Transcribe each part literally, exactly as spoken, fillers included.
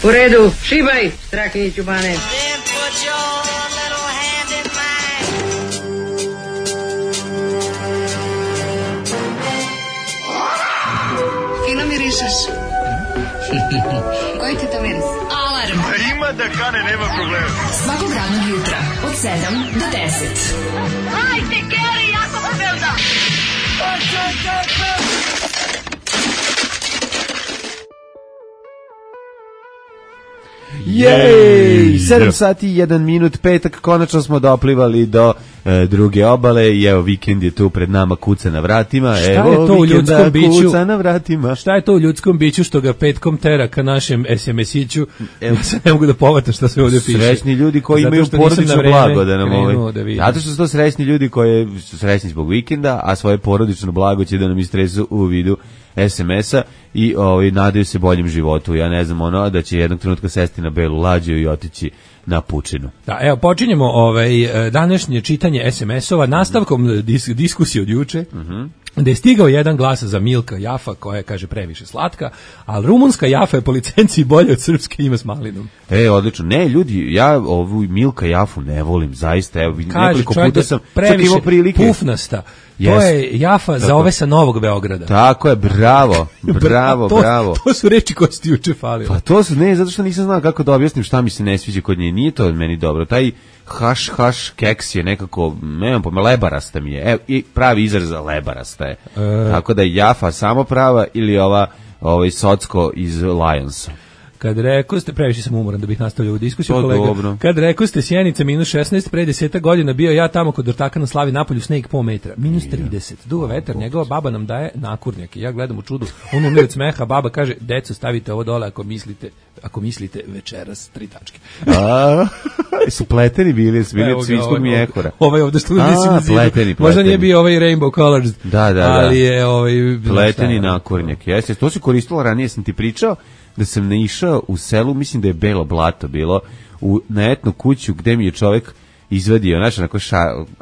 U redu, šibaj, Strahinji Ćubane. Fino mirišeš. Koji ti to miris? Alarm. A ima da kane, nema problema. Svakog radnog jutra, od sedam do deset. Hajde, Geri, jako se velda. Jej! sedam sati i jedan minut, petak, konačno smo doplivali do e, druge obale i evo, vikend je tu pred nama, kuca na vratima. Šta evo, je to u ljudskom biću? Kuca na vratima. Šta je to u ljudskom biću što ga petkom tera ka našem es em es-iću? Evo, se ne mogu da povata šta se ovdje piše. Srećni ljudi koji Zato imaju porodično blago da nam ovaj. Da Zato što su to srećni ljudi koji su srećni zbog vikenda, a svoje porodično blago će da nam istresu u vidu es em es-a i ovaj, nadaju se boljem životu. Ja ne znam, ono, da će jednog trenutka sesti na belu lađu i otići na pučinu. Da, evo, počinjemo ovaj, današnje čitanje es em es-ova nastavkom dis, diskusije od juče, mm-hmm. da je stigao jedan glas za Milka Jafa, koja je, kaže, previše slatka, ali rumunska Jafa je po licenciji bolje od srpske, ima s malinom. E, odlično. Ne, ljudi, ja ovu Milka Jafu ne volim, zaista. Evo, kaže, nekoliko puta sam previše imao prilike. Pufnasta. Yes. To je Jafa Tako. za ove sa Novog Beograda. Tako je, bravo, bravo, to, bravo. To su reči koje su ti juče falile. Pa to su, ne, zato što nisam znao kako da objasnim šta mi se ne sviđa kod nje. Nije to meni dobro. Taj haš, haš keks je nekako, nemam pojma, lebarasta mi je. Evo, i pravi izraz za lebarasta je. E... Tako da je Jafa samo prava ili ova ovaj Socko iz Lionsa. Kad rekao ste, previše sam umoran da bih nastavljao ovu diskusiju, to kolega. Dobro. Kad rekao ste Sjenica minus šesnaest, pre deseta godina bio ja tamo kod Ortaka na Slavi napolju, sneg po metra. Minus trideset. Duva vetar, njegova baba nam daje nakurnjake. Ja gledam u čudu, on umire od smeha, baba kaže, deco, stavite ovo dole ako mislite, ako mislite večeras, tri tačke. A, su pleteni bili, su bili od svinjskog mjehura. Ovaj ovde što mislim na zidu. Pleteni, možda pleteni. nije bio ovaj Rainbow Colors. Da, da, da. Ali je ovaj... Pleteni nakurnjak. Jeste, to se koristilo ranije, sam ti pričao, da sam naišao u selu, mislim da je Belo Blato bilo, u, na etnu kuću gde mi je čovjek izvadio, znaš, onako ša,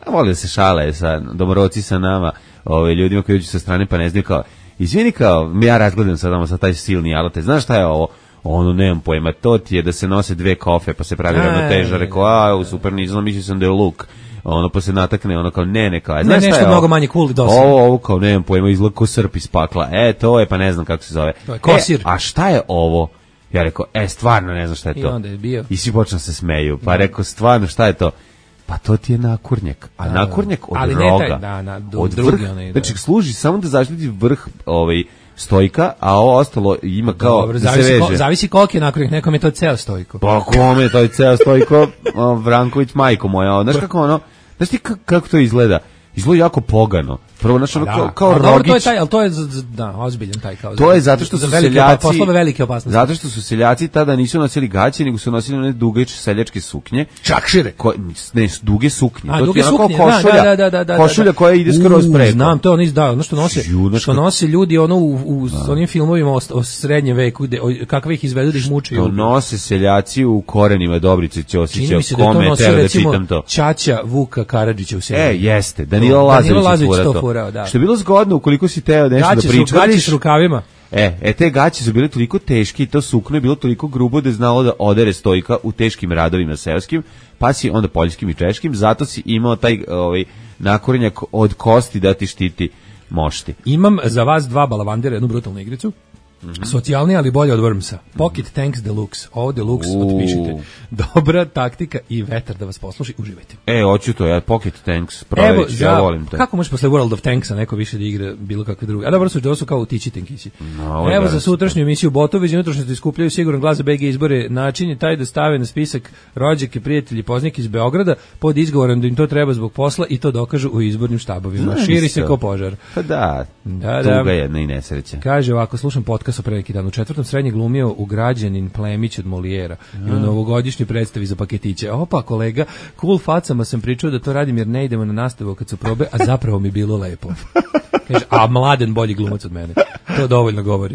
voli da se šale sa domoroci sa nama, ove, ljudima koji uđu sa strane, pa ne znaju kao, izvini kao, ja razgledam sad ono sa taj silni alate, znaš šta je ovo? Ono, nemam pojma, to ti je da se nose dve kofe, pa se pravi ravnoteža, rekao, a, super, nisam, mislio sam da je luk. Ono pa se natakne, ono kao ne, ne, kao, znaš ne, nešto mnogo manje cool dosadno. Ovo, ovo kao, nemam pojma, izgleda ko srp iz pakla. E, to je, pa ne znam kako se zove. To je kosir. E, a šta je ovo? Ja rekao, e, stvarno ne znam šta je to. I onda je bio. I svi počnu se smeju. Pa rekao, stvarno, šta je to? Pa to ti je nakurnjak. A da, nakurnjak od ali roga. Ne taj, da, na, do, od drugi vrh, onaj, da. Znači, služi samo da zaštiti vrh ovaj, stojka, a ovo ostalo ima kao dobro, da zavisi se veže. Ko, zavisi koliko je nakurnjak, nekom je to ceo stojko. Pa kome, to je ceo stojko, o, Vranković, majko moja. Znaš kako ono, znaš ti kako to izgleda? Izgleda jako pogano. Prvo, znači, ono, da. kao, kao a, rogić. Dobro, to je taj, ali to je, da, ozbiljan taj kao. To je zato što su seljaci, poslove velike opasnosti. Zato što su seljaci tada nisu nosili gaće, nego su nosili one duge seljačke suknje. Čakšire. Ko, ne, duge suknje. A, to duge ti je suknje, košulja, da, da, da, da, košulja da. koja ide skroz preko. Znam, to je ono izdao, ono što nose, Junačka. što nose ljudi ono u, u onim filmovima o, o srednjem veku, gde, o, kakve ih izvedu da ih muče. To nose seljaci u korenima Dobrice Ćosića, kome treba da čitam to. Ćaća Vuka Karadžića u seriji. E, jeste, Danilo Lazović to furao, da. Što je bilo zgodno ukoliko si teo nešto gaće da pričariš. Gaće s rukavima. E, e, te gaće su bile toliko teške i to sukno je bilo toliko grubo da je znalo da odere stojka u teškim radovima seoskim, pa si onda poljskim i češkim, zato si imao taj ovaj, nakorenjak od kosti da ti štiti mošti. Imam za vas dva balavandera, jednu brutalnu igricu. Mm-hmm. Socijalni, ali bolje od Wormsa. Pocket Tanks Deluxe. Ovo Deluxe, Uuu. otpišite. Dobra taktika i vetar da vas posluši. Uživajte. E, hoću to, ja Pocket Tanks proveć, ja volim to. Kako možeš posle World of Tanksa neko više da igra bilo kakve druge? A dobro su, to su kao tići tenkisi. No, Evo za sutrašnju emisiju Botovi, iz unutrašnjosti iskupljaju siguran glas za B G izbore. Način je taj da stave na spisak rođake, prijatelji, poznike iz Beograda pod izgovorom da im to treba zbog posla i to dokažu u izbornim štabovima. Znaš Širi isto. se ko požar. Pa da, da, da. tuga jedna i nesreća. Kaže ovako, slušam podcast o pre neki dan. U četvrtom srednje glumio ugrađenin Plemić od Molijera i u novogodišnjoj predstavi za paketiće. Opa, kolega, cool facama sam pričao da to radim jer ne idemo na nastavu kad su probe, a zapravo mi bilo lepo. Kaže, a Mladen bolji glumac od mene. To dovoljno govori.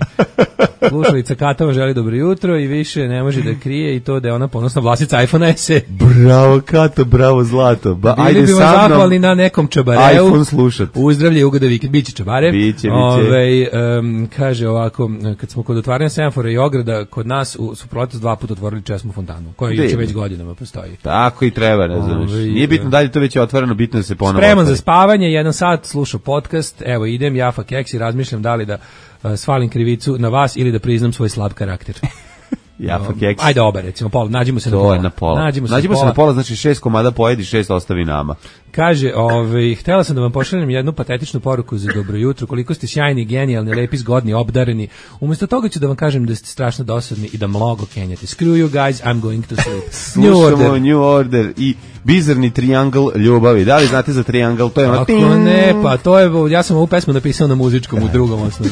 Slušalica Katova želi dobro jutro i više ne može da krije i to da je ona ponosna vlasnica iPhone S E. Bravo Kato, bravo Zlato. Ba, Bili ajde bi vam sa mnom zahvalni na nekom čabareu. iPhone slušat. Uzdravlje, ugoda vikend. Biće čabare. Biće, biće. Ove, um, kaže ovako, kad smo kod otvaranja semafora i ograda, kod nas u, su proletos dva puta otvorili česmu fontanu, koja juče već godinama postoji. Tako i treba, ne znaš. Nije bitno da li to već je otvoreno, bitno da se ponovo Spreman otvori. za spavanje, jedan sat slušao podcast, evo idem, Jafa Keks i razmišljam da li da uh, svalim krivicu na vas ili da priznam svoj slab karakter. Jafa Keks. Ajde oba, recimo, pola, nađimo se To na pola. je na pola. Nađimo se, nađimo na, se pola. na pola, znači šest komada pojedi, šest ostavi nama. Kaže, ovaj, htjela sam da vam pošaljem jednu patetičnu poruku za dobro jutro, koliko ste sjajni, genijalni, lepi, zgodni, obdareni. Umjesto toga ću da vam kažem da ste strašno dosadni i da mnogo kenjate. Screw you guys, I'm going to sleep. New Slušamo Order. New Order i bizarni triangl ljubavi. Da li znate za triangl? To je ono... Ako ne, pa to je, ja sam ovu pesmu napisao na muzičkom u drugom osnovu.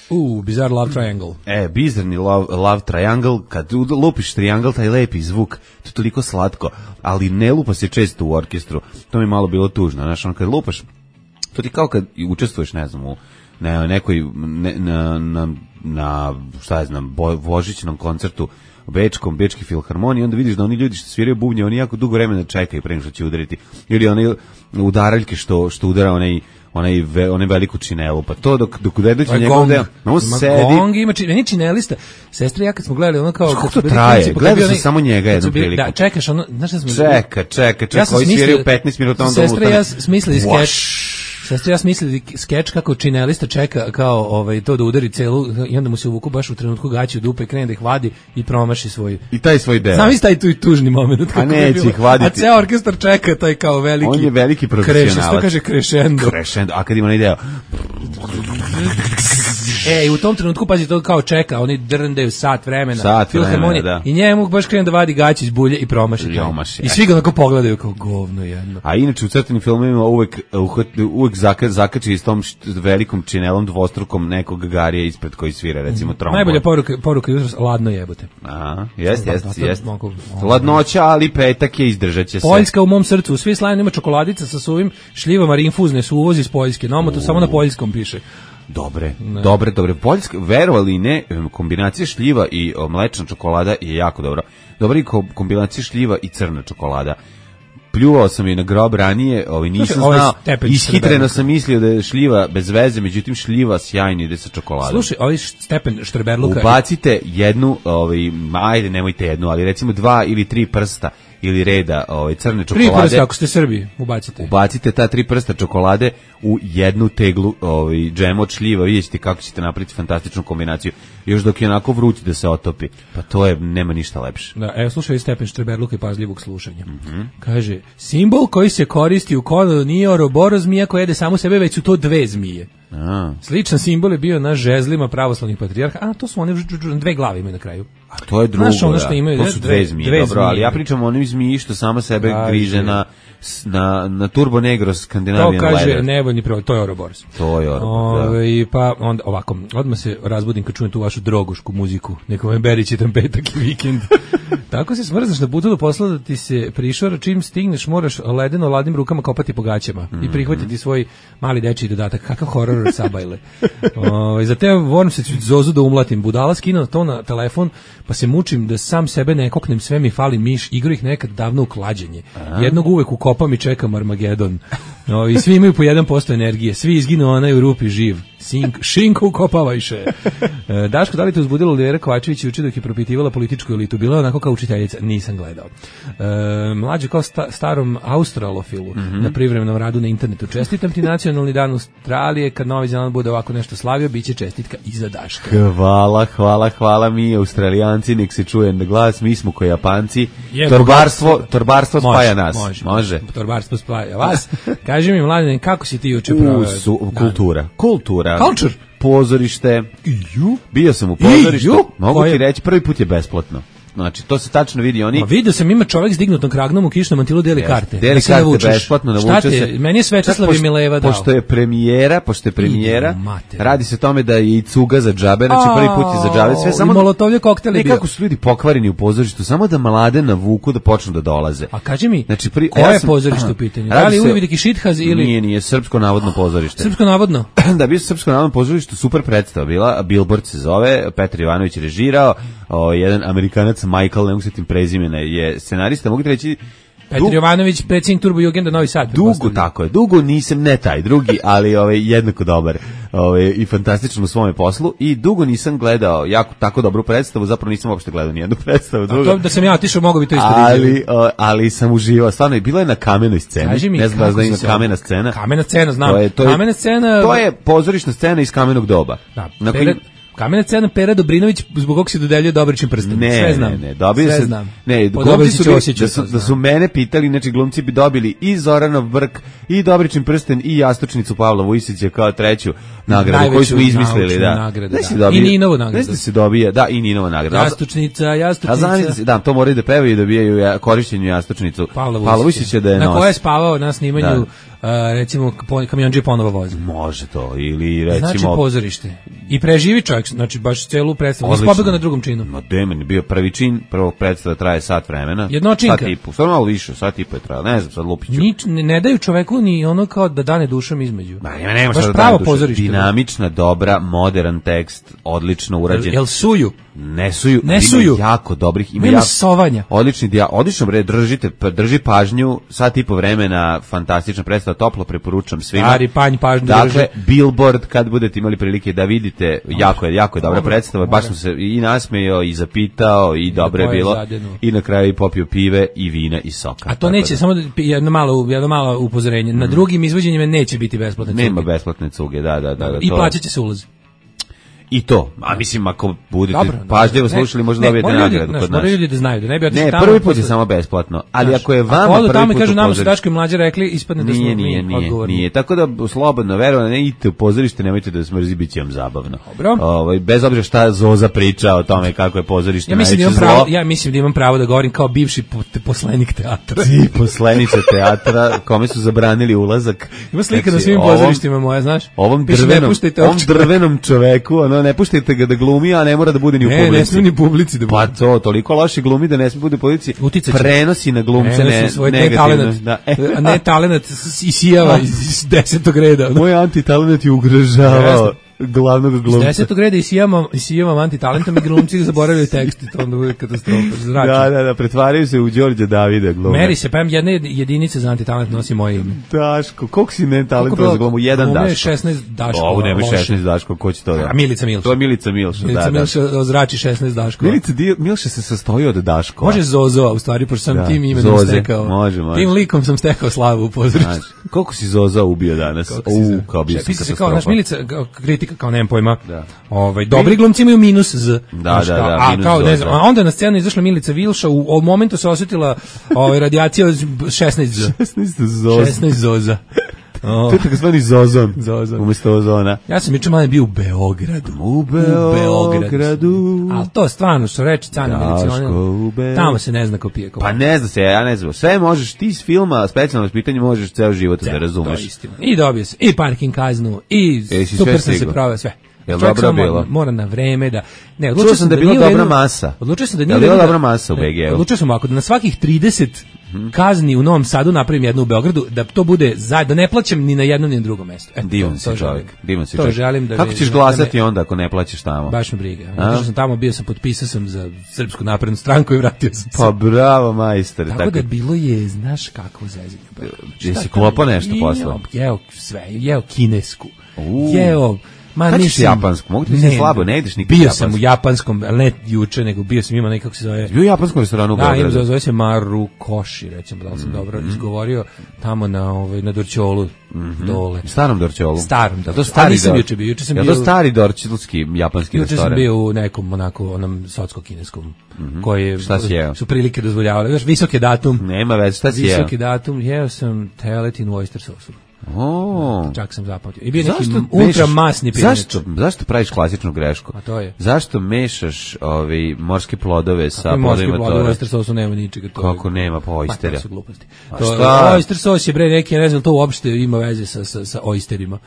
U, Bizarre Love Triangle. E, bizarni love, love triangle, kad lupiš triangle, taj lepi zvuk, to je toliko slatko, ali ne lupa se često u orkestru, to mi je malo bilo tužno, znaš, ono kad lupaš, to ti kao kad učestvuješ, ne znam, u ne, nekoj, ne, na, na, na, šta je znam, bo, božićnom koncertu, u Bečkom, Bečki filharmoniji, onda vidiš da oni ljudi što sviraju bubnje, oni jako dugo vremena čekaju pre nego što će udariti, ili oni udaraljke što, što udara onaj onaj ve, onaj veliku činelu, pa to dok dok ne dođe njegov deo, on sedi. Gong ima či, meni činelista. Sestra ja kad smo gledali ono kao kako to traje, gledao sam samo njega jednu priliku. Da, čekaš ono, znaš šta smo čeka, čeka, čeka, koji sviraju petnaest minuta onda sestra ja smislili skeč. Sestra ja smislili skeč kako činelista čeka kao ovaj to da udari celu i onda mu se uvuku baš u trenutku gaći u dupe i krene da ih vadi i promaši svoj i taj svoj deo. Znam isti taj tu i tužni momenat kako neće ih vaditi. A ceo orkestar čeka taj kao veliki. On je veliki profesionalac. Što kaže crescendo. Crescendo, a kad ima onaj deo. E, i u tom trenutku, pazi, to kao čeka, oni drndaju sat vremena, sat vremena, da. I njemu baš krene da vadi gaći iz bulje i promaši. I svi ga onako pogledaju kao govno jedno. A inače u crtanim filmovima uvek, uvek zaka, zakači s tom velikom činelom dvostrukom nekog garija ispred koji svira, recimo trombon. Najbolja poruka, poruka jutros, ladno jebote. A, jest, jest, jest. Ladnoća, ali petak je, izdržat će se. Poljska u mom srcu, u svi slajima ima čokoladica sa suvim šljivama rinfuzne su uvozi iz Poljske, no to samo na poljskom piše. Dobre, ne. dobre, dobre. Poljska, verovali ne, kombinacija šljiva i o, mlečna čokolada je jako dobra. Dobra i kombinacija šljiva i crna čokolada. Pljuvao sam je na grob ranije, ovaj nisam Slušaj, znao, ishitreno sam mislio da je šljiva bez veze, međutim šljiva sjajni ide sa čokoladom. Slušaj, ovaj stepen štrberluka... Ubacite jednu, ovaj, ajde nemojte jednu, ali recimo dva ili tri prsta ili reda ovaj, crne čokolade. Tri prsta, ako ste Srbi, ubacite. Ubacite ta tri prsta čokolade u jednu teglu ovaj, džema od šljiva, vidjet ćete kako ćete napraviti fantastičnu kombinaciju. Još dok je onako vruć da se otopi. Pa to je, nema ništa lepše. Da, evo slušaj stepen štreberluka i pažljivog slušanja. Mm-hmm. Kaže, simbol koji se koristi u kolonu nije oroboro zmija koja jede samo sebe, već su to dve zmije. A. Sličan simbol je bio na žezlima pravoslavnih patrijarha, a to su one dve glave imaju na kraju. A to je drugo, znaš, ono što imaju, to su dve, dve zmije, dve dobro, zmije. Ali ja pričam o onim zmiji što sama sebe da, griže na, na, na Turbo Negro Scandinavian Leather. To kaže leather. nevoljni prevod, to je Ouroboros. To je Ouroboros, da. I pa onda ovako, odmah se razbudim kad čujem tu vašu drogušku muziku, neko me beri čitam petak i vikend. Tako se smrzaš na putu do posla da ti se prišora, čim stigneš moraš ledeno ladnim rukama kopati po gaćama mm-hmm. i prihvatiti svoj mali dečiji dodatak. Kakav horor sabajle. O, za te volim se Zozu da umlatim. Budala skinuo to na telefon, pa se mučim da sam sebe ne koknem, sve mi fali miš, igru ih nekad davno u klađenje. Jednog uvek ukopam i čekam Armagedon. O, i svi imaju po jedan posto energije, svi izginu, onaj u rupi živ. Sink, šinku ukopavajše. E, Daško, da li te uzbudilo Olivera Kovačević juče dok je propitivala političku elitu? Bila je onako kao učiteljica, nisam gledao. E, mlađe kao sta, starom australofilu mm-hmm. na privremenom radu na internetu. Čestitam ti nacionalni dan Australije, kad Novi Zeland bude ovako nešto slavio, bit će čestitka i za Daška. Hvala, hvala, hvala mi, Australijanci, nek se čuje na glas, mi smo ko Japanci. Je, torbarstvo, torbarstvo može, spaja nas. Može, može. Torbarstvo spaja vas. Kaži mi, mladen, kako si ti juče proveo? Su, kultura. Kultura. Culture. Pozorište. Iju. Bio sam u pozorištu. Mogu ti reći, prvi put je besplatno. znači to se tačno vidi oni. Ma vidio sam ima čovjek s dignutom kragnom u kišnom mantilu deli Yes, karte. deli da se karte navučeš. besplatno, Šta navuče ti je? se. Meni je Svetislav Pošto- i Mileva dao. Pošto je premijera, pošto je premijera, Ide u mater. radi se o tome da je i cuga za džabe, znači prvi put je za džabe, sve I samo molotovlje koktel je bio. nekako su ljudi pokvareni u pozorištu, samo da mlade navuku da počnu da dolaze. A kaži mi, Znači, pri- koje ja je sam- pozorište u pitanju? Radi Da li je se- Uvidiki Šithaz ili... Nije, nije, srpsko navodno pozorište. Srpsko navodno? Da, bio srpsko navodno pozorište, super predstava bila, Billboard se zove, Petar Ivanović je režirao, o, jedan Amerikanac, Michael, ne mogu se tim prezimena, je scenarista, mogu ti reći, Petar du- Jovanović, predsjednik Turbo Jugenda Novi Sad. dugo, pretpostavljam. tako je, dugo nisam, ne taj drugi, ali ovaj, jednako dobar ovaj, i fantastičan u svome poslu i dugo nisam gledao jako tako dobru predstavu, zapravo nisam uopšte gledao nijednu predstavu. A Drugo. to da sam ja otišao, mogu bi to isto da Ali, izjavim. o, ali sam uživao, stvarno, i bilo je na kamenoj sceni, Kaži mi, ne znam da li kako da si ima se- kamena scena. Kamena scena, znam. To je, to je, Kamena scena... To je pozorišna scena iz kamenog doba. Da, Na Pera, koji- Kamena scena Pera Dobrinović, zbog kog se dodeljuje Dobrićin prsten. Ne, Sve znam. ne, ne, dobio Sve se, znam. ne, Po glumci Dobriću su, bili- Ćosiću da su, to da su znam. mene pitali, znači glumci bi dobili i Zoranov brk, i Dobrićin prsten, i jastučnicu Pavla Vujsića kao treću nagradu koju Najveću smo izmislili, naučnu da. nagradu, Znaš da. si dobije- I Ninovu nagradu. Znaš da se dobija, da, i Ninova nagrada. Jastučnica, A jastučnica. znaš da se, da, to moraju da pevaju i dobijaju ja, korišćenju jastučnicu Pavla Pavla Vujsića. Vujsića da je Na nosi. koje je spavao na snimanju, Da. a, recimo, po- kamionđe ponovo vozi. Može to, ili recimo... Znači pozorište. I preživi čovjek, znači baš celu predstavu. Nisi Odlično. pobegao na drugom činu. Ma demen je bio prvi čin, prvog predstava traje sat vremena. Jednočinka. Sat i po, stvarno malo više, sat i po je trajalo, ne znam, sad lupiću. Nič, ne, ne daju čoveku ni ono kao da dane dušom između. Ma nema, nema Baš šta da pravo dajem duše. pozorište. Dinamična, dobra, modern tekst, odlično urađen. Jel suju? Ne suju, Ne ima suju. jako dobrih, ima Nema jako, sovanja. odlični dija, odlično bre, držite, pa drži pažnju, sat i po vremena, fantastična predstava, toplo preporučam svima. Stari panj pažnju Dakle, drži. Billboard, kad budete imali prilike da vidite, jako je, jako je dobra Dobro, predstava, baš dobro. sam se i nasmejao, i zapitao, i dobro je pojeo bilo, zadenu. i na kraju i popio pive, i vina, i soka. A to Tako neće, da, samo da- jedno malo, jedno malo upozorenje. Na drugim izvođenjima neće biti besplatne nema cuge. besplatne cuge, da, da, da. da I to- plaćat će se ulaz. I to, a mislim ako budete Dobro, pažljivo ne, slušali možda ne, dobijete moraju ljudi, nagradu znaš, kod nas. moraju ljudi da znaju da ne bi otišli Ne, tamo prvi put je posle- samo besplatno, ali Znaš, ako je vama odu prvi tamo i put kažu u nama su pozorištu- Daško i mlađe rekli, ispadne da smo Nije, mi nije, nije, odgovorni. nije. Tako da slobodno verovano, ne idite u pozorište, nemojte da smrzi, bit će vam zabavno. Dobro. Ovaj, bez obzira šta Zoza priča o tome kako je pozorište Ja mislim da najveće imam pravo, zlo. ja mislim da imam pravo da govorim kao bivši po- poslenik teatra. Ti poslanice teatra, kome su zabranili ulazak. Ima slika na Znači, svim ovom- pozorištima moja, znaš? Ovom Piše, ne drvenom, puštajte ovom ovog čoveka. drvenom čoveku, ono, ne puštajte ga da glumi, a ne mora da bude ni u Ne, publici. ne smije ni publici da Pa bude. to, toliko loše glumi da ne smije bude u policiji. Uticat će. Prenosi na glumce Prenosi ne, svoj negativno. netalenat. Da. E, A ne talenat s- isijava iz, iz desetog reda. ono. Moj antitalenat je ugrožavao Jeste. glavnog Iz glumca. desetog reda isijavam, isijavam antitalentom i glumci zaboravljaju tekst i to onda bude katastrofa. Zrači. Da, da, da, pretvaraju se u Đorđa Davida glume. Meri se, pa imam jedne jedinica za antitalent nosi moje ime. Daško, koliko si ne Koliko talentovan za bilo? glumu? Jedan Glume je Daško. šesnaest Daškova, Ovo nema loše. šesnaest Daško, ko će to da? A Milica Milša. To je Milica Milša, Milica da, da. Milša ozrači šesnaest Daškova. Milica Di- Milša se sastoji od Daškova. Može Zozo, u stvari, pošto sam Da, tim imenom Zoze, stekao. može, može. Tim likom sam stekao slavu u pozorištu. Znači, koliko si Zoza ubio danas? Kako si za- U, kao bio sam Pisa se kao, katastrofa. naš Milica, kao kritika, kao nemam pojma. Da. Ovaj, dobri glumci imaju minus Z. Da, Znaš, da, kao, da, a, minus kao, ne Zoza. znam, a onda je na scenu izašla Milica Vilša, u, u momentu se osjetila ovaj, radijacija od šesnaest Z. šesnaest Zoza. šesnaest Zoza. O, To je takozvani Zozon. Zozon. Umesto ozona. ja sam juče malo bio u Beogradu. U Beogradu. Ali to stvarno što reče Cana Daško Milicija, u Beogradu. tamo se ne zna ko pije. Ko Pa ne zna se, ja ne znam. Sve možeš, ti iz filma, specijalno pitanje možeš ceo život da To je razumeš. istina. I dobio se i parking kaznu i Jesi super sve sam se stigao? proveo sve. Jel Čovjek dobro samo bilo? Mora, mora na vreme da ne, Čuo odlučio sam da je bila nije u dobra redu- masa. Odlučio sam da Jel nije u bila redu da- dobra masa u ne, B G-u? Odlučio sam ako da na svakih trideset kazni u Novom Sadu napravim jednu u Beogradu, da to bude zajedno, da ne plaćam ni na jednom ni na drugom mestu. Eto, Divan to- si to čovjek. želim. Divan si To čovjek. želim da Kako vi- ćeš da glasati me- onda ako ne plaćaš tamo? Baš me briga. Otišao sam tamo, bio sam, potpisao sam za Srpsku naprednu stranku i vratio sam se. Pa bravo, majster. Tako da bilo je, znaš kako zezanje. Jesi klopao nešto posle? Jeo sve, jeo kinesku. U. Jeo, ma Kad ćeš mislim- japansku? Mogu ti reći slabo, ne ideš nikad Bio japansku. sam u japanskom, ali ne juče, nego bio sam ima nekako se zove. Bio u japanskom restoranu u Da, ima, Beogradu. zove se Maru Koši, recimo, da li sam dobro izgovorio, tamo na, ovaj, na Dorćolu, dole. Starom Dorćolu. Starom, da. Je to A stari nisam Dor- juče bio, juče sam je bio- to stari dorčilski japanski Juče sam restoran? bio u nekom onako onom socko-kineskom, koji je, Šta si jeo? su prilike dozvoljavale. Još visok je datum. Nema veze, šta si jeo? Visoki datum, jeo sam teletinu u oyster sosu. O. Čak sam zapamtio. I bio neki ultra masni pirinač. Zašto, zašto praviš klasičnu grešku? A to je. Zašto mešaš ovaj morske plodove sa plodovima morske plodove? tora? U oyster sosu nema ničega. To Kako je, nema pa oystera? Pa to su gluposti. A To, šta? oyster sos je bre neki, ne znam, to uopšte ima veze sa, sa, sa oysterima.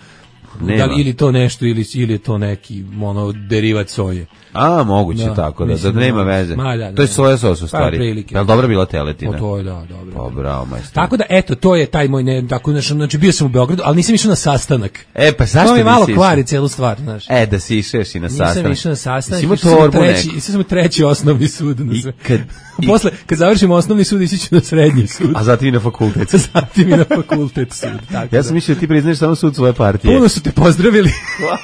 Nema. Da li, ili to nešto, ili, ili je to neki ono, derivat soje. A, moguće Da, tako, da, mislim, da nema da. veze. Ma, da, da, to je da. soja sos u stvari. Pa, prilike. Je li dobra bila teletina? O, to je, da, dobro. Pa, bravo, majstor. Tako da, eto, to je taj moj, ne, tako, znači, znači, bio sam u Beogradu, ali nisam išao na sastanak. E, pa zašto to mi nisi malo išao? kvari celu stvar, znaš. E, da si išeš i na sastanak. Nisam išao na sastanak, Jesi imao išao sam u torbu treći, neku? išao sam u treći osnovni sud. Na I sve. kad- i- Posle, kad završimo osnovni sud, ići ću na srednji sud. A zatim i na fakultet. Zatim i na fakultet sud. Tako Ja sam da. mislio da ti priznaš samo sud svoje partije. Puno su te pozdravili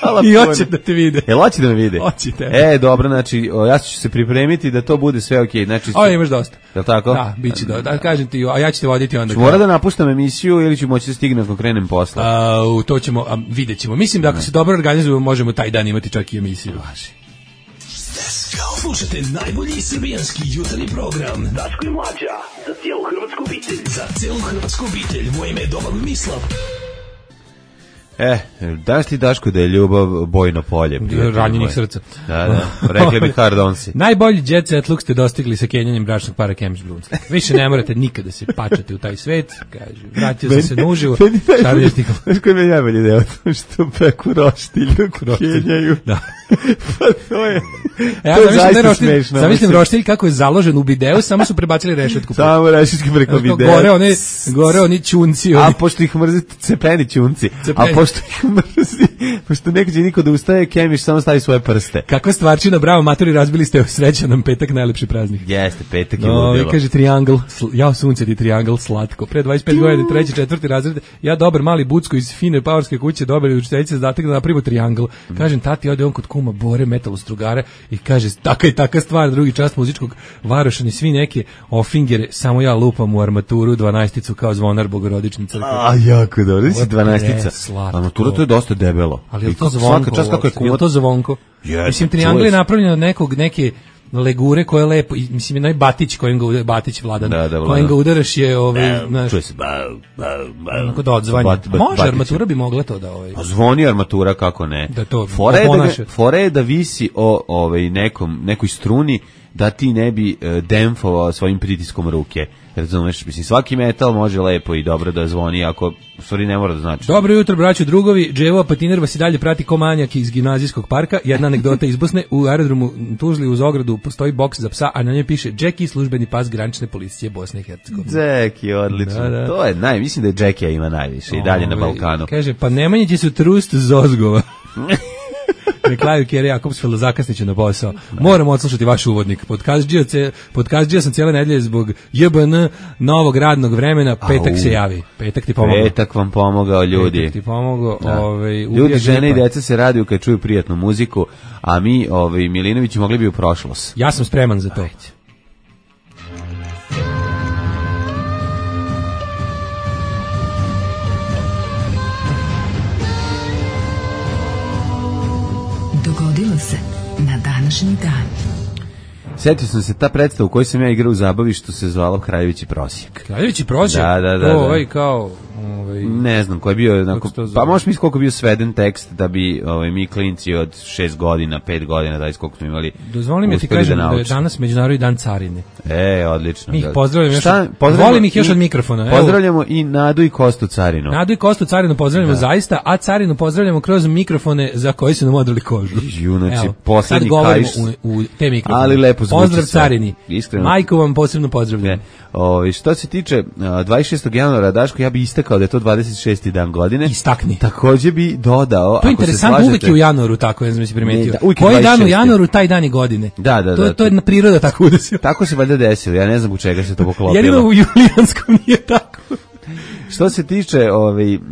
Hvala i puno. hoće da te vide. Jel hoće da me vide? Hoćete. E, dobro, znači, o, ja ću se pripremiti da to bude sve okej. Znači, O, imaš dosta. jel tako? Da, bit će do, da, kažem ti, a ja ću te voditi onda. Ću mora da napuštam emisiju ili ću moći da stignem ako krenem posla? A, u to ćemo, a, vidjet ćemo. Mislim da ako se dobro organizujemo, možemo taj dan imati čak i emisiju. Slušajte najbolji srbijanski jutarnji program Daško i Mlađa, za cijelu hrvatsku obitelj. Za cijelu hrvatsku obitelj, moje ime je Domagoj Mislav. E, daš ti Daško da je ljubav bojno polje. prijatelj Ranjenih moj. srca. Da, da, rekli bi hard onsi. Najbolji jet set look ste dostigli sa kenjanjem bračnog para Kems Brunslik. Više ne morate nikada se pačati u taj svet. Kaže, vratio sam se nuživo. Šarlješnik. Znaš koji mi je najbolji deo? To što peku roštilju, kenjaju. Da. Pa to je, E, ja to je zamislim, zaista da roštilj, smešno. zamislim mislim. roštilj kako je založen u bideu, samo su prebacili rešetku. Samo rešitke preko Znaš, kao videa. Gore oni, gore oni čunci. A Oni. pošto ih mrzi cepeni ćunci, Cepeni. a pošto ih mrzi, pošto neće niko da ustaje, Kemiš samo stavi svoje prste. Kakva stvarčina, bravo, matori, razbili ste, srećan nam petak, najlepši praznik. Jeste, petak je No, ludilo. kaže triangl, sl- ja sunce ti triangl slatko. Pre dvadeset pet godina, treći, četvrti razred, ja dobar mali bucko iz fine pavorske kuće, dobar učiteljice zadatak da napravimo triangl. Kažem, tati, ode on kod kuma Bore, metalostrugare i kaže, taka i taka stvar, drugi čast muzičkog Varošani, svi neke ofingere, samo ja lupam u armaturu dvanaesticu kao zvonar Bogorodične crkve. A, jako dobro, nisi Ovo je dvanaestica. preslatko. Armatura to je dosta debelo. Ali je li I to kako zvonko? Svaka čast kako je uopšte? Je li kumat. to zvonko? Jeste, Mislim, čuje triangl je se. napravljen od nekog, neke legure koje je lepo, i, mislim, onaj Batić kojim ga udaraš, Batić Vladan, Da, da, Vladan. kojim ga udaraš je, ovaj, znaš, Čuje se. Ba, ba, ba. onako da odzvanja. Bat- bat- Može, batić. armatura bi mogla to da, ovaj, Pa zvoni armatura, kako ne. Da to Fora je da, oponaša. ga- fora je da visi o ovaj, nekom, nekoj struni da ti ne bi e, demfovao svojim pritiskom ruke. Razumeš, mislim, svaki metal može lepo i dobro da zvoni, ako u stvari ne mora da znači. Dobro jutro, braćo, drugovi. Dževo Patiner vas i dalje prati ko manjak iz gimnazijskog parka. Jedna anegdota iz Bosne. U aerodromu Tuzli uz ogradu postoji boks za psa, a na njoj piše Jackie, službeni pas granične policije Bosne i Hercegovine. Jackie, odlično. Da, da. To je naj, mislim da je Jackie ima najviše i dalje na Ovaj, Balkanu. Kaže, pa Nemanja će su trust zozgova. Na kraju Kjere Jakobsfeld zakasniće na posao. Moram odslušati vaš uvodnik. Podkazđio, ce, podkazđio sam cijele nedelje zbog J B N novog radnog vremena. Petak Au. se javi. Petak ti pomogao. Petak vam pomogao, ljudi. Petak ti pomogao. Da. Ovaj, Ljudi, ubija žene i gripa. deca se raduju kad čuju prijatnu muziku, a mi, ovaj, Milinović, mogli bi u prošlost. Ja sam spreman za to. Dogodilo se na današnji dan. Setio sam se ta predstava u kojoj sam ja igrao u zabavi što se zvala Kraljević i prosjek. Kraljević i prosjek. Da, da, da, To da. ovaj kao... Ovaj, Ne znam, koji je bio, onako, se to zove? pa možeš misliti koliko je bio sveden tekst da bi ovaj, mi klinci od šest godina, pet godina, da koliko smo imali, dozvoli mi ti uspeli kažem da, je naučimo. danas Međunarodni dan carine. E, odlično. Mi ih da. pozdravljamo još Šta? od- Pozdravljamo volim ih još i- od mikrofona, evo. Pozdravljamo i Nadu i Kostu Carinu. Nadu i Kostu carinu pozdravljamo zaista, a carinu pozdravljamo kroz mikrofone za koji su nam odrali kožu. Ju, znači, Evo, poslednji sad govorimo kaiš- u, u te mikrofone. Ali lepo zvuči Pozdrav sve. carini. Iskreno. Majku vam posebno pozdravljam. Ne. Ovi, što se tiče a, dvadeset šestog januara, Daško, ja bi istakao da je to dvadeset šesti dan godine. Istakni. Takođe bi dodao, To je ako se interesantno, slažete, uvek je u januaru tako, ne znam si primetio. Ne, da, uvijek je Koji dan u dvadeset šesti. januaru, taj dan i godine. Da, da, to, da. To je na priroda tako udesila. Tako se valjda desilo, ja ne znam u čega se to poklopilo. Jedino u julijanskom nije tako. Što se tiče ovaj, m,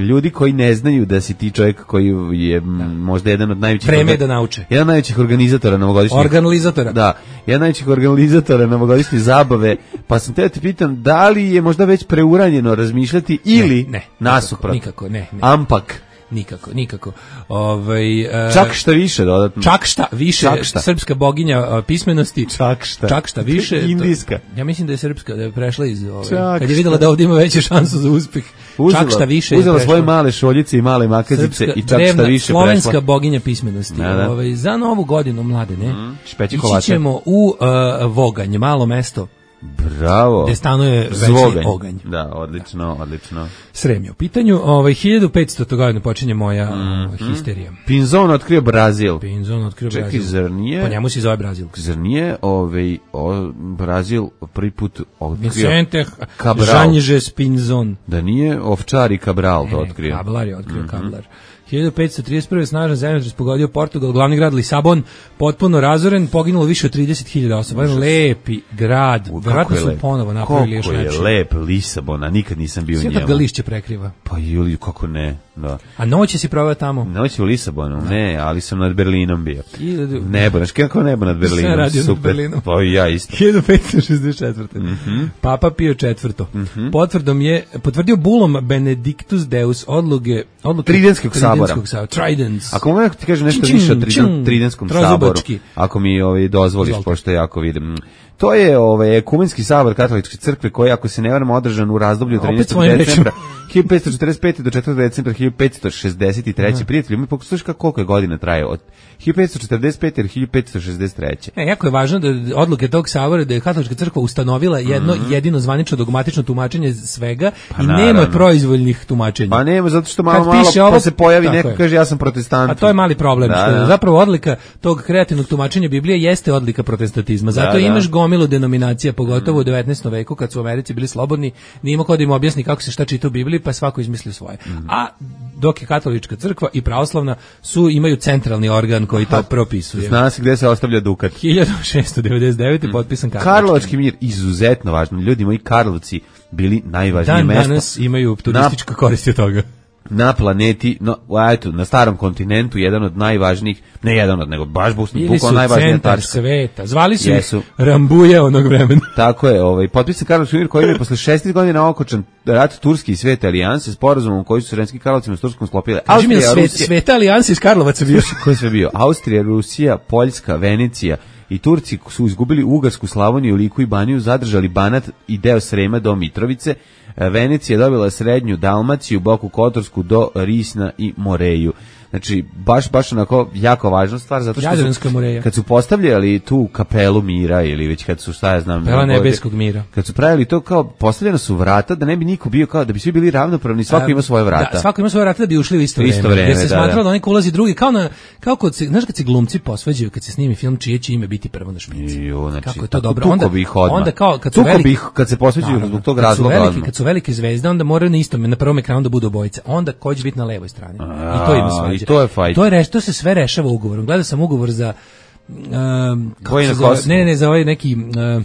ljudi koji ne znaju da si ti čovjek koji je m, možda jedan od najvećih... Vreme je orga- da nauče. Jedan od najvećih organizatora novogodišnjih... Organizatora. Da, jedan od najvećih organizatora novogodišnje zabave, pa sam te da te pitam, da li je možda već preuranjeno razmišljati ili Ne, ne, nasuprot? nikako, ne, ne. Ampak, nikako, nikako. Ovaj uh, Čak šta više dodatno. Čak šta više, Čak šta. Srpska boginja uh, pismenosti. Čak šta. Čak šta više. Indijska. To, ja mislim da je srpska, da je prešla iz ove, Čak kad je videla šta. da ovdje ima veće šansu za uspeh. Uzela, čak šta više. Uzela svoje male šoljice i male makazice Srpska, i čak drevna, šta više slovenska prešla. boginja pismenosti. Da, da. Ovaj, za novu godinu, mladene, Mm, špeći ići kolače. ćemo u uh, Voganj, malo mesto, Bravo. gde stanuje večni Zvoganj. oganj. Da, odlično, odlično. Srem je u pitanju. Ovaj, hiljadu petsto. godine počinje moja Mhm. uh, histerija. Pinzon otkrio Brazil. Pinzon otkrio Čekaj, Brazil. zar nije? Po njemu se zove Brazil. Zar nije ovaj, o, Brazil prvi put otkrio Vicente Cabral? Janjes Pinzon. Da nije Ovčar i Cabral to Ne, otkrio. Kablar je otkrio, mm-hmm. Kablar. hiljadu petsto trideset prve. snažan zemljotres pogodio Portugal, glavni grad Lisabon, potpuno razoren, poginulo više od trideset hiljada osoba. Jedan lepi grad. U, Verovatno je su lep. ponovo napravili još Kako je lepši. lep Lisabon, a nikad nisam bio u Sve njemu. kad ga lišće prekriva. Pa Juli, kako ne, da. A noć si proveo tamo? Noć u Lisabonu, ne, ali sam nad Berlinom bio. Hiljadu- Nebo, znaš kako nebo nad Berlinom? Sve radio nad Super. Berlinom. Pa i ja isto. hiljadu petsto šezdeset četvrte. Mm-hmm. Papa Pio četvrti. Mm-hmm. Potvrdom je potvrdio bulom Benedictus Deus odluke odluke Tridenskog sabora. Tridenskog sabora. Tridents. Ako mogu ti kažem nešto Čing, više o čing, triden, Tridenskom saboru, trozubački. ako mi ovaj, dozvoliš, Izvolite. pošto jako vidim. To je ovaj, ekumenski sabor katoličke crkve koji, ako se ne varam, održan u razdoblju od Opet trinaestog svojim decembra hiljadu petsto četrdeset pete do četvrtog decembra hiljadu petsto šezdeset treće. Prijatelji, mi pokušaš koliko je godina traje od hiljadu petsto četrdeset pete do hiljadu petsto šezdeset treće. E, jako je važno da odluke tog sabora da je katolička crkva ustanovila jedno Mhm. jedino zvanično dogmatično tumačenje svega Pa i naravno. nema proizvoljnih tumačenja. Pa nema, zato što malo, Kad malo piše ovo, pa se pojavi tako neko je. kaže ja sam protestant. A to je mali problem, Da, što da. zapravo odlika tog kreativnog tumačenja Biblije jeste odlika protestantizma. Zato Da, da. imaš gomilu denominacija, pogotovo u devetnaestom veku kad su u Americi bili slobodni, nije imao ko da im objasni kako se šta čita u Bibliji, pa svako izmislio svoje. Mhm. A dok je katolička crkva i pravoslavna su imaju centralni organ koji to propisuje. Zna se gde se ostavlja dukat. hiljadu šessto devedeset devete. potpisan Karlovački. Karlovački mir, izuzetno važno. Ljudi moji, Karlovci bili najvažnije Dan mesto danas imaju turistička korist od toga. na planeti, no, a eto, na starom kontinentu, jedan od najvažnijih, ne jedan od, nego baš Bili bukvalno su najvažnija centar tačka. sveta. Zvali su Jesu. ih Rambuje onog vremena. Tako je, ovaj, potpisan Karlovački mir koji je posle šesnaest godina okočan rat Turske i Svete alijanse, sporazumom koji su Sremski Karlovcima s Turskom sklopile. Kaži mi, Austrija, svet, Rusija, Sveta alijansa iz Karlovaca bio. ko je sve bio? Austrija, Rusija, Poljska, Venecija i Turci su izgubili Ugarsku, Slavoniju, Liku i Baniju, zadržali Banat i deo Srema do Mitrovice. Venecija je dobila srednju Dalmaciju, Boku Kotorsku do Risna i Moreju. Znači, baš, baš onako jako važna stvar, zato što Jadranska su, Moreja. kad su postavljali tu kapelu mira, ili već kad su, šta ja znam, Kapela ovdje, nebeskog mira. kad su pravili to kao, postavljena su vrata, da ne bi niko bio kao, da bi svi bili ravnopravni, svako A, ima svoje vrata. Da, svako ima svoje vrata da bi ušli u isto U isto vreme. vreme, Jer se da, smatralo da. da neko ulazi drugi, kao na, kao kod se, znaš kad se glumci posvađaju, kad se snimi film, čije će ime biti prvo na špici. Jo, znači, Kako je to tako dobro. tuko Onda, bi ih odmah. onda kao, kad su Tuko veliki, bi ih kad se posveđuju Naravno, zbog tog kad su razloga veliki, odmah. kad su velike zvezde, onda moraju na istom, na prvom ekranu da budu obojice. Onda ko će biti na levoj strani. I to ima A, svađa. i to je fight. To je reš, to se sve rešava ugovorom. Gledao sam ugovor za um, kako Vojna se zove? Kosovo. Ne, ne, ne, za ovaj neki um,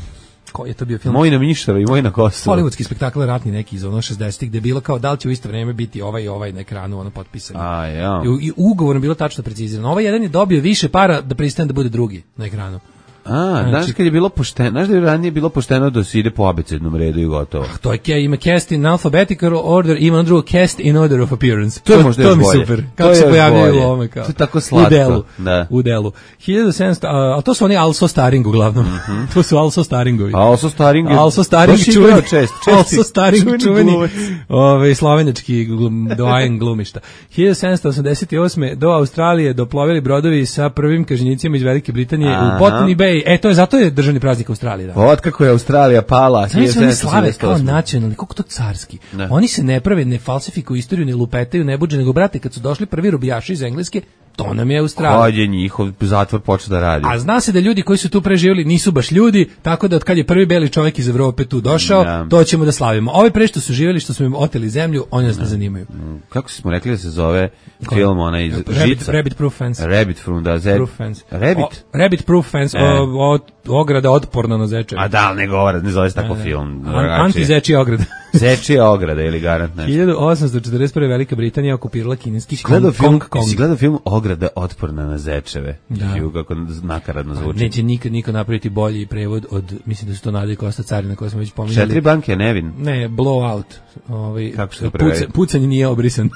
koji je to bio film? Moj na Mišara i moj na Kosovo. Hollywoodski spektakl ratni neki iz ono šezdesetih gde je bilo kao da li će u isto vreme biti ovaj i ovaj na ekranu ono potpisano. A, ja. I, u- I ugovorom bilo tačno precizirano. Ovaj jedan je dobio više para da pristane da bude drugi na ekranu. A, znaš Znači- kad je bilo pošteno, znaš da je ranije bilo pošteno da se ide po abecednom redu i gotovo. To je ke- ima cast in alphabetical order, ima ono drugo cast in order of appearance. To je možda to još mi bolje. super. To Kako je se još pojavljaju bolje. u ovome kao. To je tako slatko, U delu. da. U delu. hiljadu sedamsto, a, ali to su oni also starring uglavnom. to su also staringovi. A also Staring je... Also Staring baš čuveni, igrao čest, česti- also Staring čuveni čuveni, glumac. ovaj slovenački glum, doajen glumišta. hiljadu sedamsto osamdeset osme do Australije doplovili brodovi sa prvim kažnjicima iz Velike Britanije Aha. u Botany Bay. E, to je zato je državni praznik Australije. Da. Od kako je Australija pala Znači, oni slave hiljadu sedamsto osamdeset kao osme. nacionalni, koliko to carski. Da. Oni se ne prave, ne falsifikuju istoriju, ne lupetaju, ne buđe, nego brate, kad su došli prvi robijaši iz Engleske, to nam je Australija. Kad je njihov zatvor počeo da radi. A zna se da ljudi koji su tu preživjeli nisu baš ljudi, tako da od kad je prvi beli čovjek iz Evrope tu došao, Da. to ćemo da slavimo. Ovi pre što su živjeli, što smo im oteli zemlju, oni nas ne zanimaju. Kako smo rekli da se zove film onaj iz Rabbit, Žica? rabbit Proof Fence. Rabbit from da Zed. Proof Fence. Rabbit? O, rabbit Proof Fence, E. o, o, ograda otporna na zeče. A da, ali ne govore, ne zove se tako film. An, Anti-zečija ograda. Zečija ograda ili garant nešto. hiljadu osamsto četrdeset prve. Velika Britanija okupirala kineski Gledao Kong, film, Kong, Kong. si gledao film Ograda otporna na zečeve. Da. Ju, kako nakaradno zvuči. Neće nikad niko napraviti bolji prevod od, mislim da su to Nada i Kosta Carina koje smo već pominjali. Četiri banke, Nevin. Ne, blowout. Ovaj, Kako se to puca, prevede? pucanje nije obrisan.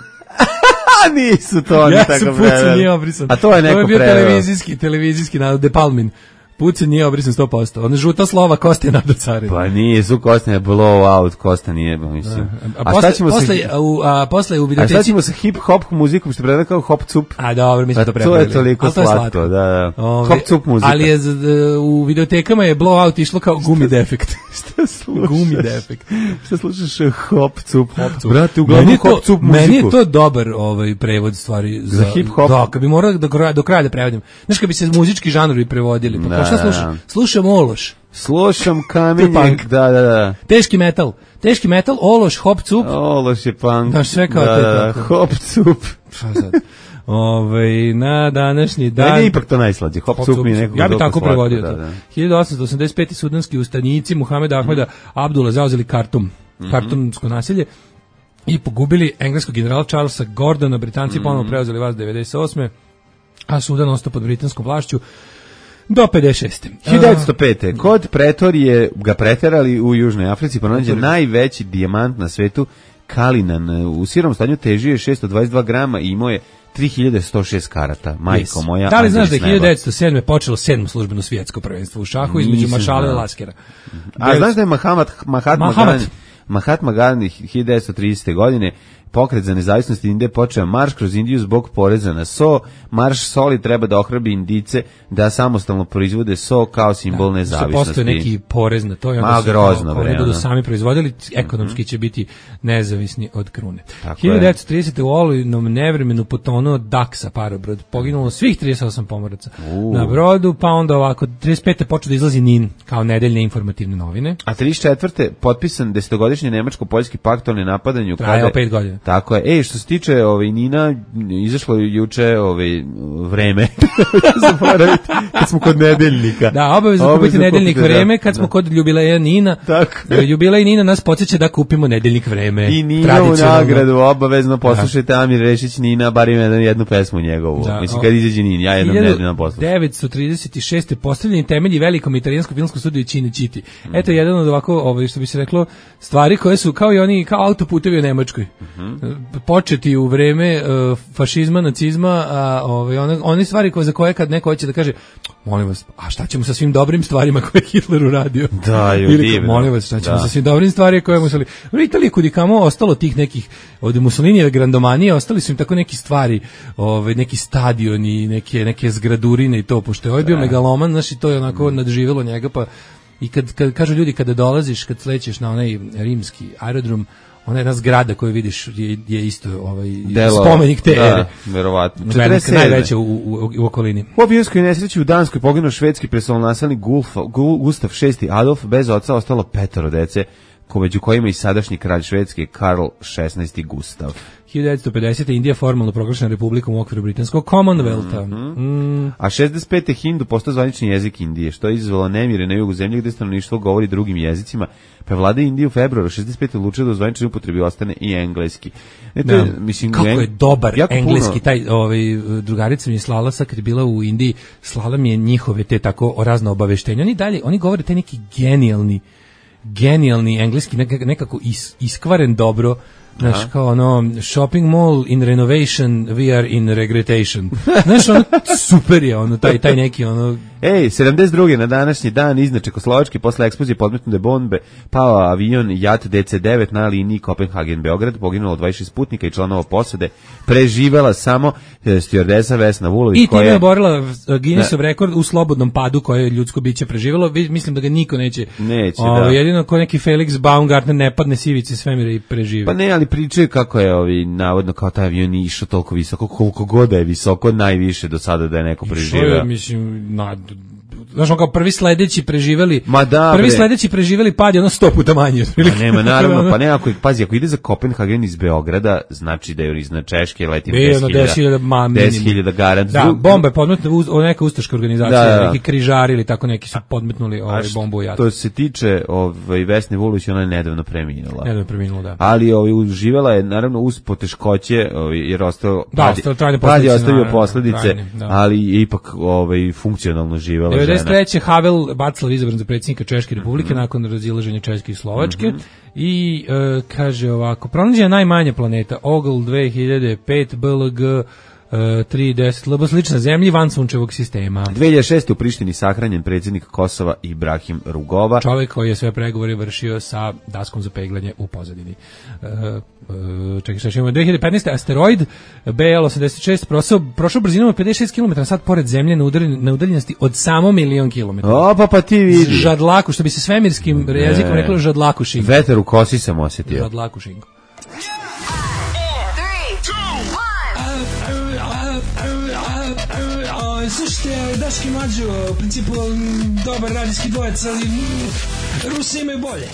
A nisu to oni Ja tako sam preveli. pucan, nije obrisan. A to je neko To je bio preveo. televizijski, televizijski narod, De Palmin. Pucan nije obrisan sto posto. Ona žuta slova Koste Nado Carin. Pa nije, su Kosta blow out, Kosta nije, mislim. A, A, posle, šta ćemo posle, sa... u, a, posle u A šta videoteci... ćemo sa hip-hop muzikom, što prevede kao hop-cup? A dobro, mi smo Pa to to prepravili. je toliko Ali to je slatko, da, da. Ove, Hop-cup muzika. Ali je z- d- u videotekama je blowout išlo kao gumi defekt. Šta slušaš? Gumi defekt. Šta slušaš hop-cup? Hop-cup. Brate, Meni uglavnom je to- hop-cup muziku. Meni je to dobar ovaj prevod stvari za, Za hip-hop? Da, kad bi morao do kraja, do kraja da prevodim. Znaš, kad bi se muzički žanrovi prevodili, pa Da, kao šta da, slušam? da. Slušam Ološ, Slušam kamenje, To je punk. da, da, da. teški metal, teški metal, Ološ, hop cup, Ološ je punk. Znaš, sve kao da, te da, da. tako. Hop-cup. šta sad? Ovaj na današnji dan. Meni je ipak to najslađe. Hop-cup mi je nekako Ja bih dosta tako slatko, prevodio da, to. da. hiljadu osamsto osamdeset peti sudanski ustanici Muhameda Ahmeda Abdula zauzeli Kartum, Kartumsko naselje i pogubili engleskog generala Charlesa Gordona. Britanci ponovo preuzeli vas devedeset osme a Sudan ostao pod britanskom vlašću do pedeset šeste hiljadu devetsto pete Kod Pretorije ga preterali u Južnoj Africi, pronađen najveći dijamant na svetu, Kalinan. U sirom stanju težio je šessto dvadeset dva grama i imao je tri hiljade sto šest karata. Majko Yes. moja. Da li znaš da je anđeli s neba. hiljadu devetsto sedme počelo sedmo službeno svjetsko prvenstvo u šahu između Nisam Maršala i znao. Laskera? A znaš da je Mahatma, Mahatma, Mahamat. Gandhi, Mahatma Gandhi hiljadu devetsto tridesete godine pokret za nezavisnost Indije počeo marš kroz Indiju zbog poreza na so. Marš soli treba da ohrabri Indice da samostalno proizvode so kao simbol nezavisnosti. Postoje neki porez na to i onda Ma, su grozno, kao, bre, oni budu ono. sami proizvodili, ekonomski će biti nezavisni od krune. Tako hiljadu devetsto tridesete u olujnom nevremenu potonuo Daksa parobrod, poginulo svih trideset osam pomoraca U. na brodu, pa onda ovako trideset pete počeo da izlazi Nin kao nedeljne informativne novine. A trideset četvrte potpisan desetogodišnji nemačko-poljski pakt o nenapadanju. Trajao kada- pet godina. Tako je. Ej, što se tiče ovaj, Nina, izašlo je juče ovaj, vreme. Zaboraviti, kad smo kod nedeljnika. Da, obavezno kupiti Obavezno nedeljnik kupite, vreme, da, kad smo da. kod jubileja Nina. Tako. e, Jubilej Nina nas podsjeća da kupimo nedeljnik vreme. I Nina u tradicionalno. nagradu, obavezno poslušajte Amir Rešić Nina, bar ima jednu, jednu pesmu njegovu. Da, Mislim, o- kad izađe Nin, ja jednom nedeljno poslušam. hiljadu devetsto trideset šeste postavljeni temelji velikom italijanskom filmskom studiju Cinecittì. Eto jedan od ovako, ovaj, što bi se reklo, stvari koje su kao i oni, kao autoputevi u Nemačkoj. Početi u vreme uh, fašizma, nacizma, a ovaj, one, one stvari koje, za koje kad neko hoće da kaže, molim vas, a šta ćemo sa svim dobrim stvarima koje je Hitler uradio? Da, je Ili, divno. molim vas, šta ćemo Da. sa svim dobrim stvarima koje je Mussolini. U Italiji kudi kamo ostalo tih nekih, od Mussolinijeve grandomanije, ostali su im tako neki stvari, ovaj, neki stadioni, neke, neke zgradurine i to, pošto je ovaj bio megaloman, znaš, i to je onako nadživjelo njega, pa i kad, kad kažu ljudi kada dolaziš, kad slećeš na onaj rimski aerodrom, ona jedna zgrada koju vidiš je, je isto ovaj, Delo- spomenik te da, ere. verovatno. Velika, četrdeset sedme najveća u, u, u okolini. U avionskoj nesreći u Danskoj poginuo švedski prestolonasljednik Gulf- Gu- Gustav šesti Adolf, bez oca ostalo petoro dece, ko među kojima i sadašnji kralj Švedske Karl šesnaesti Gustav. hiljadu devetsto pedesete. Indija formalno proglašena republikom u okviru britanskog Commonwealtha. Mm. A šezdeset pete hindu postao zvanični jezik Indije, što je izazvalo nemire na jugu zemlje gde stanovništvo govori drugim jezicima, pa je vlada Indije u februaru šezdeset pete odlučila da u zvaničnoj upotrebi ostane i engleski. E, to je, Da. mislim, Kako eng- je dobar jako engleski, puno- taj ovaj, drugarica mi je slala sad kad je bila u Indiji, slala mi je njihove te tako razne obaveštenja. Oni dalje, oni govore taj neki genijalni, genijalni engleski, nekako, nekako is, iskvaren dobro, znaš, kao ono, shopping mall in renovation, we are in regretation. Znaš, ono, super je, ono, taj, taj neki, ono, Ej, sedamdeset druge na današnji dan iznad Čekoslovačke posle eksplozije podmetnute bombe pao avion Jat D C devet na liniji Kopenhagen-Beograd, poginulo dvadeset šest putnika i članova posade, preživela samo e, stewardesa Vesna Vulović i time koja je oborila Guinnessov rekord u slobodnom padu koje je ljudsko biće preživjelo. Vi- Mislim da ga niko neće. Neće, Ovo, da. Jedino ko neki Felix Baumgartner ne padne sivice svemira i preživi. Pa ne, ali pričaju kako je ovi, navodno kao taj avion išao toliko visoko, koliko god da je visoko, najviše do sada da je neko Što je, preživeo. mislim, na, znaš, ono kao prvi sledeći preživeli, Ma da, prvi bre. sledeći preživeli pad je ono sto puta manji. Pa nema, naravno, pa ne, ako, pazi, ako ide za Kopenhagen iz Beograda, znači da je iznad Češke, leti Bio je ono deset deset hiljada ma, minimum. deset hiljada garant. Da, bomba je podmetna, uz- o, neka ustaška organizacija, Da, da, da. neki križari ili tako neki su podmetnuli ovaj što- bombu u Jat. To se tiče ovaj, Vesne Vulović, ona je nedavno preminula. Ne da je preminulo, da. Ali ovaj, uživela je, naravno, uz poteškoće, ovaj, jer ostao, Da, pad, ostale trajne pad je posledice, ostavio naravno, posljedice, trajne, da. ali je ipak ovaj, funkcionalno živela žena. žena. šezdeset treće Havel Václav izabran za predsjednika Češke republike mm-hmm. nakon razilaženja Češke i Slovačke. Mm-hmm. I e, kaže ovako, pronađena najmanja planeta, Ogl dve hiljade pet, B L G Uh, tri deset L B slična zemlji van sunčevog sistema. dve hiljade šeste u Prištini sahranjen predsjednik Kosova Ibrahim Rugova. Čovjek koji je sve pregovore vršio sa daskom za peglanje u pozadini. Uh, uh, čekaj, šta ćemo? dve hiljade petnaeste asteroid B L osamdeset šest prošao, prošao brzinom od pedeset šest kilometara na sat pored zemlje na, udaljen, na udaljenosti od samo milion kilometara. O, pa pa ti vidi. Žadlaku, što bi se svemirskim ne. jezikom reklo žadlaku šinko. Veter u kosi sam osjetio. Žadlaku šinko. Slušajte, Daški Mađo, u principu dobar radijski dvojec, ali Rusi imaju bolje.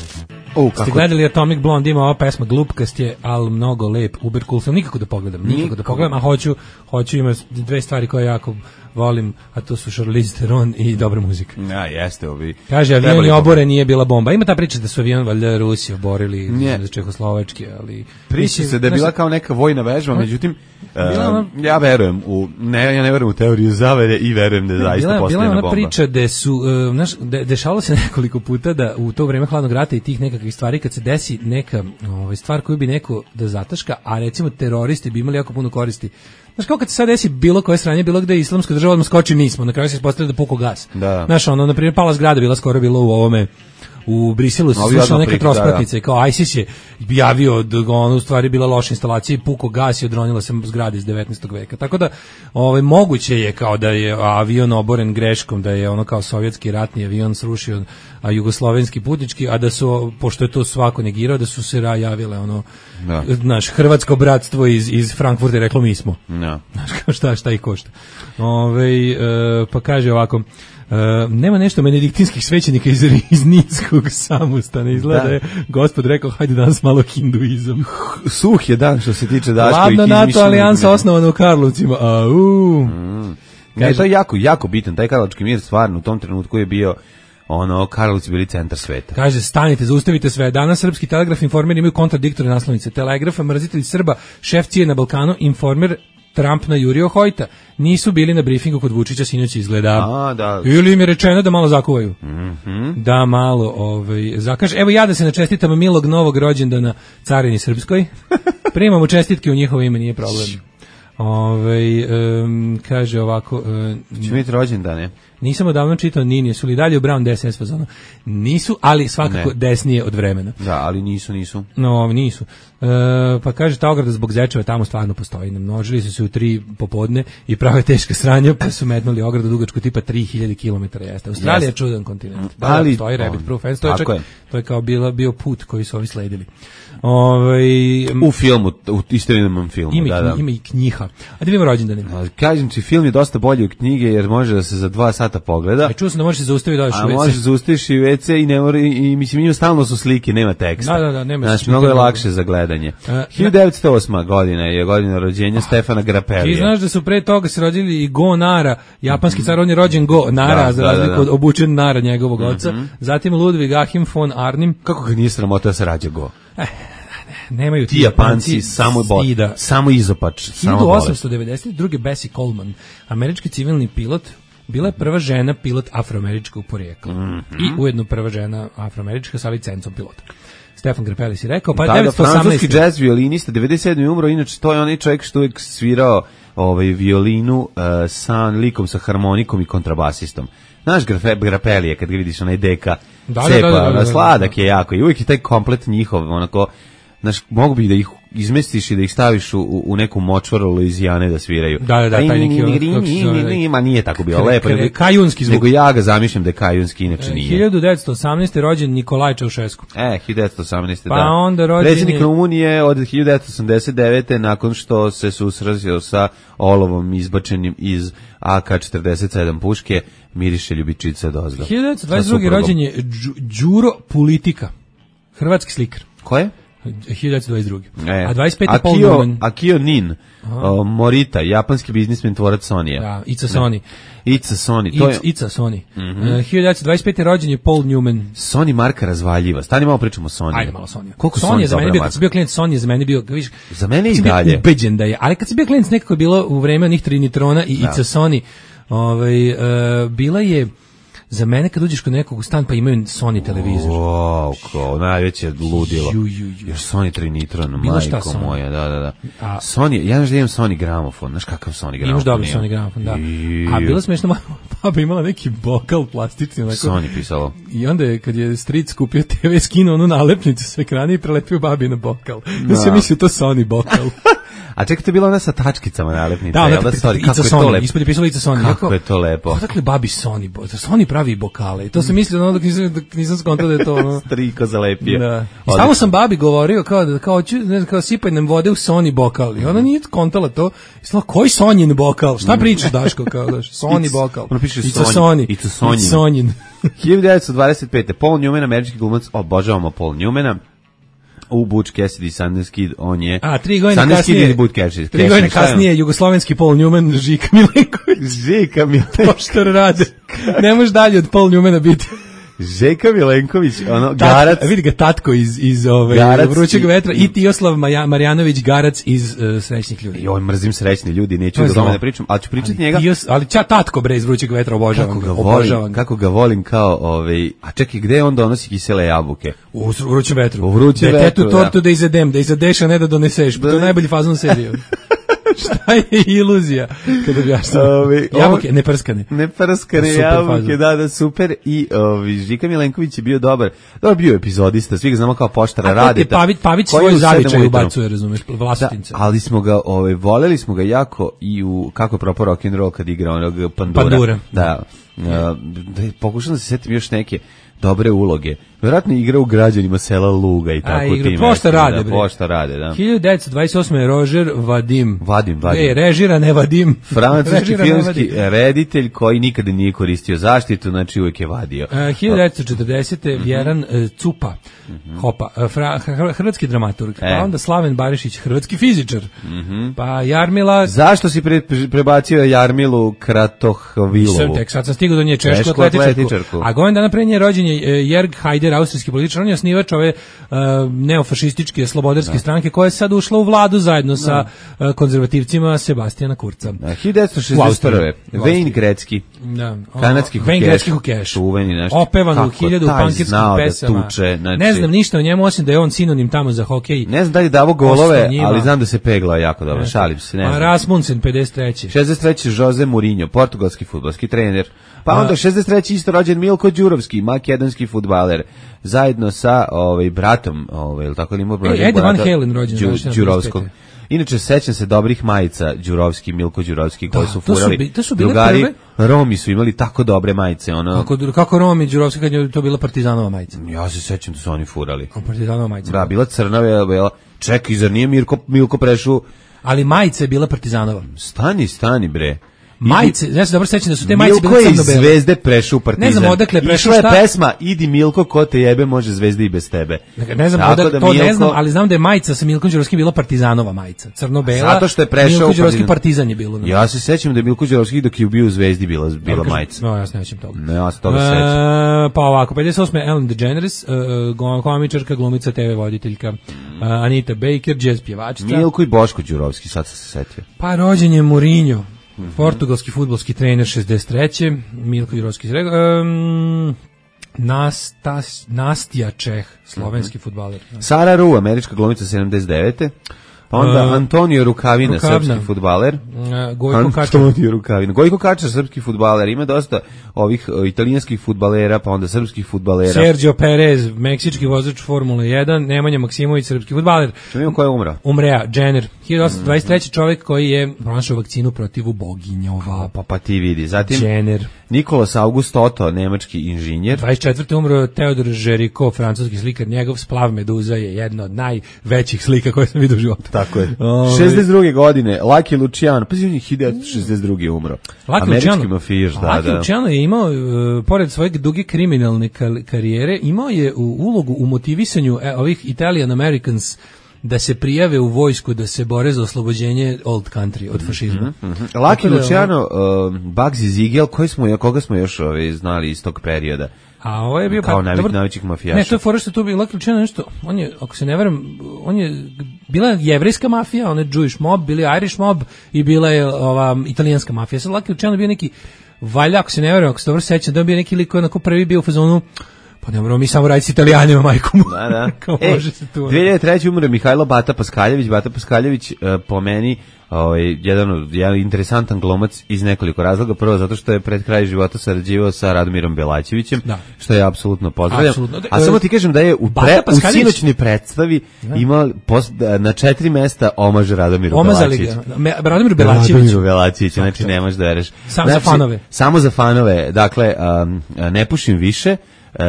O, kako? Ste gledali Atomic Blonde, ima ova pesma glupkast je, ali mnogo lep, uber cool, sam nikako da pogledam, nikako, nikako da pogledam, a hoću, hoću ima dve stvari koje jako volim, a to su Charlize Theron i dobra muzika. Ja, jeste ovi. Kaže, avion je oboren, nije bila bomba. Ima ta priča da su avion valjda Rusi oborili za Čehoslovačke, ali... Priča se da je bila kao neka vojna vežba, međutim, uh, ja verujem u, ne, ja ne verujem u teoriju zavere i verujem da je zaista bila, postavljena bomba. Bila ona priča da su, uh, znaš, de, dešavalo se nekoliko puta da u to vreme hladnog rata i tih nekakvih stvari, kad se desi neka ovaj, stvar koju bi neko da zataška, a recimo teroristi bi imali jako puno koristi. Znaš, kao kad se sad desi bilo koje sranje, bilo gde je islamska država, odmah skoči nismo, na kraju se ispostavlja da puko gas. Da. Znaš, ono, na primjer, pala zgrada, bila skoro bilo u ovome, u Briselu se slušala neka trospratnica i kao ISIS je javio da ono u stvari bila loša instalacija i puko gas i odronila se zgrada iz devetnaestog veka. Tako da ovaj, moguće je kao da je avion oboren greškom, da je ono kao sovjetski ratni avion srušio, a jugoslovenski putnički, a da su, pošto je to svako negirao, da su se javile ono, no. naš hrvatsko bratstvo iz, iz Frankfurta reklo mi smo. No. Znaš, kao šta, šta i košta. Ove, e, pa kaže ovako, Uh, nema nešto benediktinskih svećenika iz, iz Ninskog samostana, izgleda da je gospod rekao hajde danas malo hinduizam. Suh je dan što se tiče Daškovih izmišljenih. Hladna NATO alijansa osnovana u Karlovcima. Au. Mm. Ne, to je jako, jako bitan, taj Karlovački mir stvarno u tom trenutku je bio ono, Karlovci bili centar sveta. Kaže, stanite, zaustavite sve. Danas Srpski telegraf, Informer imaju kontradiktorne naslovnice. Telegraf, mrzitelj Srba, šef C I A na Balkanu, Informer, Trump na Jurio Hojta. Nisu bili na briefingu kod Vučića, sinoć izgleda. A, da. Ili im je rečeno da malo zakuvaju. Mm-hmm. Da malo ovaj, zakaže. Evo ja da se načestitam milog novog rođendana carini srpskoj. Primamo čestitke u njihovo ime, nije problem. Ove, um, kaže ovako um, će biti rođendane. Nisam odavno čitao Ninije, su li dalje u Brown D S S fazonu? Nisu, ali svakako ne. Desnije od vremena. Da, ali nisu, nisu. No, nisu. E, pa kaže, ta ograda zbog zečeva tamo stvarno postoji. Namnožili su se u tri popodne i prave teška sranja, pa su metnuli ogradu dugačku tipa tri hiljade kilometara. Jeste. Australija je čudan kontinent. Da, ali, da, postoji Rabbit Proof. To je, čak, je. to je kao bila, bio put koji su ovi sledili. Ove, u filmu, u istorijalnom filmu. Ima, da, da. ima i knjiha. A da vidimo rođendane. Kažem ti, film je dosta bolji od knjige jer može da se za dva sata pogleda. A čuo sam da možeš se zaustaviti da odeš u ve ce. A možeš zaustaviš i u ve ce i, ne mora, i mislim, njima stalno su slike, nema teksta. Da, da, da, nema. Znači, mnogo je lakše za gledanje. Uh, hiljadu devetsto osma godina je godina rođenja Stefana Grappellija. Ti znaš da su pre toga se rođili i Go Nara, japanski car, on je rođen Go Nara, da, za da, razliku da, da. od obučen Nara njegovog mm-hmm. oca. Zatim Ludvig Achim von Arnim. Kako ga nije sramota da se rađa Go? Eh, nemaju ti Japanci samo bot, samo izopač, hiljadu osamsto devedeset druge Bessie Coleman, američki civilni pilot, bila je prva žena pilot afroameričkog porijekla. Mm-hmm. I ujedno prva žena afroamerička sa licencom pilota. Stefan Grappelli si rekao, pa da, devetsto osamnaeste. Francuski džez violinista, devedeset sedme umro, inače to je onaj čovjek što uvijek svirao ovaj, violinu uh, sa likom, sa harmonikom i kontrabasistom. Znaš Grappelli je, kad ga vidiš onaj deka da, cepa, da, da, da, da, da, sladak je jako i uvijek je taj komplet njihov, onako, znaš, mogu bi da ih izmestiš i da ih staviš u, u neku močvaru Luizijane da sviraju. Da, da, da, taj neki... Ma nije tako bio lepo. Kajunski zvuk. Nego ja ga zamišljam da je kajunski, inače nije. hiljadu devetsto osamnaeste. rođen Nikolaj Čaušesku. E, hiljadu devetsto osamnaeste. Pa da. onda rođen predsjednik Rumunije od hiljadu devetsto osamdeset devete. nakon što se susrazio sa olovom izbačenim iz A K četrdeset sedam puške, miriše ljubičica dozgo. hiljadu devetsto dvadeset druge. rođen je Đuro Politika, hrvatski slikar. Ko je? hiljadu devetsto dvadeset druge. E, a dvadeset pete. Akio, Paul Newman. Akio Nin, o, Morita, japanski biznismen, tvorac Sonija. Da, Ica Sony. Ica Sony. To je... Ica Sony. Mm-hmm. Uh, hiljadu devetsto dvadeset pete. rođen je Paul Newman. Sony marka razvaljiva. Stani malo pričamo o Sony. Ajde malo Sony. Koliko Sony je za mene bio, marka? kad sam bio klijent Sony je za mene bio, viš, za mene i dalje. Ubeđen da je, ali kad sam bio klijent nekako je bilo u vreme onih Trinitrona i da. Ica Sony, ovaj, uh, bila je za mene kad uđeš kod nekog u stan pa imaju Sony televizor. Wow, kao najveće ludilo. Ju, ju, ju. Još Sony Trinitron, Bilo šta majko Sony. moja, da, da, da. A- Sony, ja znaš da imam Sony gramofon, znaš kakav Sony gramofon? Imaš dobri imam? Sony gramofon, da. I- A bilo smešno, moja baba imala neki bokal plastični. Onako, Sony pisalo. I onda je, kad je stric kupio te ve, skinuo onu nalepnicu s ekrana i prelepio babi na bokal. Ja sam mislio to Sony bokal. A čekaj, to je bila ona sa tačkicama nalepnica, Da, jel ona da, sorry, Ica kako je to Sony, lepo. ispod je pisalo Ica Sony. Kako Rekao, je to lepo. Odakle babi Sony? bo- Sony pravi bokale. I to sam mislio ono dok nisam, dok nisam skontao da je to ono. Striko zalepio. Da. I Odlično. samo sam babi govorio kao da kao ću, ne znam, kao sipaj nam vode u Sony bokal. I ona nije kontala to. I sla, koji Sonjin bokal? Šta pričaš, Daško? Kao, daš, Sony It's- bokal. ono piše It's a Sony. Sony. It's a Sonjin. It's Sonjin. hiljadu devetsto dvadeset pete. Paul Newman, američki glumac, obožavamo Paul Newmana. U Butch Cassidy, Sundance Kid, on je... A, tri godine Sundance Kid kasnije, ili Butch Cassidy? tri godine kasnije, jugoslovenski Paul Newman, Žika Milenković. Žika Milenković. Poštar rade. Ne može dalje od Paul Newmana biti. Žika Milenković, ono, Tat- Garac. Vidi ga tatko iz, iz ove, Garac Vrućeg i- vetra i Tijoslav Maja, Marjanović Garac iz uh, Srećnih ljudi. Joj, mrzim srećni ljudi, neću To je da tome zlo. da pričam, ali ću pričati Ali, njega. Tijos, ali ča tatko bre iz Vrućeg vetra, obožavam Kako ga, ga obožavam volim, ga. kako ga volim kao, ovaj, a čekaj, gde on donosi kisele jabuke? U Vrućem vetru. U Vrućem da vetru, tetu tortu da izedem, da izedeš, a ne da doneseš. To je najbolji fazon serije. Šta je iluzija? Kada objašnjam. Ovi, Jabuke, ne prskane. Ne prskane Super jabuke, fazon. da, da, super. I ovi, Žika Milenković je bio dobar. Dobar bio epizodista, svi ga znamo kao Poštara A to radi. ti Pavić, Pavić koji svoj u sedam zavičaj ujutru. ubacuje, razumeš, Da, vlastitinca. ali smo ga, ovaj, voleli smo ga jako i u kako je propao rock and roll kad igra onog Pandura. Pandura. Da. Da, da pokušam da se setim još neke dobre uloge. Vjerojatno je igra u Građanima sela Luga i tako igra, tim. Pošta rade, da, bre. Pošta rade, da. hiljadu devetsto dvadeset osme je Roger Vadim. Vadim, Vadim. E, režira, ne Vadim. Francuski Režira, ne filmski Vadim. reditelj koji nikada nije koristio zaštitu, znači uvijek je vadio. Uh, hiljadu devetsto četrdesete. Vjeran uh, Cupa, Hopa, uh, fra, hr- hrvatski dramaturg, E. pa onda Slaven Barišić, hrvatski fizičar, pa Jarmila, Zašto si pre, prebacio Jarmilu Kratohvilovu? sam tek, sad sam stigao do nje, češku Češku atletičarku, atletičarku. a godin dana pre nje rođen je uh, Jerg Hajder, austrijski političar, on je osnivač ove uh, neofašističke slobodarske stranke koja je sad ušla u vladu zajedno sa uh, konzervativcima Sebastijana Kurca. A, hiljadu devetsto šezdeset prve. U Austriji. Wayne Gretzky. Da. Kanadski Wayne hokeješ. Gretzky hokeješ. Čuveni nešto. Opevan u Kako hiljadu taj pankirskih znao da pesama. tuče, znači- Ne znam ništa o njemu, osim da je on sinonim tamo za hokej. Ne znam da li je davo golove, Ostao njima. ali znam da se peglao jako dobro. Šalim se, ne A znam. Rasmussen, pedeset treće. šezdeset treći. Jose Mourinho, portugalski fudbalski trener. Pa A- onda šezdeset treći isto rođen Milko Đurovski, makedonski fudbaler, zajedno sa ovaj bratom, ovaj ili tako ili ima E, Eddie Van Halen rođen, Đu, znači, na Đurovskog. pedeset pete. Inače sećam se dobrih majica Đurovski, Milko Đurovski koji Da, su to su furali. bi- to su bile Drugari prve- Romi su imali tako dobre majice, ono. Kako, kako Romi Đurovski kad je to bila Partizanova majica. Ja se sećam da su oni furali. Kao Partizanova majica. Da, bila crna, bila, bila. Čekaj, zar nije Mirko, Milko Prešu? Ali majica je bila Partizanova. Stani, stani, bre. Majice, ja se dobro sećam da su te majice Milko bile je iz crno-bele. Zvezde prešao u Partizan. Ne znam odakle je prešao, Išla je šta- pesma Idi Milko, ko te jebe, može Zvezda i bez tebe. Dakle, ne znam, Tako odakle, da to ne Milko- znam, ali znam da je majica sa Milkom Đurovskim bila Partizanova majica. Crno-bela. Zato što je prešao Milko u Đurovski Partizan. Partizan je bilo. Ja se sećam da je Milko Đurovski dok je bio u Zvezdi bila, bila Kažem, majica. No, ja se nećem toga. Ne, ja se toga E, sećam. pa ovako, pedeset osme. Ellen DeGeneres, uh, go- komičarka, glumica, te ve voditeljka, uh, Anita Baker, jazz pjevačica. Milko i Boško Đurovski, sad sam se setio. Pa rođen je Mourinho, Mhm. portugalski fudbalski trener šezdeset treće. Milko Đurovski, um, Nastas, Nastija Čeh, slovenski fudbaler. Sara Ru, američka glumica sedamdeset devete. Pa onda Uh, Antonio Rukavina, Rukavina. srpski fudbaler. Uh, Gojko Kačar. Antonio Rukavina. Gojko Kačar, srpski fudbaler. Ima dosta ovih o, italijanskih fudbalera, pa onda srpskih fudbalera. Sergio Perez, meksički vozač Formule jedan. Nemanja Maksimović, srpski fudbaler. Što imamo ko je umra? Umrea, Jenner, hiljadu osamsto dvadeset treće. čovjek koji je pronašao vakcinu protiv uboginjova. Pa, pa ti vidi. Zatim Jenner. Nikolas August Otto, nemački inženjer. dvadeset četvrte umro Teodor Žeriko, francuski slikar. Njegov Splav Meduza je jedna od najvećih slika koje sam vidio u životu. Tako je. Ovaj. šezdeset druge godine, Lucky Luciano, pa on je hiljadu devetsto šezdeset druge umro. Lucky Američki Luciano- mafijaš, da, Lucky da. Luciano je imao, uh, pored svoje duge kriminalne kal- karijere, imao je u ulogu u motivisanju e, ovih Italian Americans da se prijave u vojsku, da se bore za oslobođenje old country od fašizma. Lucky Tako da, Luciano, uh, Bugsy Ziegel, koji smo, koga smo još ovaj, znali iz tog perioda? A ovo je bio Kao pa, najveć- dobro- najvećih mafijaša. Ne, to je fora što tu bi Lucky Luciano nešto, on je, ako se ne varam, on je bila jevrejska mafija, on je Jewish mob, bili Irish mob i bila je ova italijanska mafija. Sad Lucky Luciano je bio neki valjda, ako se ne verujem, ako se dobro sećam, da je bio neki lik koji onako prvi bio u fazonu, pa ne moramo mi samo raditi s Italijanima, majkom. Da, da. Kao e, može se tu. dve hiljade treće umre Mihajlo Bata Paskaljević. Bata Paskaljević, uh, po meni, ovaj, jedan, od- jedan interesantan glumac iz nekoliko razloga. Prvo, zato što je pred kraj života sarađivao sa Radomirom Belačevićem, Da. što je apsolutno pozdravljam. Apsolutno. A samo ti kažem da je u, Bata pre, u Paskaljević- sinoćnoj predstavi imao pos- na četiri mesta omaž Radomiru Omazali Belačeviću. ga. Me- Radomir Belačević. Radomiru Belačeviću, znači nemaš da vereš. Samo za Znači, fanove. Samo za fanove. Dakle, um, ne pušim više, Uh,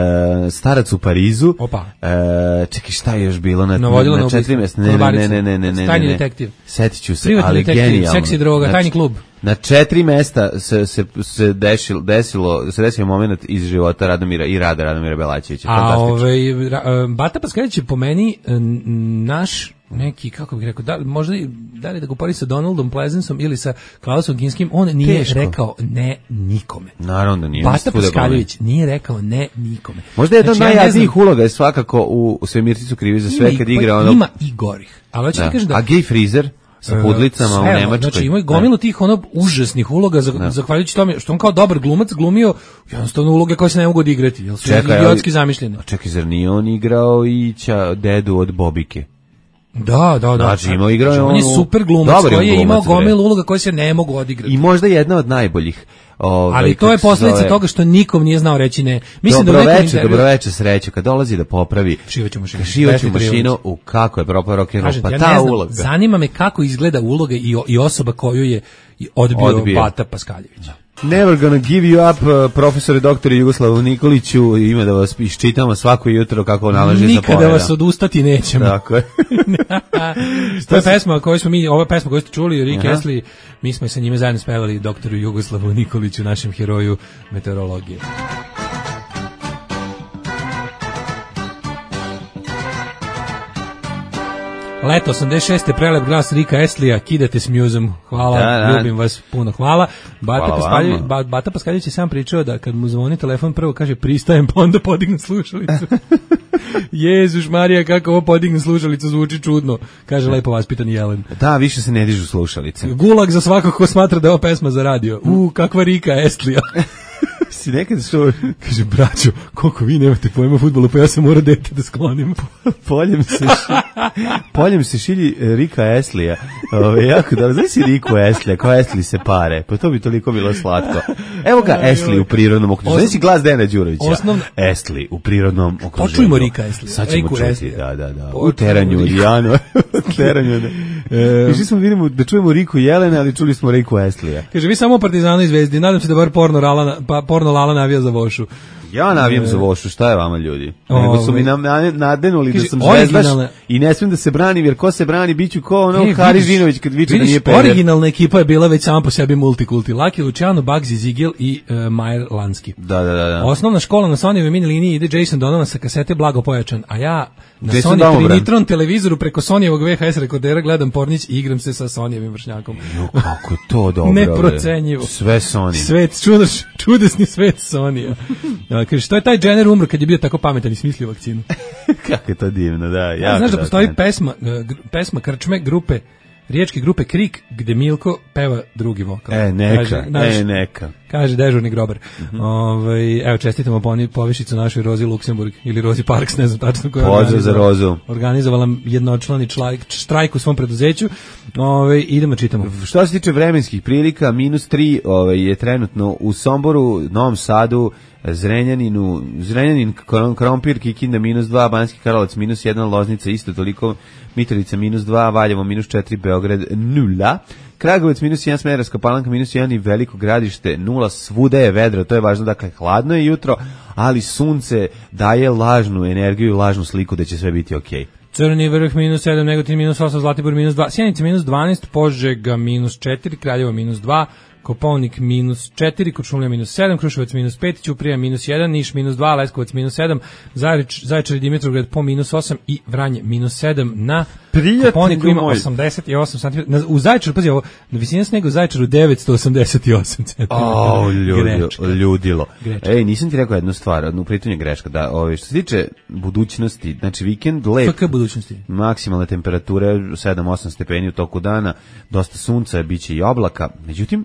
starac u Parizu. Opa. Uh, čekaj, šta je još bilo na, Navodilo na, na na četiri ubistvo. mjesta? Ne, ne, ne, Konobarica. ne, ne, ne, ne, Tajni ne. detektiv. Setit ću se, Privatni ali detektiv, genijalno. seksi droga, Znači, tajni klub. Na četiri mesta se, se, se desilo, desilo, se desio moment iz života Radomira i rada Radomira Belačevića. A Fantastično. ovaj ra- e, Bata Paskaljević je po meni e, n- naš neki, kako bih rekao, da, li- možda i- da li da ga upori sa Donaldom Pleasanceom ili sa Klausom Kinskim, on nije Teško. rekao ne nikome. Naravno da nije. Bata mislim, svuda Paskaljević nije rekao ne nikome. Možda jedna od Znači, ja ne najjadnijih znam, uloga je svakako u, u Svemirci krivi za ima sve i- kad pa igra ono... Ima i gorih. Ali hoću Da. ti kažem da A Gay Freezer sa pudlicama u sve, Nemačkoj. Znači ima gomilu tih ono užasnih uloga za, zahvaljujući tome što on kao dobar glumac glumio jednostavno uloge koje se ne mogu odigrati, jer su Čekaj, idiotski ali- zamišljene. A čekaj, zar nije on igrao i ća, dedu od Bobike? Da, da, da. Znači, imao igrao je Znači, on je onu- super glumac Dobar je on koji je glumac, imao bre. gomilu uloga koje se ne mogu odigrati. I možda jedna od najboljih. Ovaj, Ali to kako je se posljedica zove, toga što nikom nije znao reći ne. Mislim da u Dobro nekom veče, intervju- dobro veče, sreću. Kad dolazi da popravi Šivaću mašinu. šivaću Vesna mašinu, Trivović. u kako je propao rock and roll, Kažem, pa ja ta ne znam, uloga. zanima me kako izgleda uloga i, o- i osoba koju je odbio, Odbio. Bata Paskaljević. Never gonna give you up, uh, profesore doktore Jugoslavu Nikoliću, ima da vas iščitamo svako jutro kako nalaže za Nikada poveda. vas odustati nećemo. Tako je. To je pesma koju smo mi, ova pesma koju ste čuli, Rick Aha. Astley, mi smo sa njime zajedno spevali doktoru Jugoslavu Nikoliću, našem heroju meteorologije. Leto osamdeset šeste prelep glas Rika Astlija, kidate s muzom. Hvala, Da, da. ljubim vas puno. Hvala. Bata Hvala Paskaljević, vama. ba, Bata Paskaljević je sam pričao da kad mu zvoni telefon prvo kaže pristajem, pa onda podigne slušalicu. Jezuš Marija, kako ovo podigne slušalicu, zvuči čudno, kaže lepo vaspitan Jelen. Da, više se ne dižu slušalice. Gulag za svakog ko smatra da je ova pesma za radio. U, kakva Rika Astlija. Si nekad što Kaže, braćo, koliko vi nemate pojma o fudbalu, pa ja sam morao dete da sklonim. poljem se ši, poljem se šilji e, Rika Astlija. Ove, jako dobro. Znaš si Riku Astlija, kao Astley se pare. Pa to bi toliko bilo slatko. Evo ga Astley u prirodnom okruženju. Znaš si glas Dejana Đurovića? Osnovno- Astley u prirodnom okruženju. Počujmo Rika Astlija. Sad ćemo Riku čuti, Astlija. da, da, da. U Počujmo teranju Riku. Lijano. U teranju. Da. E, Išli smo vidimo da čujemo Riku Jelena, ali čuli smo Riku Astlija. Kaže, vi samo o Partizanu i Zvezdi, nadam se da bar porno, rala, pa, porno Lala navija za vošu. Ja navijam za Vošu, šta je vama ljudi? Nego su mi nam na- nadenuli da Kaže, sam zvezdaš originalne- i ne smijem da se branim, jer ko se brani, bit ću ko ono E, Hari vidiš- Žinović kad viče da vidiš, nije peder. originalna ekipa je bila već sama po sebi multikulti. Laki Luciano, Bugsy Zigel i uh, Majer Lanski. Da, da, da. da. Osnovna škola na Sonyjevoj mini liniji ide Jason Donovan sa kasete Blago pojačan, a ja na Jason Sony Domobran. Trinitron televizoru preko Sonyjevog V H S rekordera gledam Pornić i igram se sa Sonyjevim vršnjakom. Jo, kako je to dobro. Neprocenjivo. bre. Sve Sony. Svet, čudaš, čudesni svet Sonija. Ja, kaže, što je taj Jenner umro kad je bio tako pametan i smislio vakcinu? Kako je to divno, da. Ja, Jako znaš da dobro. postoji pesma, e, gr- pesma Krčme grupe, riječke grupe Krik, gde Milko peva drugi vokal. E, neka, Kaže, naš- e, neka. Kaže dežurni grobar. Mhm. Ovaj, evo, čestitamo poni povišicu našoj Rozi Luksemburg ili Rozi Parks, ne znam tačno koja je Pozdrav za organizovala- Rozu. Organizovala jednočlani člajk, štrajk u svom preduzeću. Ovaj, idemo čitamo. Što se tiče vremenskih prilika, minus tri ovaj, je trenutno u Somboru, Novom Sadu, Zrenjaninu, Zrenjanin, Krom- Krompir, Kikinda, minus dva, Banski Karlovac, minus jedan, Loznica, isto toliko, Mitrovica, minus dva, Valjevo, minus četiri, Beograd, nula, Kragovec, minus jedan, Smederevska Palanka, minus jedan i Veliko Gradište, nula, svuda je vedro, to je važno, dakle, hladno je jutro, ali sunce daje lažnu energiju i lažnu sliku da će sve biti okej. Crni vrh minus sedam, Negotin minus osam, Zlatibor minus dva, Sjenica minus dvanaest, Požega minus četiri, Kraljevo minus dva, Kopaonik minus četiri, Kočumlija minus sedam, Kruševac minus pet, Ćuprija minus jedan, Niš minus dva, Leskovac minus sedam, Zajrič, Zaječar i Dimitrovgrad po minus osam i Vranje minus sedam. Na Prijatelju Kopaoniku ima moj. osamdeset osam centimetara. Na- U Zaječaru, pazi ovo, na visini snega u Zaječaru devetsto osamdeset osam centimetara. O, ljudi, Grečka. ljudilo. Grečka. Ej, nisam ti rekao jednu stvar, u pritom je greška, da, ove, što se tiče budućnosti, znači vikend lep, F K budućnosti. maksimalne temperature sedam osam stepeni u toku dana, dosta sunca, bit će i oblaka, međutim,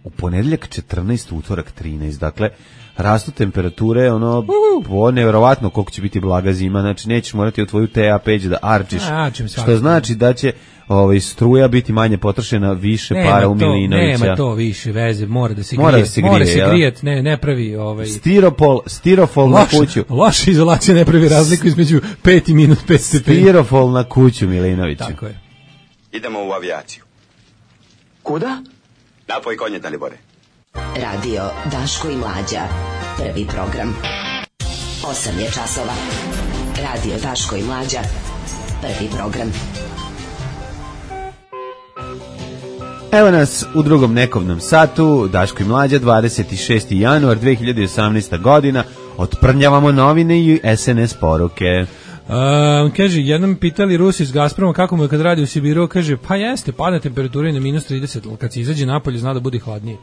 u ponedeljak četrnaest, utorak trinaest, dakle, rastu temperature, ono, po nevjerovatno koliko će biti blaga zima, znači nećeš morati u tvoju T A peć da arčiš, A, što znači da će ovaj, struja biti manje potrošena, više nema para u to, Milinovića. Nema to više veze, mora da se mora grije, da se grije, mora se ja. grijeti, ne, ne pravi ovaj... Stiropol, stirofol Loš, na kuću. Loša izolacija ne pravi razliku između pet i minus pet stepeni. Stirofol na kuću Milinovića. Tako je. Idemo u avijaciju. Kuda? Napoj konje, Dalibore. Radio Daško i Mlađa. Prvi program. Osam je časova. Radio Daško i Mlađa. Prvi program. Evo nas u drugom nekovnom satu, Daško i Mlađa, dvadeset šesti januar dve hiljade osamnaeste. godina, otprnjavamo novine i S N S poruke. Um, kaže, jednom pitali Rusi iz Gazproma kako mu je kad radi u Sibiru, kaže, pa jeste, pada temperatura i na minus trideset, ali kad se izađe napolje zna da bude hladnije.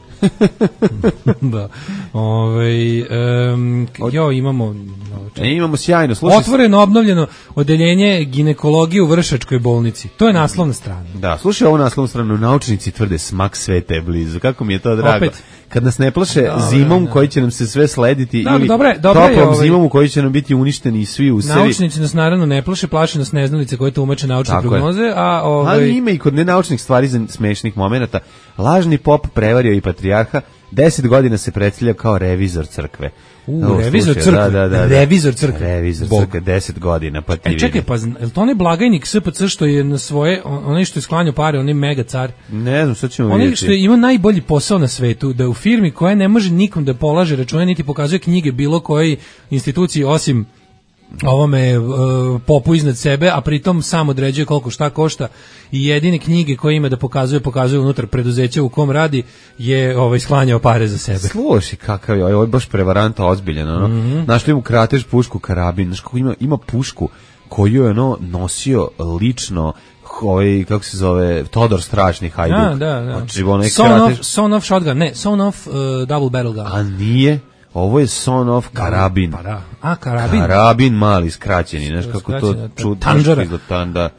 Da. Ove, um, jo, imamo... E, imamo sjajno, slušaj. Otvoreno, obnovljeno odeljenje ginekologije u Vršačkoj bolnici. To je naslovna strana. Da, slušaj ovu naslovnu stranu, naučnici tvrde smak sveta je blizu. Kako mi je to drago. Opet. Kad nas ne plaše dobre, zimom da. koji će nam se sve slediti da, ili dobre, dobre toplom ovaj, zimom u kojoj će nam biti uništeni svi usevi. Naučnici nas naravno ne plaše, plaše nas neznalice koje tumače naučne tako prognoze. Je. A, ovaj... Ali ima i kod nenaučnih stvari za smešnih momenata. Lažni pop prevario i patrijarha, deset godina se predstavlja kao revizor crkve. U, Ovo, revizor slušaj, crkve, da, da, da, revizor crkve. Revizor Bog. crkve, deset godina, pa ti e, čekaj, pa, je li to onaj blagajnik S P C što je na svoje, onaj što je sklanjao pare, onaj mega car? Ne znam, sad ćemo onaj vidjeti. Onaj što je ima najbolji posao na svetu, da u firmi koja ne može nikom da polaže račune, niti pokazuje knjige bilo koje instituciji, osim ovome uh, popu iznad sebe, a pritom sam određuje koliko šta košta i jedine knjige koje ima da pokazuje, pokazuje unutar preduzeća u kom radi je ovaj, sklanjao pare za sebe. Slušaj kakav je, ovo je baš prevaranta ozbiljan, ono. Mm-hmm. Našli mu kratež pušku karabin, znaš kako ima, ima pušku koju je ono nosio lično ovaj, kako se zove, Todor Strašni Hajduk. Da, da, da. Znači, onaj son, kratež... of, son of shotgun, ne, son of uh, double barrel gun. A nije? Ovo je son of karabin. Pa da. A, karabin? Karabin mali, skraćeni, znaš kako to čudno. Tanđara.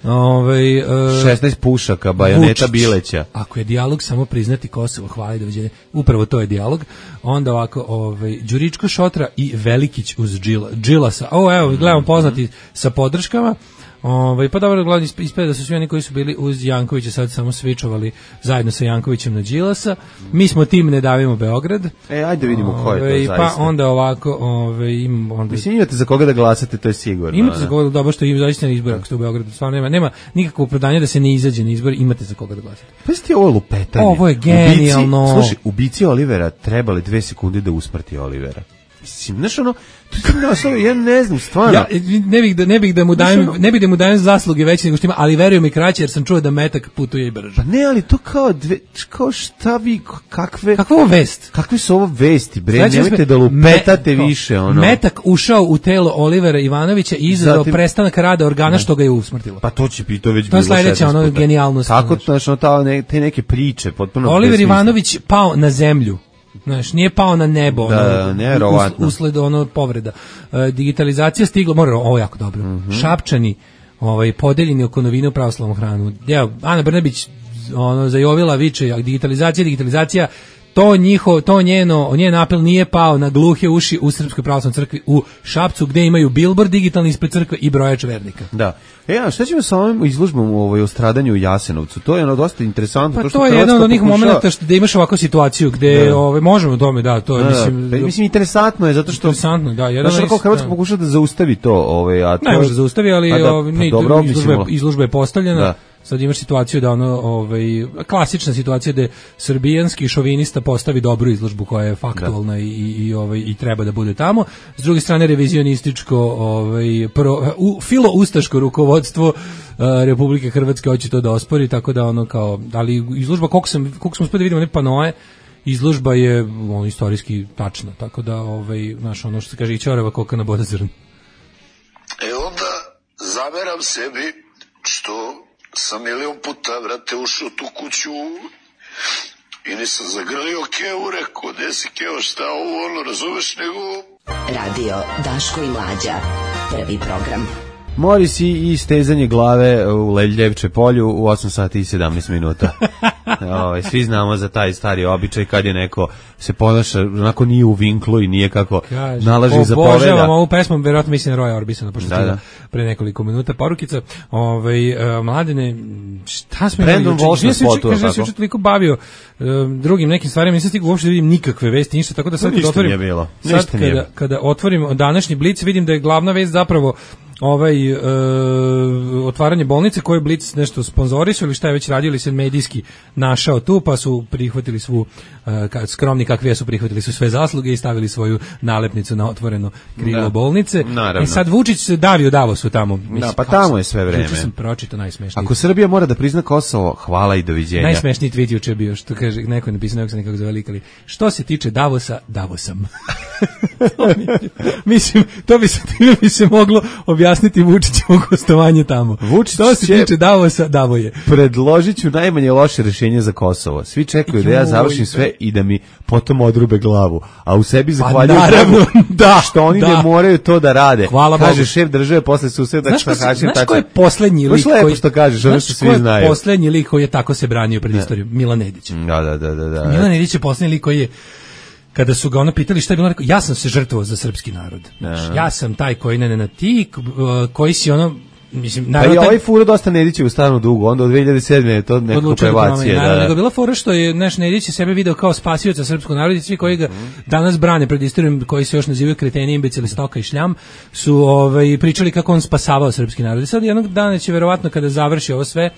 Ove, uh, šesnaest pušaka, bajoneta Vučić. Bileća. Ako je dijalog samo priznati Kosovo, hvala i doviđenja. Upravo to je dijalog. Onda ovako, ovaj, Đuričko Šotra i Velikić uz Džila, Džilasa. Ovo, evo, gledamo poznati sa podrškama. Ovaj pa dobro, gledam ispada da su svi oni koji su bili uz Jankovića sad samo svičovali zajedno sa Jankovićem na Đilasa. Mi smo tim Ne davimo Beograd. E, ajde vidimo ko je to zaista. Pa onda ovako, ovaj im onda mislim imate za koga da glasate, to je sigurno. Imate za koga, dobro što im zaista na izbor, ako ste u Beogradu, stvarno nema nema nikakvog opravdanja da se ne izađe na izbor, imate za koga da glasate. Pa ste ovo lupetanje. Ovo je genijalno. Ubici, slušaj, ubici Olivera trebali dve sekunde da usmrti Olivera. Mislim, znaš ono, to sam naslov, ja ne znam, stvarno. Ja ne bih da, ne bih da mu dajem, ne bih da mu dajem zasluge veće nego što ima, ali verujem i kraće jer sam čuo da metak putuje i brže. Pa ne, ali to kao dve, kao šta vi, kakve... Kakva ovo vest? Kakve su ovo vesti, bre, znači, nemojte da lupetate me, više, ono. Metak ušao u telo Olivera Ivanovića i izazvao Zatim, prestanak rada organa što ga je usmrtilo. Pa to će biti, to već to bilo sledeće, ono genijalnost. Tako, znači, ono, ta, ne, te neke priče, potpuno... Oliver Ivanović pao na zemlju. Znaš, nije pao na nebo, da, ono, nevjerovatno. usled ono povreda. E, digitalizacija stigla, mora, ovo jako dobro. Mm-hmm. Šapčani, ovaj, podeljeni oko novine u pravoslavnom hranu. Ja, Ana Brnabić, ono, zajovila viče, digitalizacija, digitalizacija, to njiho, to njeno, njen apel nije pao na gluhe uši u Srpskoj pravoslavnoj crkvi u Šapcu, gde imaju bilbord digitalni ispred crkve i brojač vernika. Da. E, a šta ćemo sa ovim izložbom ovaj, o stradanju u Jasenovcu? To je ono dosta interesantno. Pa to, što to je jedan od onih pokušava... momenta što da imaš ovakvu situaciju gde da. Ove, možemo tome, da, to je, da, mislim... Da, mislim, interesantno je, zato što... Interesantno, da. Znaš, kako Hrvatska pokušava da zaustavi to, ovaj, a to... Ne može da zaustavi, ali da, ove, pa, ne, dobro, izložba, je, izložba je postavljena. Da. Sad imaš situaciju da ono, ovaj, klasična situacija da srbijanski šovinista postavi dobru izložbu koja je faktualna i, i, ovaj, i treba da bude tamo. S druge strane revizionističko, ovaj, pro, u, filo-ustaško rukovodstvo uh, Republike Hrvatske hoće to da ospori, tako da ono kao, ali izložba, koliko, sam, koliko smo uspeli da vidimo ne panoje, izložba je ono, istorijski tačna, tako da, ovaj, znaš, ono što se kaže i ćorava koka na boda zrn. E onda zameram sebi što sam milion puta, vrate, ušao tu kuću i nisam zagrlio Kevu, rekao, gde si Kevo, šta ovo, ono, razumeš, nego... Radio Daško i Mlađa, prvi program. Moris i stezanje glave u Leljevče polju u osam sati i sedamnaest minuta. Ove, svi znamo za taj stari običaj kad je neko se ponaša, onako nije u vinklu i nije kako Kaže, nalaže i zapoveda. Obožavam ovu pesmu, verovatno mislim Roja Orbisona, pošto da, da. da. pre nekoliko minuta porukica. Ovaj uh, Mladene, šta smo Brandon Walsh na spotu, kaže, ja sam se toliko bavio uh, drugim nekim stvarima, nisam stigao uopšte da vidim nikakve vesti, ništa, tako da sad kad otvorim, bilo. sad kada, kada otvorim današnji Blic, vidim da je glavna vest zapravo ovaj uh, otvaranje bolnice koje Blic nešto sponzorisao ili šta je već radio ili se medijski našao tu, pa su prihvatili svu uh, skromni kakvi su prihvatili su sve zasluge i stavili svoju nalepnicu na otvoreno krilo da. bolnice. Naravno. E sad Vučić se davio Davosu tamo. Mislim, da, pa tamo je sve vreme. Juče sam pročitao najsmešniji. Ako Srbija mora da prizna Kosovo, hvala i doviđenja. Najsmešniji tweet juče bio, što kaže, neko je napisao, neko se nekako zavelikali. Što se tiče Davosa, Davosam. Mislim, to bi se, bi se moglo objasniti Vučićevo gostovanje tamo. Vučić što se tiče Davosa, Davoje. Predložit ću najmanje loše rješenje za Kosovo. Svi čekaju da ja završim sve i da mi potom odrube glavu. A u sebi zahvaljuju pa, naravno, da, što oni da. ne moraju to da rade. Hvala kaže Bogu. Šef države posle susreta znaš, sa Hašim. Znaš ko je poslednji lik koji... što kažeš, ono što svi znaju. Znaš ko je poslednji lik koji je tako se branio pred istorijom? Milan Nedić. Da, da, da, da, da. Milan Nedić je poslednji lik koji je kada su ga ono pitali šta je bilo, rekao, ja sam se žrtvovao za srpski narod. Znaš, ja sam taj koji ne ne na ti, koji si ono, mislim, naravno... Pa i ovaj furo dosta Nedića u stanu dugo, onda od dve hiljade sedme je to nekako prevacije. Naravno, da, nego bila fora što je naš Nedić sebe video kao spasioca srpskog naroda i svi koji ga danas brane pred istorijom, koji se još nazivaju kreteni, imbecili, stoka i šljam, su ovaj, pričali kako on spasavao srpski narod. I sad jednog dana će verovatno kada završi ovo sve,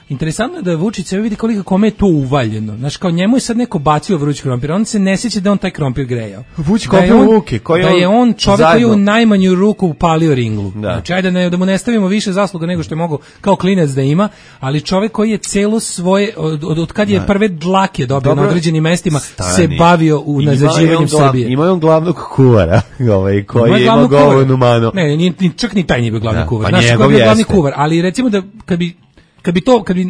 interesantno je da Vučić sebe vidi koliko kome je to uvaljeno. Znaš, kao njemu je sad neko bacio vruć krompir, on se ne sjeća da on taj krompir grejao. Vučić kopio u ruke. Da je on čovjek koji je u najmanju ruku upalio ringlu. Da. Znači, ajde ne, da mu ne stavimo više zasluga nego što je mogo kao klinac da ima, ali čovjek koji je celo svoje, od, od, od kad je prve dlake dobio Dobro, na određenim mestima, stani. se bavio u nazađivanjem Srbije. Ima on glavnog kuvara, ovaj, koji je imao govornu manu. Ne, ni, ni, čak ni taj nije bio glavni da, kuvar. Pa Znaš, ko je bio glavni kuvar, ali recimo da kad bi Kad bi to, kad bi,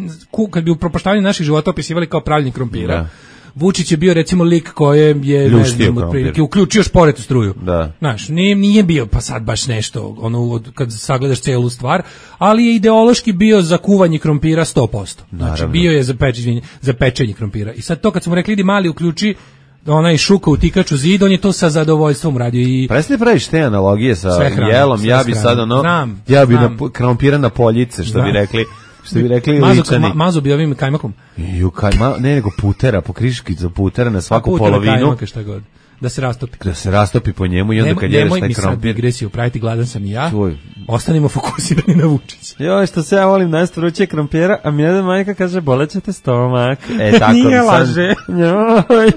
kad bi u propaštavanju naših života opisivali kao pravljenje krompira, da. Vučić je bio recimo lik koje je ne znam, otprilike uključio šporet u struju. Da. Znaš, nije, nije bio pa sad baš nešto, ono, kad sagledaš celu stvar, ali je ideološki bio za kuvanje krompira sto posto. Znači, bio je za pečenje, za pečenje krompira. I sad to kad smo rekli idi mali uključi onaj šuka u tikaču zid, on je to sa zadovoljstvom radio i presne praviš te analogije sa jelom, ja bi sad ono, znam, ja bi znam. na krompira na poljice, što da. bi rekli. Što bi rekli ličani. Ma, mazo bi ovim kajmakom. Ju, kajma, ne, nego putera, po kriškicu putera na svaku putera, polovinu. Kajmaka, šta god. Da se rastopi. Da se rastopi po njemu i onda kad jedeš taj krompir. Nemoj mi sad digresiju praviti, gladan sam i ja. Čuj. Ostanimo fokusirani na Vučića. Joj, što se ja volim najst vruće krompira, a mi jedan majka kaže bolećete stomak. E, tako nije laže. Joj.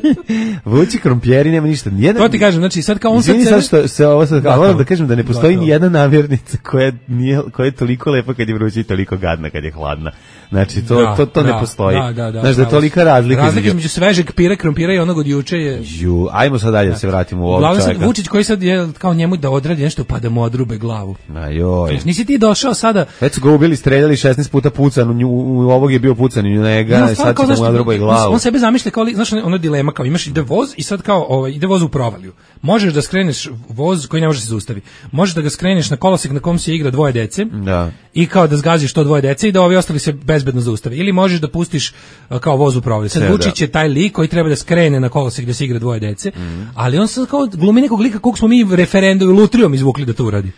Vuči krompjeri, nema ništa. Nijedan... To ti kažem, znači sad kao on sad... Izvini sad što se ovo sad... Da, moram da kažem da ne postoji gotovo. Ni jedna namirnica koja, nije, koja je toliko lepa kad je vruća i toliko gadna kad je hladna. Znači, to, da, to, to da, ne postoji. Da, da, da, znači, da je tolika razlika. Razlika između svežeg pire, krompira i onog od juče je... Ju, ajmo sad dalje da se vratimo u ovog čovjeka. čovjeka. Vučić koji sad je kao njemu da odradi nešto pa da mu odrube glavu. A joj. Znači, nisi ti došao sada... Već su ga ubili, streljali šesnaest puta pucan, u, u ovog je bio pucan i u njega, no, sad će da mu odruba i glavu. On sebe zamišlja kao, znaš, ono dilema, kao imaš ide voz i sad kao, ovaj, ide voz u provaliju. Možeš da skreneš voz koji ne može se zaustavi. Možeš da ga skreneš na kolosek na kom se igra dvoje dece da. I kao da zgaziš to dvoje dece i da ovi ostali se bezbedno zaustave. Ili možeš da pustiš kao voz u provaliju. Sad Vučić je taj lik koji treba da skrene na kolosek gde se igra dvoje dece, mm. ali on sad kao glumi nekog lika kog smo mi referendum lutrijom izvukli da to uradi.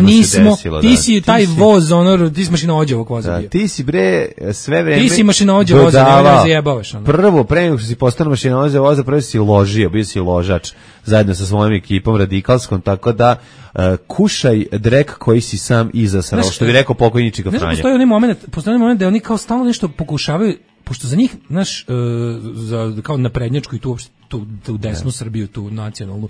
Nismo, desilo, ti si taj ti voz, ono, ti si mašinovođa ovog voza da, bio. Ti si bre sve vreme ti si mašinovođa voza, ne da zajebavaš. Ono. Prvo, pre nego što si postao mašinovođa voza, prvo si ložio, bio si ložač zajedno sa svojom ekipom radikalskom, tako da uh, kušaj drek koji si sam izasrao, što bi rekao pokojni Čika Franja. Postoji onaj moment, postoji onaj moment da oni kao stalno nešto pokušavaju, pošto za njih, naš, uh, za, kao naprednjačku i tu, tu, tu desnu yeah. Srbiju, tu nacionalnu,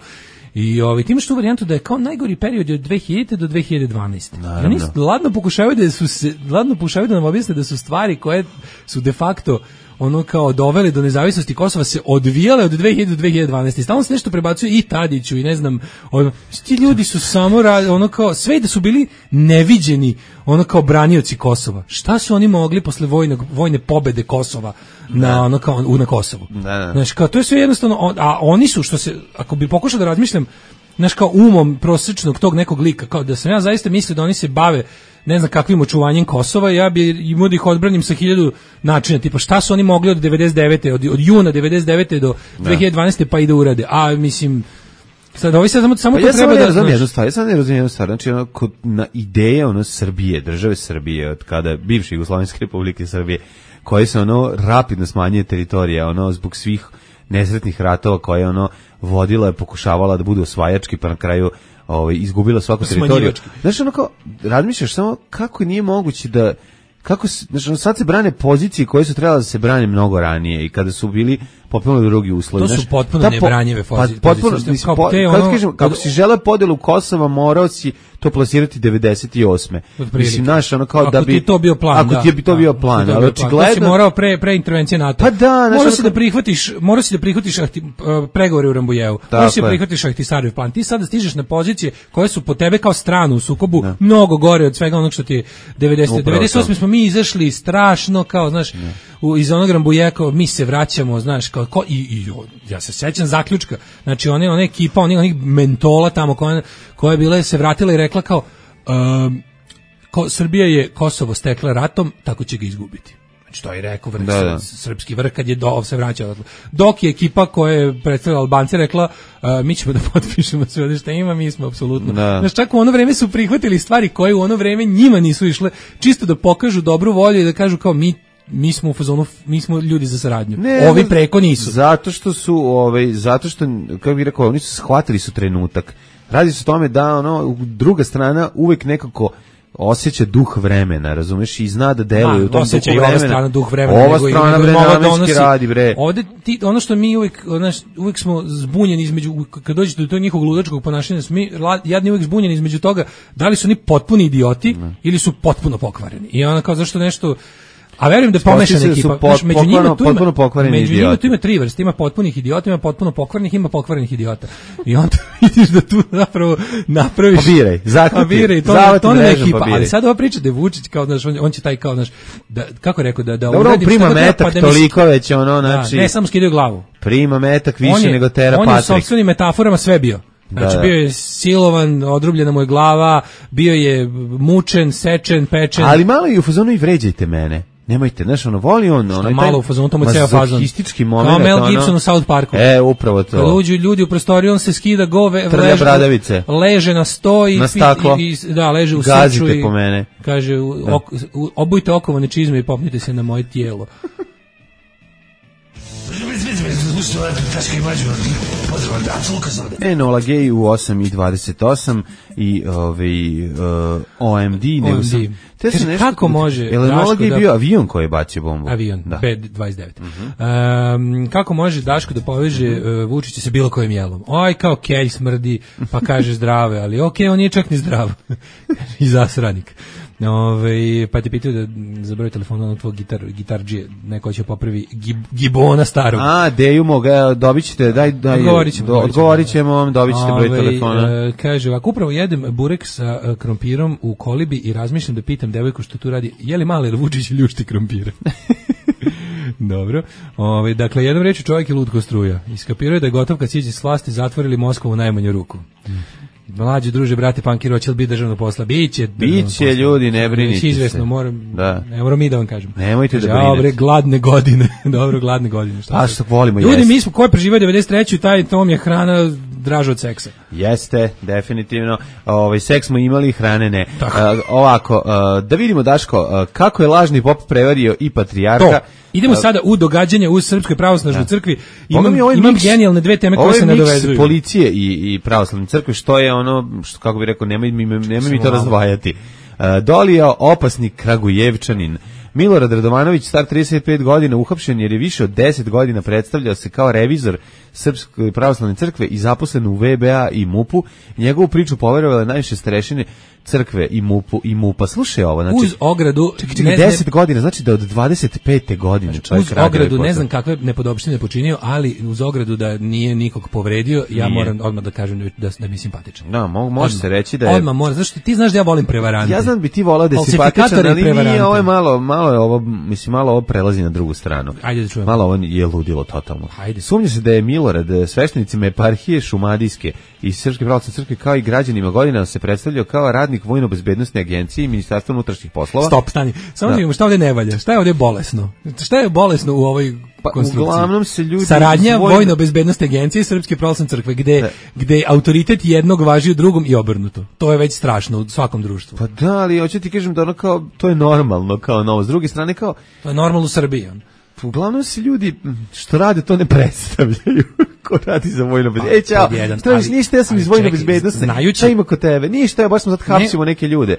i ovaj ti imaš tu varijantu da je kao najgori period od dve hiljadite do dve hiljade dvanaeste. Oni ladno pokušavaju da su se ladno pokušavaju da nam objasne da su stvari koje su de facto ono kao doveli do nezavisnosti Kosova se odvijale od dve hiljade do dve hiljade dvanaeste. Stalno se nešto prebacuje i Tadiću i ne znam, ono, ti ljudi su samo ono kao sve da su bili neviđeni, ono kao branioci Kosova. Šta su oni mogli posle vojne vojne pobede Kosova na ono kao na Kosovu? Da, da. Znači, kao to je sve jednostavno, a oni su što se ako bi pokušao da razmišljam znaš, kao umom prosječnog tog nekog lika, kao da sam ja zaista mislio da oni se bave ne znam kakvim očuvanjem Kosova, ja bi imao da ih odbranim sa hiljadu načina, tipa šta su oni mogli od devedeset devete od, od juna devedeset devete do dve hiljade dvanaeste pa i da urade, a mislim sad ovi sad samo, samo pa to ja treba da... Ja sam jednu stvar, ja sam ne razumijem jednu stvar, znači ono, kod, na ideje ono Srbije, države Srbije, od kada bivše Jugoslovenske republike Srbije, koje se ono rapidno smanjuje teritorija, ono zbog svih nesretnih ratova koje ono vodila je, pokušavala da bude osvajački, pa na kraju ovaj, izgubila svaku teritoriju. Znaš, ono kao, razmišljaš samo kako nije moguće da, kako, znači, sad se brane pozicije koje su trebale da se brane mnogo ranije i kada su bili potpuno drugi uslovi. To su potpuno po, nebranjive pozicije. Pa, potpuno, mislim, kao, po, ono, kažem, kako si želeo podelu Kosova, morao si to plasirati devedeset osme Mislim, naš, ono kao ako da bi... Ako ti to bio plan, ako da. ti je bi to bio plan, da, ali očigledno... To si morao pre, pre intervencije NATO. Pa da, morao si da prihvatiš, morao si da prihvatiš ahti, uh, pregovore u Rambujevu. Morao si da prihvatiš Ahtisarjev plan. Ti sada stižeš na pozicije koje su po tebe kao stranu u sukobu ne. mnogo gore od svega onog što ti je devedesete devedeset osme smo mi izašli strašno, kao, znaš, u, iz onog Rambujeva, kao, mi se vraćamo, znaš, kao, ko, i, i ja se sećam zaključka, znači one, one ekipa, onih, onih mentola tamo koja, koja je bila, se vratila i rekla kao, um, ko, Srbija je Kosovo stekla ratom, tako će ga izgubiti. Znači to je rekao vrh, da, da. srpski vrh kad je do, se vraćao. Dok je ekipa koja je predstavila Albanci rekla, uh, mi ćemo da potpišemo sve što ima, mi smo apsolutno. Da. Znači čak u ono vreme su prihvatili stvari koje u ono vreme njima nisu išle, čisto da pokažu dobru volju i da kažu kao mi mi smo u fazonu, mi smo ljudi za saradnju. Ne, ovi preko nisu. Zato što su, ovaj, zato što, kako bih rekao, oni su shvatili su trenutak. Radi se o tome da ono druga strana uvek nekako osjeća duh vremena, razumeš, i zna da deluje u tom duhu vremena. Ova strana duh vremena. Ova strana vremena radi, bre. Ovde ti, ono što mi uvek, znaš, uvek smo zbunjeni između, kad dođete do tog njihovog ludačkog ponašanja, mi jadni uvek zbunjeni između toga da li su oni potpuni idioti ne. ili su potpuno pokvareni. I ona kao zašto nešto... A verujem da je pomešana ekipa. Pot, među njima tu ima, među njima tu ima tri vrste. Ima potpunih idiota, ima potpuno pokvarenih, ima pokvarenih idiota. I onda vidiš da tu zapravo napraviš... Pa biraj, zakupi. Pa biraj, to, to ne ekipa. Ali sad ova priča da je Vučić, kao, znaš, on, on će taj kao, znaš, da, kako rekao, da... da dobro, prima metak, pa da toliko već, ono, znači... Da, ne, samo skidaju glavu. Prima metak više je, nego tera on Patrik. On je u sopstvenim metaforama sve bio. Znači, da, da. bio je silovan, odrubljena mu je glava, bio je mučen, sečen, pečen. Ali malo i u fazonu i vređajte mene. Nemojte, znaš, ono, voli on, ono, malo u fazonu, to mu je ceo fazon. Mazohistički moment. Kao Mel Gibson ono, u South Parku. E, upravo to. Kad uđu ljudi u prostoriju, on se skida gove, leže, bradavice. leže na sto i, na staklo. I, i, da, leže u gazite srču i po mene. Kaže, da. ok, obujte okovane čizme i popnite se na moje tijelo. Enola Gay u osam i dvadeset osam i ovaj uh, O M D, nego sam, te se nešto, kako može Enola Gay da, bio avion koji je bacio bombu, avion da. B dvadeset devet uh-huh. um, kako može Daško da poveže uh-huh. uh, Vučića sa bilo kojim jelom, oj kao kelj smrdi pa kaže zdrave, ali okej, okay, on nije čak ni zdrav i zasranik. Ove, pa te pitaju da za broj telefona na tvoj gitar, gitarđije, neko će popravi gib, gibona starog. A, deju moga, dobit ćete, daj, daj, odgovorit ćemo, do, odgovorit ćemo vam, dobit ćete broj telefona. E, kaže, ovako, upravo jedem burek sa uh, krompirom u kolibi i razmišljam da pitam devojku što tu radi, je li mali ili Vučić ljušti krompira? Dobro. Ove, dakle, jednom reći čovjek je lud ko struja. Iskapirao je da je gotov kad siđe s vlasti, zatvorili Moskvu u najmanju ruku. Mm. Mlađi druže, brate, pankiro, hoće li biti državno posla? Biće, biće ljudi, ne brinite se. Izvesno, moram, da. ne moram mi da vam kažem. Nemojte kaže, da brinete. Dobre, gladne godine. Dobro, gladne godine. A što volimo ljudi, jeste. Mi smo, ko je preživao devedeset treću taj tom je hrana draža od seksa. Jeste, definitivno. Ovaj seks smo imali, hrane ne. Uh, ovako, uh, da vidimo, Daško, uh, kako je lažni pop prevario i patrijarha. To. Idemo uh, sada u događanje u Srpskoj pravoslavnoj crkvi. Imam, imam mix, genijalne dve teme koje se nadovezuju. Policije i, i pravoslavne crkve, što je ono, što, kako bih rekao, nemoj, nemoj mi to razdvajati. Uh, Dolija, opasni Kragujevčanin. Milorad Radovanović, star trideset pet godina, uhapšen jer je više od deset godina predstavljao se kao revizor Srpske pravoslavne crkve i zaposlen u V B A i MUP-u. Njegovu priču poverovale najviše starešine crkve i mupu i mupa. Slušaj ovo, znači uz ogradu čekaj, čekaj, deset godina, znači da od dvadeset pete godine znači, čovjek uz radi ogradu ovaj ne znam kakve nepodopštine počinio, ali uz ogradu da nije nikog povredio, ja nije. moram odmah da kažem da da mi je simpatičan. Da, mo, može se reći da je odmah mora, zašto ti znaš da ja volim prevarante. Ja znam da bi ti volao da je simpatičan, ali nije, ovo je malo, malo je ovo, mislim, malo ovo prelazi na drugu stranu. Ajde da čujemo. Malo ovo je ludilo totalno. Ajde. Sumnja se da je Milorad sveštenicima eparhije Šumadijske i Srpske pravoslavne crkve kao i građanima godina se predstavljao kao radnik vojno-bezbednosne agencije i Ministarstva unutrašnjih poslova. Stop, stani. Samo da vidimo šta ovdje ne valja. Šta je ovdje bolesno? Šta je bolesno u ovoj pa, konstrukciji? Uglavnom se ljudi saradnja vojno... vojno-bezbednosne agencije i Srpske pravoslavne crkve gde, da. gde autoritet jednog važi u drugom i obrnuto. To je već strašno u svakom društvu. Pa da, ali hoću ti kažem da ono kao, to je normalno kao novo. S druge strane kao... To je normalno u Srbiji. On. Uglavnom se ljudi što rade to ne predstavljaju. Ko radi za vojno bezbednost? Ej, čao, što viš, ništa, ja sam iz vojno bezbednosti. Šta ima kod tebe? Ništa, ja baš sam sad hapsimo neke ljude.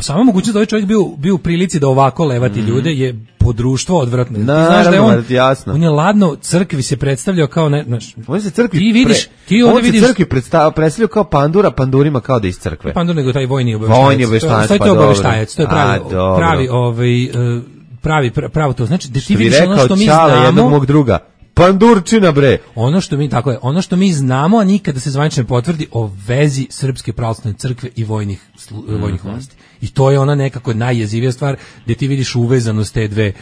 Samo mogućnost da ovaj čovjek bio, bio u prilici da ovako levati mm. ljude je po društvo odvratno. Naravno, znaš da je on, jasno. On je ladno crkvi se predstavljao kao ne, znaš, on se crkvi ti vidiš, ti on vidiš, se crkvi predstavljao kao pandura, pandurima kao da iz crkve. Pandur nego taj vojni obaveštajac. Vojni obaveštajac, to, pa to je obaveštajac, to je pravi, A, pravi ovaj pravi pravo to znači da ti vidiš ono što mi znamo jednog mog druga pandurčina bre ono što mi tako je ono što mi znamo a nikada se zvanično ne potvrdi o vezi Srpske pravoslavne crkve i vojnih mm-hmm. vojnih vlasti i to je ona nekako najjezivija stvar gdje ti vidiš uvezanost te dve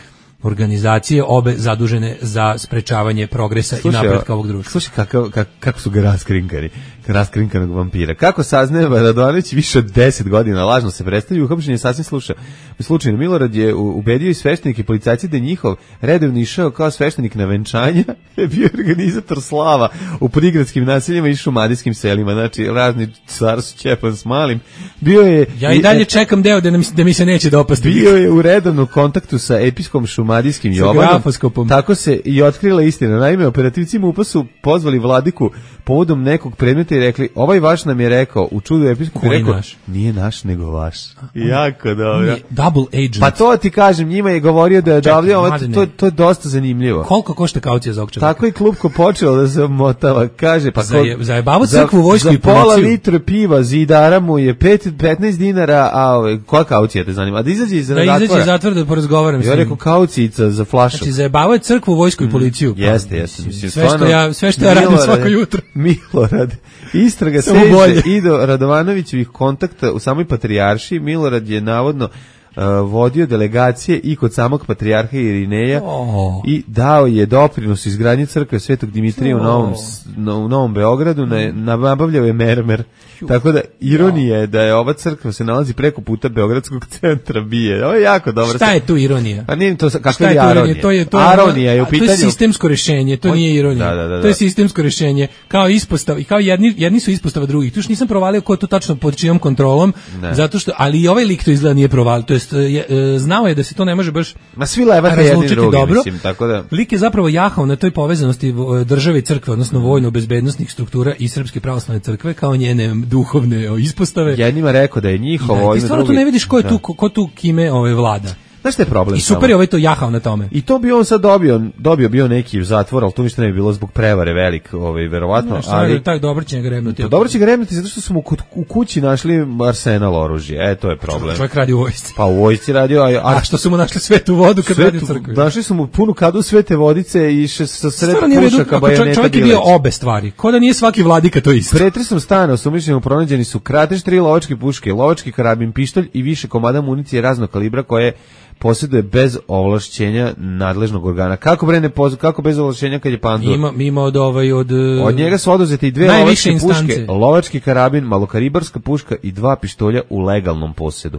organizacije, obe zadužene za sprečavanje progresa slušaj, i napretka ovog društva. Slušaj kako, kako, kako su ga raskrinkani, raskrinkanog vampira. Kako saznaje Radovanović više od deset godina lažno se predstavlja, uhapšen je sasvim sluša. Slučajno Milorad je ubedio i sveštenike i policajci da je njihov redovno išao kao sveštenik na venčanja, je bio organizator slava u prigradskim naseljima i šumadijskim selima, znači razni car s Ćepan s malim. Bio je... Ja i dalje čekam deo da, nam, da mi se neće dopasti. Bio je u redovnom kontaktu sa episkom Šumadijskim Jovanom. Tako se i otkrila istina. Naime, operativci MUP-a su pozvali vladiku povodom nekog predmeta i rekli, ovaj vaš nam je rekao, u čudu episkom je rekao, naš? Nije naš nego vaš. Jako dobro. Double agent. Pa to ti kažem, njima je govorio da je davlje, to, to je dosta zanimljivo. Koliko košta kaucija za ovog čovjeka? Tako je klupko počelo da se motava, kaže, pa Zaje, zajebavu crkvu, vojsku za i policiju. Za pola litre piva zidara mu je petnaest dinara, a ove, koja kaucija te zanima? A da izađe iz zatvora? Da izađe iz zatvora da porazgovaram s njim. Ja rekao kaucijica za flašu. Znači zajebavaju crkvu, vojsku i policiju. Mm, jeste, jeste. Mislim, sve, što ja, sve što ja radim svako jutro. Milorad, istraga seže i do Radovanovićevih kontakta u samoj patrijaršiji. Milorad je navodno Uh, vodio delegacije i kod samog patrijarha Irineja oh. i dao je doprinos izgradnji crkve Svetog Dimitrija oh. u, Novom, na, u Novom Beogradu, na, nabavljao je mermer. Tako da ironija je da je ova crkva se nalazi preko puta Beogradskog centra bije. Ovo je jako dobro. Šta je tu ironija? A nije to kakva je aronija? To je to. Aronija je u pitanju. To je sistemsko rješenje, to nije ironija. Da, da, da, da. To je sistemsko rješenje. Kao ispostav i kao jedni jedni su ispostava drugih. Tu još nisam provalio ko je to tačno pod čijom kontrolom, ne. Zato što ali i ovaj lik to izgleda nije provalio. To jest je, znao je da se to ne može baš ma svi levate jedni drugi, dobro. Mislim, tako da lik je zapravo jahao na toj povezanosti države i crkve, odnosno vojno-bezbednosnih struktura i Srpske pravoslavne crkve kao njene duhovne ispostave. Jednima rekao da je njihovo, i stvarno tu ne vidiš ko je tu, ko, ko tu kime ove vlada. Znaš šta je problem? I super je ovaj to jahao na tome. I to bi on sad dobio, dobio bio neki u zatvor, ali to ništa ne bi bilo zbog prevare velik, ovaj, verovatno. No, ali je, taj dobro će ga remnuti. Pa dobro će ga remnuti zato što su mu u kući našli arsenal oružja, e, to je problem. Čovjek radi u vojsci. Pa u vojsci radio, a, a, a što su mu našli svetu vodu kad radi u crkvi? Našli su mu punu kadu svete vodice i še, sa sred pušaka bajoneta. Čovjek je bio obe stvari, ko da nije svaki vladika to isto. Pretresom stana osumnjičeno pronađeni su kratež, tri lovačke puške, lovački karabin, pištolj i više komada municije raznog kalibra koje posjeduje bez ovlašćenja nadležnog organa. Kako bre ne poz... kako bez ovlašćenja kad je pandur? Ima ima od ovaj od Od njega su oduzete i dve lovačke puške, lovački karabin, malokalibarska puška i dva pištolja u legalnom posjedu.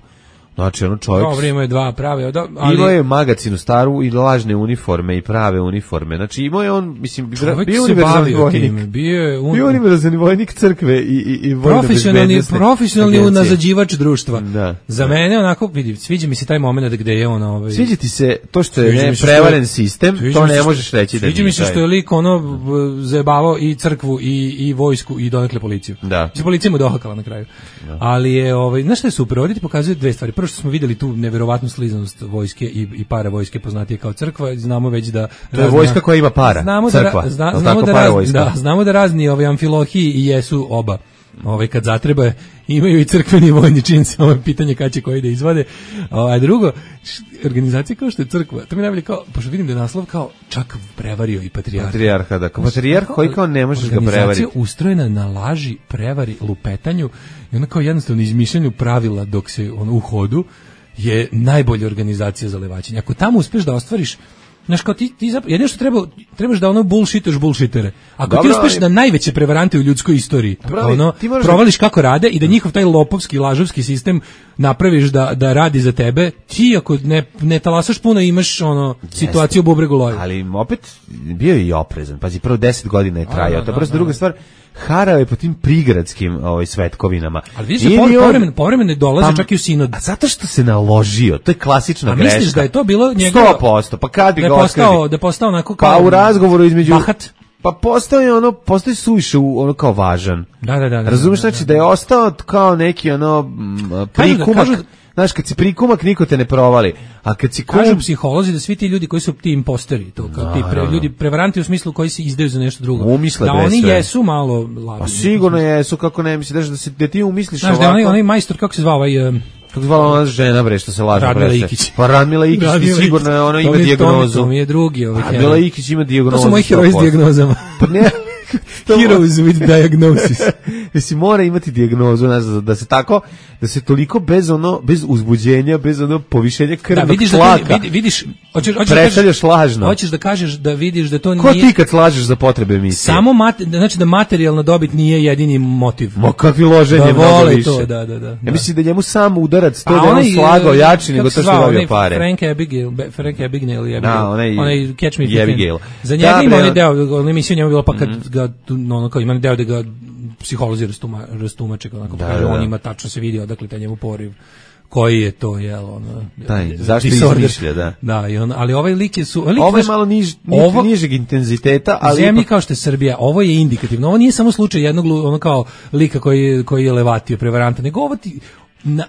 Znači, ono čovjek... Dobro, ima je dva prave, ali... Imao je magacinu staru i lažne uniforme i prave uniforme. Znači, imao je on, mislim, čovjek bio univerzalni vojnik. Bio je un... bio univerzalni vojnik crkve i, i, i profesionalni, profesionalni unazađivač društva. Da, Za da. mene, onako, vidi, sviđa mi se taj moment gde je on... Ovaj... Sviđa ti se to što je ne, prevaren sistem, to ne možeš reći da nije. Sviđa mi se što je lik ono zajebavao i crkvu i, i vojsku i donekle policiju. Da. Se policija mu dohakala na kraju. Da. Ali je, ovaj, znaš šta je super, ovdje ti pokazuje dve stvari. Prvo što smo vidjeli tu neverovatnu slizanost vojske i, i para vojske poznatije kao crkva, znamo već da to je vojska koja ima para, znamo crkva, da, zna, znamo, da razni, da, znamo da razni ovaj amfilohiji i jesu oba. Ovaj kad zatreba imaju i crkveni vojni čin, samo je pitanje kad će koji da izvade. A drugo, organizacija kao što je crkva, to mi najbolje kao, pošto vidim da je naslov kao čak prevario i patrijarha. Patrijarha, da, kao patrijarh koji kao ne možeš ga prevariti. Organizacija ustrojena na laži, prevari, lupetanju i ona kao jednostavno izmišljanju pravila dok se on u hodu je najbolja organizacija za levačenje. Ako tamo uspeš da ostvariš, znaš, kao ti, ti zapravo, jedino što treba, trebaš da ono bullshitaš bullshitere. Ako dobro, ti uspeš da najveće prevarante u ljudskoj istoriji, dobro, ono, provališ kako rade i da njihov taj lopovski, lažovski sistem napraviš da, da radi za tebe, ti ako ne, ne talasaš puno imaš ono, situaciju u bubregu loju. Ali opet bio je i oprezan. Pazi, prvo deset godina je trajao. To je prosto druga stvar. Harao je po tim prigradskim ovaj, svetkovinama. Ali vidiš da povremeno, povremeno dolaze pa, čak i u sinod. A zato što se naložio, to je klasična a greška. A misliš da je to bilo njegov... sto posto, pa kad bi da ga postao, da je postao onako kao... Pa u razgovoru između... Bahat? Pa postao je ono, postao je suviše ono kao važan. Da, da, da. da Razumeš, da, da, znači da je ostao kao neki ono prikumak... Kažu da, znaš, kad si prikumak, niko te ne provali. A kad si kum... Kažu psiholozi da svi ti ljudi koji su ti imposteri, to kao no, ti pre, ljudi prevaranti u smislu koji se izdaju za nešto drugo. Umisle da oni sve. Jesu malo lažni. Pa sigurno jesu, kako ne misliš da se da ti umisliš znaš, ovako. Znaš da onaj, onaj majstor, kako se zvao ovaj... Um, kako zvala ona žena, bre, što se laže. Radmila Ikić. Pa Radmila Ikić, Radmila sigurno je ona ima to dijagnozu. To mi je drugi ovaj heroj. Radmila Ikić ima dijagnozu. To su moji heroji s dijagnozama. Pa ne... Heroes with diagnosis. Mislim, mora imati dijagnozu, znaš, da se tako, da se toliko bez ono, bez uzbuđenja, bez ono povišenja krvnog da, vidiš tlaka. Da to, vidiš, hoćeš, hoćeš predstavljaš da lažno. Hoćeš da kažeš da vidiš da to ko nije... Ko ti kad slažeš za potrebe emisije? Samo, mat, znači da materijalna dobit nije jedini motiv. Ma kakvi loženje, da mnogo više. To, da, da, da. Ja mislim da njemu sam udarac, to a da on onaj, slagao jači nego to što dobio pare. Frank Abigail, Frank Abigail je da, onaj, onaj Catch Me If You Abigail. Can. Za njega ima onaj deo, onaj emisija njemu bilo pa kad mm-hmm. ga, ono kao ima deo da ga psiholozi rastuma, rastumače, onako da, kaže, da. On ima tačno se vidi odakle taj njemu poriv. Koji je to, jel, ono... Taj, zašto izmišlja, da. Da, i on, ali ovaj lik je... Su, lik, ovo je malo niž, ovo, nižeg intenziteta, ali... Zemlji ipak... kao što je Srbija, ovo je indikativno. Ovo nije samo slučaj jednog ono kao lika koji, koji je levatio prevaranta, nego ovo ti... Na,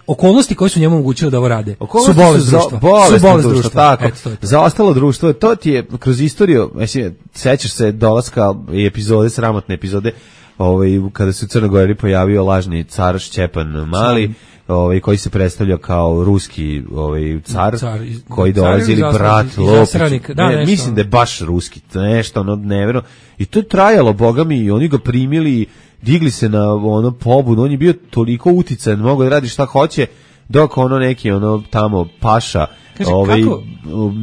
okolnosti koje su njemu omogućile da ovo rade okolnosti su bolest društva. Su bolest društva, društva, tako. Eto, to to. Za ostalo društvo, to ti je kroz istoriju, mislim, sećaš se dolaska i epizode, sramotne epizode, ovaj, kada se u Crnoj Gori pojavio lažni car Šćepan Mali, ovaj, koji se predstavlja kao ruski ovaj, car, car iz, koji dolazi ili brat Lopić. Da, ne, mislim da je baš ruski, nešto ono nevjerno. I to je trajalo, boga mi, i oni ga primili, digli se na ono pobunu, on je bio toliko uticajan, mogo da radi šta hoće, dok ono neki ono tamo paša kaže, ovaj, kako?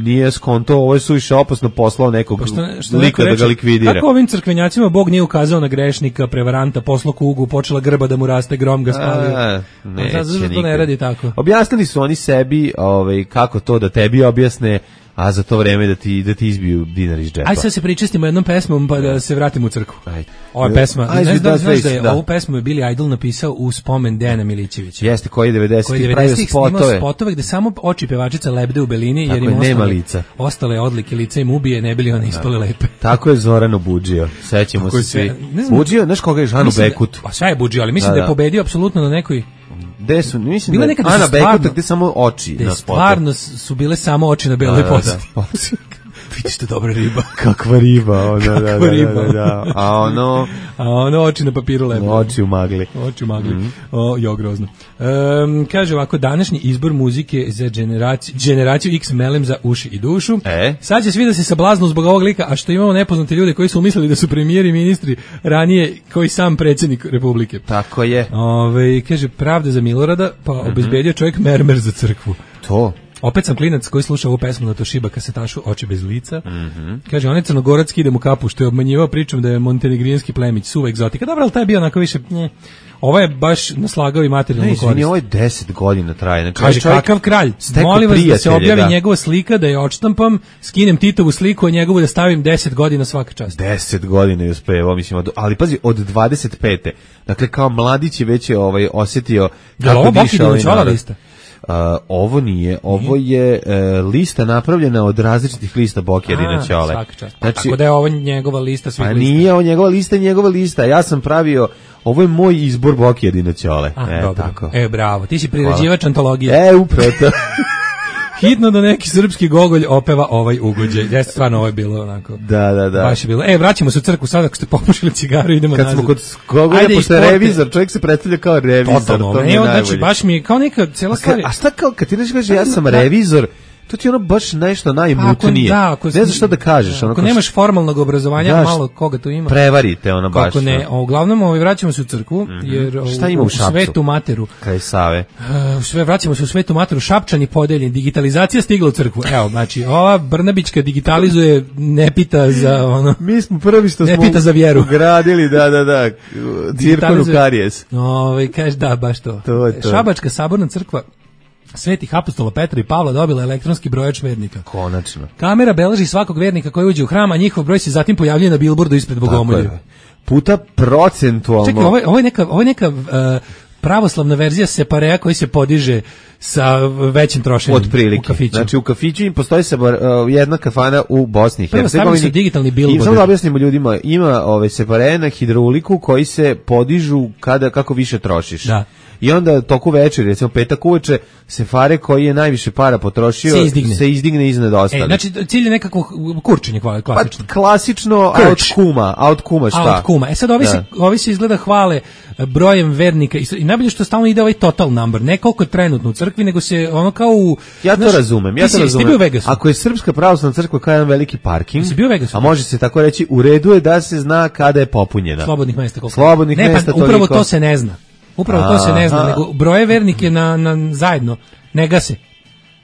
Nije skonto, ovo je suviše opasno poslao nekog pa što, što lika da ga likvidira. Kako ovim crkvenjacima Bog nije ukazao na grešnika, prevaranta, poslao kugu, počela grba da mu raste, grom ga spalio. A, neće, zašto to ne radi tako? Objasnili su oni sebi ovaj, kako to da tebi objasne, a za to vreme da ti da ti izbiju dinar iz džepa. Aj sad se pričestimo jednom pesmom pa da se vratimo u crkvu. Ajde. Ova pesma, Ajde, ne znaš, znaš da je da. ovu pesmu je Billy Idol napisao u spomen Dejana Milićevića. Jeste, koji devedesetih pravio spotove. spotove gde samo oči pevačica lebde u belini jer im je, nema ostale, lica. ostale odlike lica im ubije, ne bili one ispale lepe. Tako je Zorano Budžio, sećamo se svi. Budžio, znaš koga je Žanu Bekut? Pa sve je Budžio, ali mislim da, da je pobedio apsolutno na nekoj Gde su, mislim bile da Ana Bekuta gde samo oči na spotu. Stvarno su bile samo oči na beloj pozadini. Vidiš te dobra riba. Kakva riba, ona, Kakva da, da, riba. Da, da, da. A ono... A ono oči na papiru lepo. Oči u magli. Oči u magli. Mm. O, jo, grozno. Um, kaže ovako, današnji izbor muzike za generaciju, generaciju X melem za uši i dušu. E? Sad će svi da se sablaznu zbog ovog lika, a što imamo nepoznate ljude koji su umislili da su premijeri i ministri ranije koji sam predsjednik Republike. Tako je. Ove, kaže, pravda za Milorada, pa mm-hmm. obezbedio čovjek mermer za crkvu. To. Opet sam klinac koji sluša ovu pesmu na Toshiba kasetašu Oči bez lica. Mm-hmm. Kaže, on je crnogorac, ide mu kapu, što je obmanjivao pričom da je montenegrijanski plemić, suva egzotika. Dobro, ali taj je bio onako više... Nje. Ovo je baš naslagao i materijalnu korist. Ne, izvini, ovo je deset godina traje. Znači, kaže, kakav kralj? Molim vas da se objavi da. njegova slika, da je odštampam, skinem Titovu sliku, a njegovu da stavim deset godina svaka čast. deset godina je uspeo, mislim, od, ali pazi, od dvadeset pete. Dakle, kao mladić je već je ovaj, osjetio kako diša ovaj narod. Uh, ovo nije, ovo je uh, lista napravljena od različitih lista Bokjerina Ćole. Znači, tako da je ovo njegova lista svih lista. A nije ovo njegova lista, njegova lista. Ja sam pravio, ovo je moj izbor Bokjerina Ćole. A, e, dobro. Tako. E, bravo, ti si priređivač antologije. E, upravo to. Hitno da neki srpski gogolj opeva ovaj ugođaj. Jeste, stvarno ovo je bilo onako. Da, da, da. Baš je bilo. E, vraćamo se u crkvu sada ako ste popušili cigaru, idemo Kad nazad. smo kod gogolja, pošto je revizor, čovjek se predstavlja kao revizor. Totalno, to mi je evo, najbolje. znači, baš mi je kao neka cijela stvar. A šta kao, kad ti nešto kaže ja sam revizor, to ti ono baš nešto najmutnije. Da, ako, ne znaš šta da kažeš. Ako ono, nemaš formalnog obrazovanja, daš, malo koga tu ima. Prevarite ono baš. Kako ne, a uglavnom ovaj, vraćamo se u crkvu, mm-hmm. jer šta ima u, u Šapcu? Svetu Materu. Kraj Save. Uh, sve, vraćamo se u Svetu Materu, Šapčani podeljen, digitalizacija stigla u crkvu. Evo, znači, ova Brnabićka digitalizuje, ne pita za ono... Mi smo prvi što ne smo pita za vjeru. Ugradili, da, da, da, cirkonu karijes. Ovaj, kaže, da, baš to. to, to. Šabačka saborna crkva Svetih apostola Petra i Pavla dobila elektronski brojač vernika. Konačno. Kamera beleži svakog vernika koji uđe u hram, a njihov broj se zatim pojavljuje na bilbordu ispred bogomolja. Puta procentualno. Čekaj, ovo je, ovo je neka, ovo je neka uh, pravoslavna verzija separea koji se podiže sa većim trošenjem u kafiću. Znači u kafiću im postoji se uh, jedna kafana u Bosni i Hercegovini. Stavili su digitalni billboard. I samo da objasnimo ljudima, ima ove separe na hidrauliku koji se podižu kada kako više trošiš. Da. I onda toku večeri, recimo petak uveče, sefare koji je najviše para potrošio se izdigne, se izdigne iznad ostalih. E, znači cilj je nekako kurčenje klasično. Pa klasično od kuma, a od kuma šta? A od kuma. E sad ovi, se, ovi se izgleda hvale brojem vernika i, i najbolje što stalno ide ovaj total number, ne koliko trenutno u crkvi, nego se ono kao u... Ja to znaš, razumem, ja to si, razumem. Bio u Vegasu. Ako je Srpska pravoslavna crkva kao jedan veliki parking, bio u Vegasu. A može se tako reći, u redu je da se zna kada je popunjena. Slobodnih mesta koliko. Slobodnih ne, mesta pa, upravo toliko. to se ne zna. Upravo Aha. to se ne zna, nego broje vernike na, na zajedno, ne gase.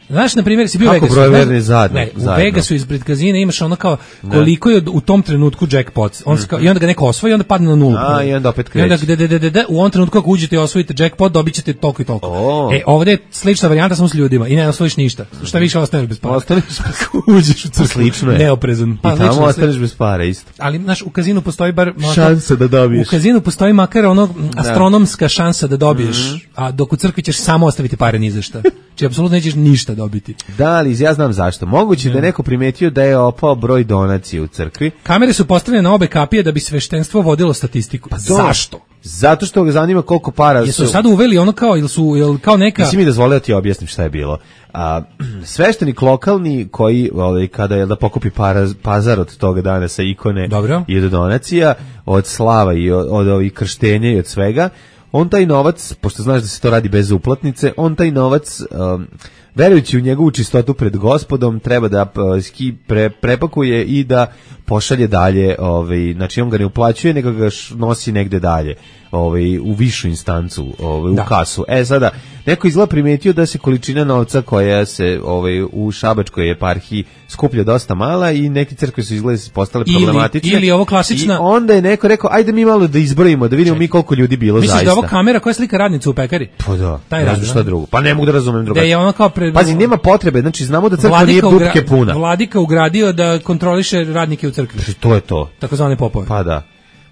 Znaš, na primjer, si bio u Vegasu. Kako broje verni zajedno? Ne, u zajedno. Vegasu ispred kazina imaš ono kao koliko je u tom trenutku jackpot. On mm. kao, i onda ga neko osvoji i onda padne na nulu. A, i onda opet kreće. I onda gde, gde, gde, gde, u ovom trenutku ako uđete i osvojite jackpot, dobit ćete toliko i toliko. Oh. E, ovdje je slična varijanta samo s ljudima i ne osvojiš ništa. Šta više ostaneš bez para. Ostaneš bez uđeš u crkvu. Slično je. Neoprezan. Pa, I tamo ostaneš bez para isto. Ali, znaš, u kazinu postoji bar... Šansa da dobiješ. U kazinu postoji makar ono astronomska šansa da dobiješ, mm-hmm. a dok u crkvi ćeš samo ostaviti pare ni za šta. Či apsolutno nećeš ništa dobiti. Da, ali ja znam zašto. Moguće ja. da je neko primetio da je opao broj donacije u crkvi. Kamere su postavljene na obe kapije da bi sveštenstvo vodilo statistiku. Pa zašto? Zato što ga zanima koliko para Jesu su... Jesu sad uveli ono kao, ili su, ili kao neka... Nisi mi dozvolio ti objasnim šta je bilo. A, sveštenik lokalni koji, ovaj, kada je da pokupi para, pazar od toga dana sa ikone Dobro. i od donacija, od slava i od, od ovih krštenja i od svega, on taj novac, pošto znaš da se to radi bez uplatnice, on taj novac... Um, verujući u njegovu čistotu pred gospodom, treba da ski pre, prepakuje i da pošalje dalje, ovaj, znači on ga ne uplaćuje, nego ga nosi negde dalje, ovaj, u višu instancu, ovaj, u da. kasu. E sada, neko izgleda primetio da se količina novca koja se ovaj, u Šabačkoj eparhiji skuplja dosta mala i neke crkve su izgleda postale ili, problematične. Ili ovo klasična... I onda je neko rekao, ajde mi malo da izbrojimo, da vidimo Čekaj. mi koliko ljudi bilo Misliš zaista. Misliš da ovo kamera koja slika radnicu u pekari? Pa da, taj ne znam šta drugo. Pa ne mogu da razumem drugačije. Da je ono kao pre... Pazi, nema potrebe, znači znamo da crkva nije dupke puna. Vladika ugradio da kontroliše radnike u crkvi. Znači, to je to. Takozvane popove. Pa da.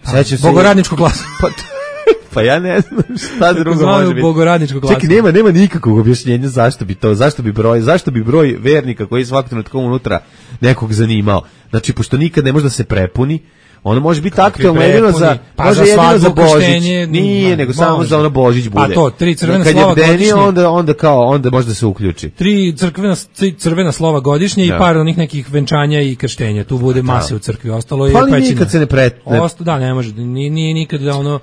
Sećam se. Bogoradničku klasu. Pa, pa ja ne znam šta drugo može biti. Bogoradničku klasu. Čekaj, nema, nema nikakvog objašnjenja zašto bi to, zašto bi broj, zašto bi broj vernika koji je svakog trenutka unutra nekog zanimao. Znači, pošto nikad ne može da se prepuni, ono može biti aktualno jedino za, pa može za jedino za Božić. Nije, Nije, nego može. samo za ono Božić bude. A to, tri crvena Kad slova je bdenije, godišnje. onda, onda kao, onda može da se uključi. Tri crvena, tri crvena slova godišnje ja. i par onih nekih venčanja i krštenja. Tu bude mase u crkvi, ostalo je pa pećina. Pa nikad se ne pretne. Osto, da, ne može, nije, nije nikad da ono...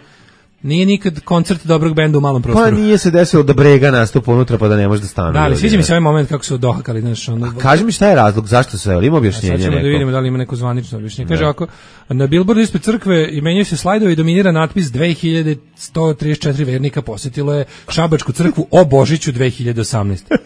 Nije nikad koncert dobrog benda u malom prostoru. Pa nije se desilo da Brega nastupa unutra pa da ne može da stane. Da, ali sviđa mi se ovaj moment kako su dohakali, znaš, ono. A kaži mi šta je razlog, zašto se, ima objašnjenje neko? Sad ćemo da vidimo da li ima neko zvanično objašnjenje. Kaže ovako, na billboardu ispred crkve menjaju se slajdovi i dominira natpis dve hiljade sto trideset četiri vernika posjetilo je Šabačku crkvu o Božiću dve hiljade osamnaeste.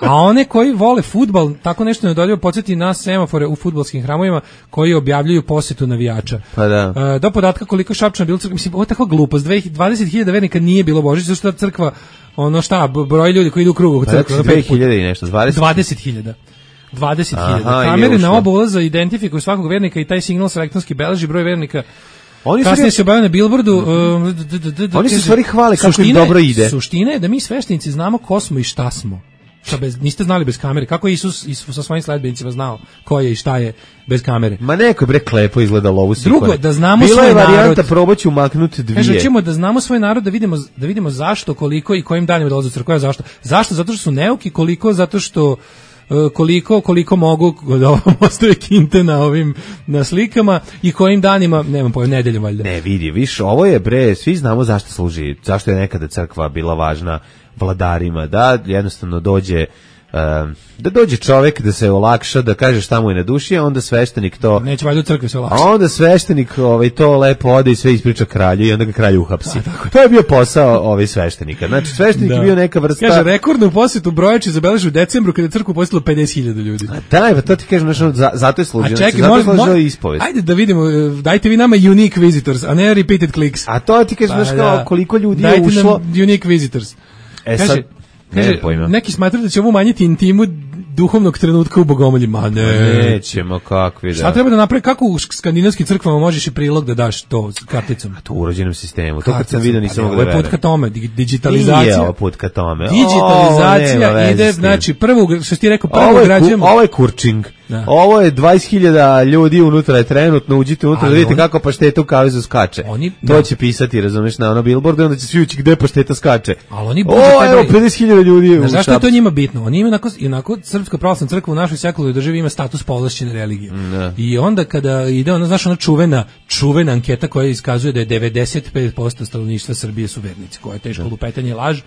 A one koji vole fudbal, tako nešto nedoljivo podsjeti na semafore u fudbalskim hramovima koji objavljuju posjetu navijača. Pa da. E, do podatka koliko Šapčana bilo crkva, mislim, ovo je takva glupost, dvadeset hiljada vernika nije bilo Božić, zašto ta crkva, ono šta, broj ljudi koji idu u krugu crkve. Pa dve hiljade i nešto, dvadeset hiljada. dvadeset hiljada. Kamere na oba ulaza identifikuju svakog vernika i taj signal se elektronski beleži broj vernika. Oni kasnije se objavljaju na billboardu. Oni se stvari hvale kako im dobro ide. Suština je da mi sveštenici znamo ko smo i šta smo. Šta bez, niste znali bez kamere. Kako je Isus, Isus sa svojim sledbenicima znao ko je i šta je bez kamere? Ma neko je bre klepo izgledalo ovu sikone. Drugo, da znamo Bila svoj je varijanta, narod. probat ću maknuti dvije. Kaže, ćemo da znamo svoj narod, da vidimo, da vidimo zašto, koliko i kojim danima dolaze u crkvu. Zašto? Zašto? Zato što su neuki, koliko? Zato što koliko koliko mogu da ostaje kinte na ovim na slikama i kojim danima, nemam pojma, nedeljom valjda. Ne, vidi, viš, ovo je bre, svi znamo zašto služi, zašto je nekada crkva bila važna vladarima, da jednostavno dođe da dođe čovjek da se olakša, da kaže šta mu je na duši, a onda sveštenik to... Neće valjda u crkvi se olakša. A onda sveštenik ovaj, to lepo ode i sve ispriča kralju i onda ga kralj uhapsi. A, to je bio posao ovaj sveštenika. Znači, sveštenik da. je bio neka vrsta... Kaže, rekordnu posjetu Brojači zabeleži u decembru kada je crkvu posjetilo pedeset hiljada ljudi. A daj, pa to ti kažem, znači, za, zato je služio. A čekaj, zato je služio ispovest. Ajde da vidimo, dajte vi nama unique visitors, a ne repeated clicks. A to ti kažem, pa, znači, da. koliko ljudi je ušlo... Dajte nam unique visitors. E kaže, sad... Kaže, neki smatraju da će ovo umanjiti intimu duhovnog trenutka u Bogomolji. Ma ne. Nećemo, kakvi da. Šta treba da napravi, kako u skandinavskim crkvama možeš i prilog da daš to s karticom? A to u urođenom sistemu. To kad sam vidio nisam mogao da verujem. Ovo je put ka tome, digitalizacija. Nije ovo put ka tome. Digitalizacija ide, znači, prvo, što ti rekao, prvo građujemo. Ovo je kurčing. Da. Ovo je dvadeset hiljada ljudi unutra je trenutno, uđite unutra da vidite on, kako pašteta u kavezu skače. Oni, to da. će pisati, razumeš, na ono billboardu, onda će svi ući gde pašteta skače. Ali oni o, evo, pedeset hiljada ljudi u Zašto je to njima bitno? Oni imaju onako, onako Srpska pravoslavna crkva u našoj sekularnoj državi ima status povlašćene religije. Da. I onda kada ide ona, znaš, ona čuvena, čuvena anketa koja iskazuje da je devedeset pet posto stanovništva Srbije su vernici, koja je teško da. lupetanje i laž.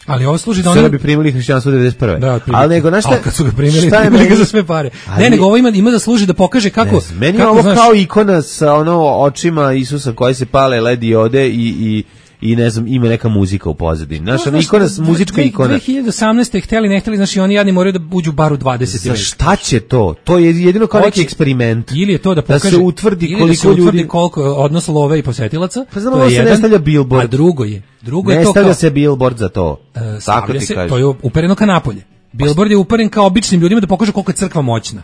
Ali ovo služi da oni Srbi primili hrišćanstvo devedeset prve. Da, ali nego na šta? Kad su ga primili, primili ga za sve pare. Ali, ne, nego ovo ima ima da služi da pokaže kako ne, meni kako, ovo znaš, kao ikona sa ono očima Isusa koji se pale led diode i i i ne znam, ima neka muzika u pozadini. Naša no, ikona, muzička ikona. dve hiljade osamnaeste hteli, ne hteli, znači oni jadni moraju da uđu bar u dvadeset. Za šta će to? To je jedino kao neki eksperiment. Ili je to da pokaže, da se utvrdi koliko da se utvrdi ljudi... koliko odnos love i posetilaca. Pa znamo da se ne stavlja billboard. A drugo je, drugo ne je to stavlja kao... se billboard za to. Uh, Tako ti se, kažeš. To je upereno ka napolje. Billboard je uperen kao običnim ljudima da pokaže koliko je crkva moćna.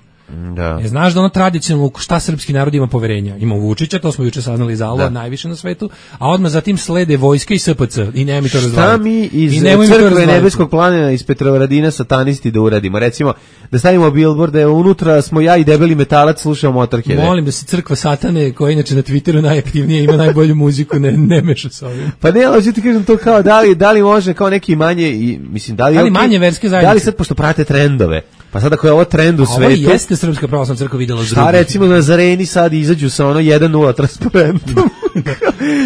Da. Je, znaš da ono tradicionalno šta srpski narod ima poverenja. Ima Vučića, to smo juče saznali za Allah, najviše na svetu, a odmah zatim slede vojska i S P C. I nema mi to razvajati. Šta mi iz crkve nebeskog planina iz Petrovaradina satanisti da uradimo? Recimo, da stavimo billboard da je unutra smo ja i debeli metalac slušao Motorhead. Molim da se crkva satane, koja inače na Twitteru najaktivnije ima najbolju muziku, ne, ne meša s ovim. Pa ne, ali ti kažem to kao, da li, da li može kao neki manje, i, mislim, da li, da li okay, manje verske zajednice? Da li sad, pošto prate trendove, pa sad ako je ovo trend u svetu... Ovo jeste Srpska pravoslavna crkva videla s drugim. Šta recimo na Zareni sad izađu sa ono jedan nula transparentom.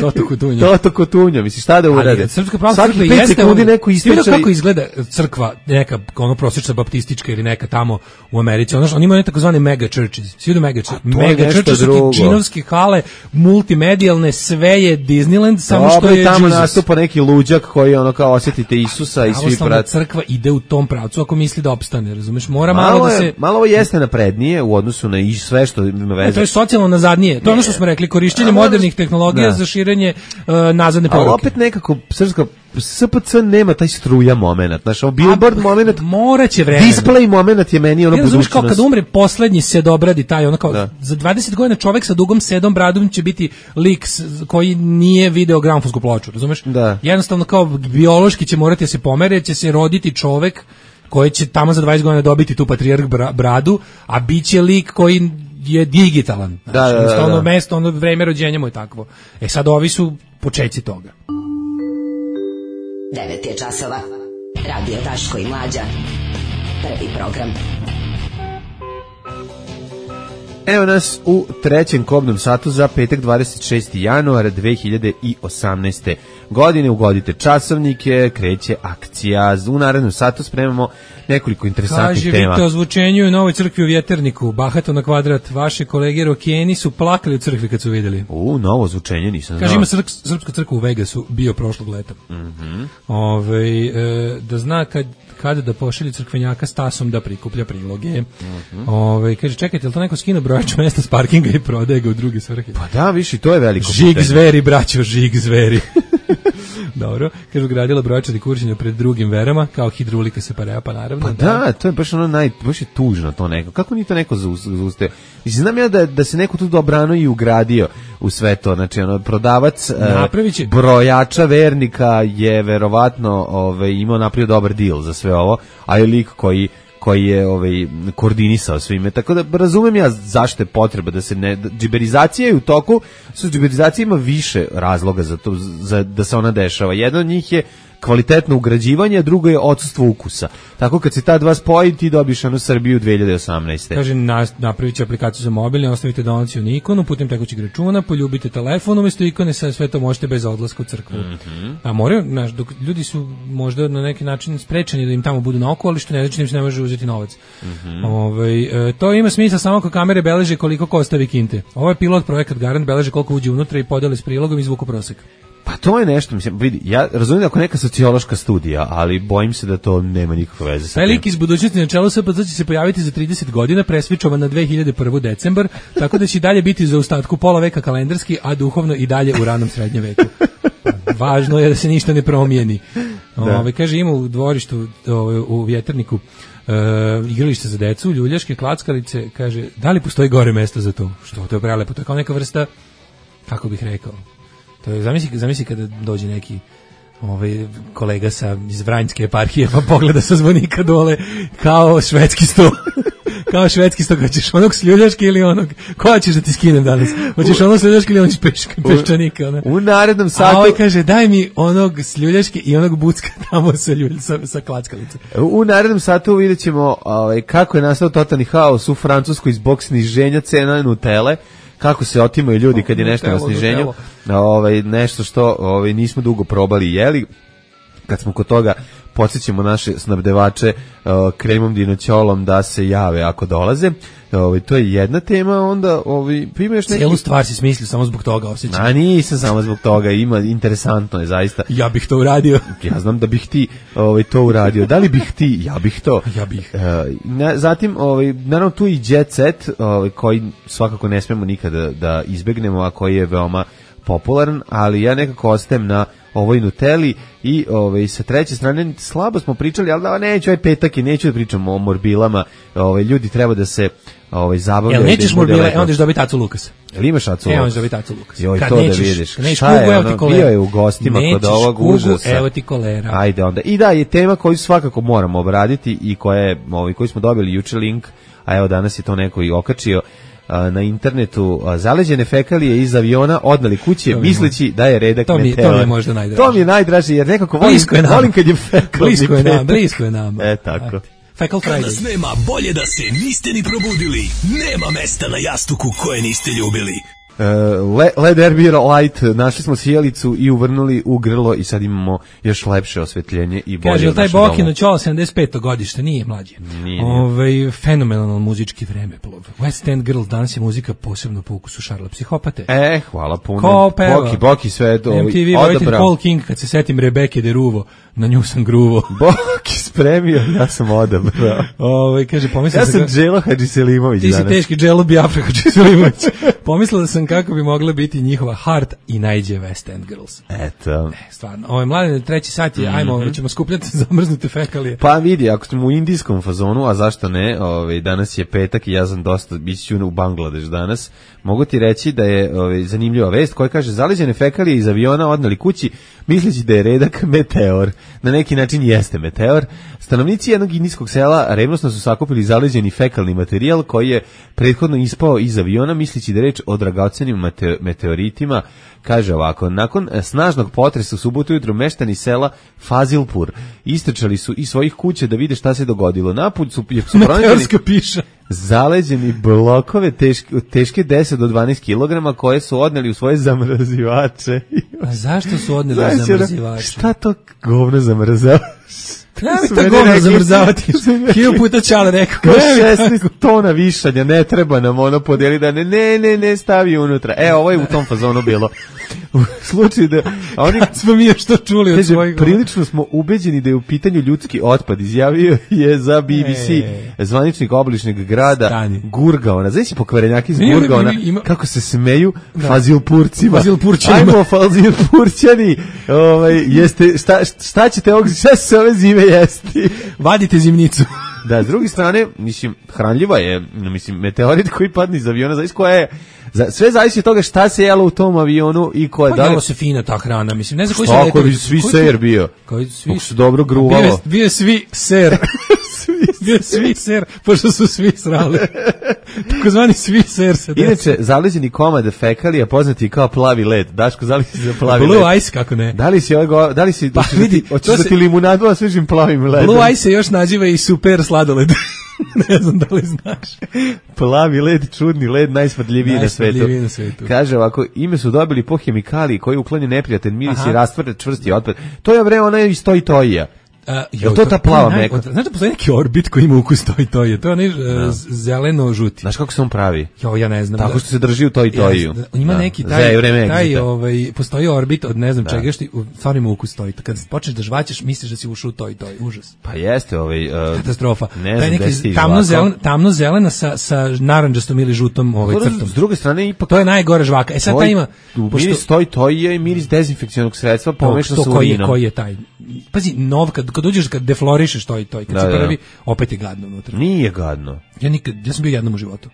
Toto Kotunja. Toto Kotunja, misli šta da urade? Srpska pravoslavna crkva jeste ono, neko ističe... kako izgleda crkva, neka ono prosječna baptistička ili neka tamo u Americi. Ono, oni imaju takozvane mega churches. Svi idu mega churches. Mega churches su ti džinovske hale, multimedijalne, sve je Disneyland, samo Dobre, što je tamo Jesus. Nastupa neki luđak koji ono kao osjetite Isusa i svi prat. Crkva ide u tom pravcu ako misli da opstane, razumeš? Mora malo, malo da se... Je, malo ovo jeste naprednije u odnosu na i sve što ima veze. E, to je socijalno nazadnije. To je ono što smo rekli, korišćenje modernih tehnologija da. za širenje uh, nazadne poruke. Ali opet nekako srpska S P C nema taj struja momenat, znaš, ovo billboard A, momenat, moraće vremena. Display momenat je meni ono ja, budućnost. Kao kad umre poslednji sedobradi taj, ono kao, da. za dvadeset godina čovek sa dugom sedom bradom će biti lik koji nije video gramofonsku ploču, razumeš? Da. Jednostavno kao biološki će morati da se pomere, će se roditi čovek koji će tamo za dvadeset godina dobiti tu patrijarh bradu, a biće lik koji je digitalan. Znači, da, da, da, da. Ono mesto, ono vreme rođenja mu je takvo. E sad ovi su počeci toga. devet je časova. Radio Daško i Mlađa. Prvi program. Evo nas u trećem kobnom satu za petak dvadeset šesti januar dve hiljade osamnaeste. godine. Ugodite časovnike, kreće akcija. U narednom satu spremamo nekoliko interesantnih Kaže, tema. Kaže, vidite o zvučenju u Novoj crkvi u Vjeterniku, bahato na kvadrat, vaše kolege rokeni su plakali u crkvi kad su vidjeli. U, novo zvučenje nisam znao. Kaže, ima srp, srpska crkva u Vegasu, bio prošlog leta. Mm-hmm. Ove, e, da zna kad, kada da pošalje crkvenjaka s tasom da prikuplja priloge. Mm-hmm. Ove, kaže, čekajte, je li to neko skino brojač mesta s parkinga i prodaje ga u druge svrhe? Pa da, viši, to je veliko žig pitanje. Zveri, braćo, žig zveri. Dobro, kaže, gradila brojčani kuršenja pred drugim verama, kao hidrolika se pareja, pa naravno. Pa da, da, to je baš ono naj, baš je tužno to neko. Kako ni to neko zauste? Mislim, znam ja da, da se neko tu dobrano i ugradio u sve to, znači, ono, prodavac uh, brojača vernika je verovatno ovaj, imao napravio dobar deal za sve ovo, a je lik koji koji je ovaj koordinisao svime. Tako da razumem ja zašto je potreba da se ne džiberizacija je u toku, su džiberizacija ima više razloga za to za da se ona dešava. Jedan od njih je kvalitetno ugrađivanje, a drugo je odsustvo ukusa. Tako kad se ta dva spoji, ti dobiš onu Srbiju dve hiljade osamnaeste. Kaže, napravit će aplikaciju za mobilni, ostavite donaciju na ikonu, putem tekućeg računa, poljubite telefon, umjesto ikone, sve to možete bez odlaska u crkvu. Mm-hmm. A moraju, znaš, dok ljudi su možda na neki način sprečeni da im tamo budu na oko, ali što ne znači da im se ne može uzeti novac. Mm-hmm. Ove, e, to ima smisla samo ako kamere beleže koliko košta vikinte. Ovo je pilot projekat Garant, beleže koliko uđe unutra i podeli s prilogom i zvuku prosek. Pa to je nešto, mislim, vidi, ja razumijem ako neka sociološka studija, ali bojim se da to nema nikakve veze sa Taj tim. lik iz budućnosti na čelu S P C će se pojaviti za trideset godina, presvičovan na dve hiljade prvi decembar, tako da će i dalje biti za ostatku pola veka kalendarski, a duhovno i dalje u ranom srednjem veku. Važno je da se ništa ne promijeni. Ove, kaže, ima u dvorištu, ove, u Vjetrniku, e, igralište za decu, ljuljaške, klackalice, kaže, da li postoji gore mesto za to? Što, to je prelepo, to je kao neka vrsta, kako bih rekao, to je, zamisli, zamisli kada dođe neki ovaj kolega sa iz Vranjske eparhije pa pogleda sa zvonika dole kao švedski sto. Kao švedski sto, hoćeš onog sljulješke ili onog, koja ćeš da ti skinem danas? Hoćeš onog sljulješke ili onog peška, peščanika? Ona? U narednom satu... A ovaj kaže, daj mi onog sljulješke i onog bucka tamo sa, ljulj, sa, sa klackalice. U narednom satu vidjet ćemo ovaj, kako je nastao totalni haos u Francuskoj zbog sniženja cena Nutele, kako se otimaju ljudi kad je nešto na sniženju, ovaj, nešto što ovaj, nismo dugo probali i jeli. Kad smo kod toga, podsjećamo naše snabdevače uh, kremom dinoćolom da se jave ako dolaze. Ovaj, to je jedna tema, onda ovaj, ima još neki... Cijelu stvar si smislio samo zbog toga, osjećam. A nisam samo zbog toga, ima, interesantno je zaista. Ja bih to uradio. Ja znam da bih ti ovaj, to uradio. Da li bih ti? Ja bih to. Ja bih. Uh, na, zatim, ovaj, naravno tu i Jet Set, ovaj, koji svakako ne smemo nikada da izbegnemo, a koji je veoma popularan, ali ja nekako ostajem na ovoj Nutelli i ovaj, sa treće strane slabo smo pričali, ali da neću, ovaj petak i neću da pričamo o morbilama, ovaj, ljudi treba da se ovaj, zabavljaju. Jel nećeš morbile, onda ćeš dobiti Acu Lukas. Jel imaš Acu Lukas? Evo ćeš dobiti Acu Lukas. Joj, kad to nećeš, da vidiš. Kad nećeš šta kugu, je evo ti ono, kolera. bio je u gostima nećeš kod ovog kugu, užasa. Evo ti kolera. Ajde onda. I da, je tema koju svakako moramo obraditi i koja je, ovaj, koju smo dobili juče link, a evo danas je to neko i okačio na internetu, zaleđene fekalije iz aviona odnali kuće misleći da je redak to mi, meteor. To mi je možda najdraže. To mi je najdraže jer nekako volim, je volim kad je fekalni blisko je nama, blisko je nama. E, tako. Fecal Friday. Danas nema bolje da se niste ni probudili. Nema mesta na jastuku koje niste ljubili. Uh, Le, Led Air Light, našli smo sjelicu i uvrnuli u grlo i sad imamo još lepše osvetljenje i bolje. Kaže, u taj našem Bokino domu. Ćola sedamdeset peto godište, nije mlađe. Nije. Ove, fenomenalan muzički vremeplov. West End Girl, danas je muzika posebno po ukusu Šarla Psihopate. E, hvala puno. Ko peva? Boki, Boki sve to M T V, vojitelj Paul King, kad se setim Rebeke de Ruvo, na nju sam gruvo. Boki spremio, ja sam odabrao. Ove, kaže, pomislio ja sam kako... Dželo Hadžiselimović Ti danas. si teški Dželo Biafra Hadžiselimović. Pomislila sam kako bi mogla biti njihova Heart i najđe West End Girls. Eto. Ne, stvarno. Ovo je mlade, treći sat je, mm-hmm. ajmo, ćemo skupljati zamrznute fekalije. Pa vidi, ako smo u indijskom fazonu, a zašto ne, ovaj, danas je petak i ja sam dosta, bit ću u Bangladeš danas, mogu ti reći da je ovaj, zanimljiva vest koja kaže zaleđene fekalije iz aviona odnali kući misleći da je redak meteor. Na neki način jeste meteor. Stanovnici jednog indijskog sela revnosno su sakupili zaleđeni fekalni materijal koji je prethodno ispao iz aviona misleći da je reč o dragocenim mete, meteoritima. Kaže ovako, nakon snažnog potresa u subotu ujutro meštani sela Fazilpur istrčali su iz svojih kuća da vide šta se dogodilo. Napolju su, su meteorska piša. Zaleđeni blokove teške, teške deset do dvanaest kilograma koje su odneli u svoje zamrzivače. A zašto su odneli u zamrzivače? Šta to govno zamrzava? Ja mi to govno zamrzavati. Hilju puta Čale rekao. šesnaest tona višanja, ne treba nam ono podijeli da ne, ne, ne, ne stavi unutra. E, ovo je u tom fazonu bilo. U slučaju da... Oni, kad smo mi još to čuli od svojih... Prilično smo ubeđeni da je u pitanju ljudski otpad. Izjavio je za B B C e, zvaničnik obližnjeg grada Stani. Gurgaona. Znaš si pokvarenjaki iz Gurgaona ima... kako se smeju da. Fazilpurcima. Fazilpurćanima. Ajmo, Fazilpurćani. Ovaj, jeste, šta, šta ćete ovog... Šta se ove zime jesti? Vadite zimnicu. Da, s druge strane, mislim, hranljiva je, mislim, meteorit koji padne iz aviona, znaš koja je, za, sve zavisi od toga šta se jelo u tom avionu i ko je... Pa da li... jelo se fina ta hrana, mislim, ne znam koji su... Šta, koji svi ser bio? Koji svi... Kako su dobro gruvalo. Bio je, bio je svi ser. Bio je svi ser, pošto su svi srali. Takozvani Swiss Air se Inače, zaleđeni komad fekalija poznati kao plavi led. Daško, zali si za plavi Blue led. Blue Ice, kako ne? Da li si, ovo, da li si, Pa vidi, hoćeš da ti limunadu, a svežim plavim ledom? Blue Ice se još naziva i super sladoled. Ne znam da li znaš. Plavi led, čudni led, najsmrdljiviji na svetu. Najsmrdljiviji na svetu. Kaže ovako, ime su dobili po hemikaliji koji uklanja neprijatan miris Aha. i rastvara čvrsti otpad. To je vreme, ona je iz Toy Toya. Uh, Je to ta plava meka? Znaš da postoji neki Orbit koji ima ukus Toy Toy? To je onaj uh, zeleno-žuti. Znaš kako se on pravi? Jo, ja ne znam. Tako da, što se drži u Toy Toyu. Da, ima da. neki taj, vreme taj ovaj, postoji Orbit od ne znam da. čega, što stvarno ima ukus Toy. Kad počneš da žvaćeš, misliš da si ušao u Toy Toy. Užas. Pa jeste ovaj... Uh, katastrofa. Ne taj znam neki si tamno, zelen, tamno zelena sa, sa naranđastom ili žutom ovaj, crtom. S druge strane, ipak... To je najgore žvaka. E sad taj ima... Pošto, miris Toy Toy i miris dezinfekcionog sredstva pomešan sa koji, urinom. koji je taj? Pazi, nov, kad, kad uđeš, kad deflorišeš Toy Toy, kad da, si da. prvi, opet je gadno unutra. Nije gadno. Ja nikad, ja sam bio jednom u životu.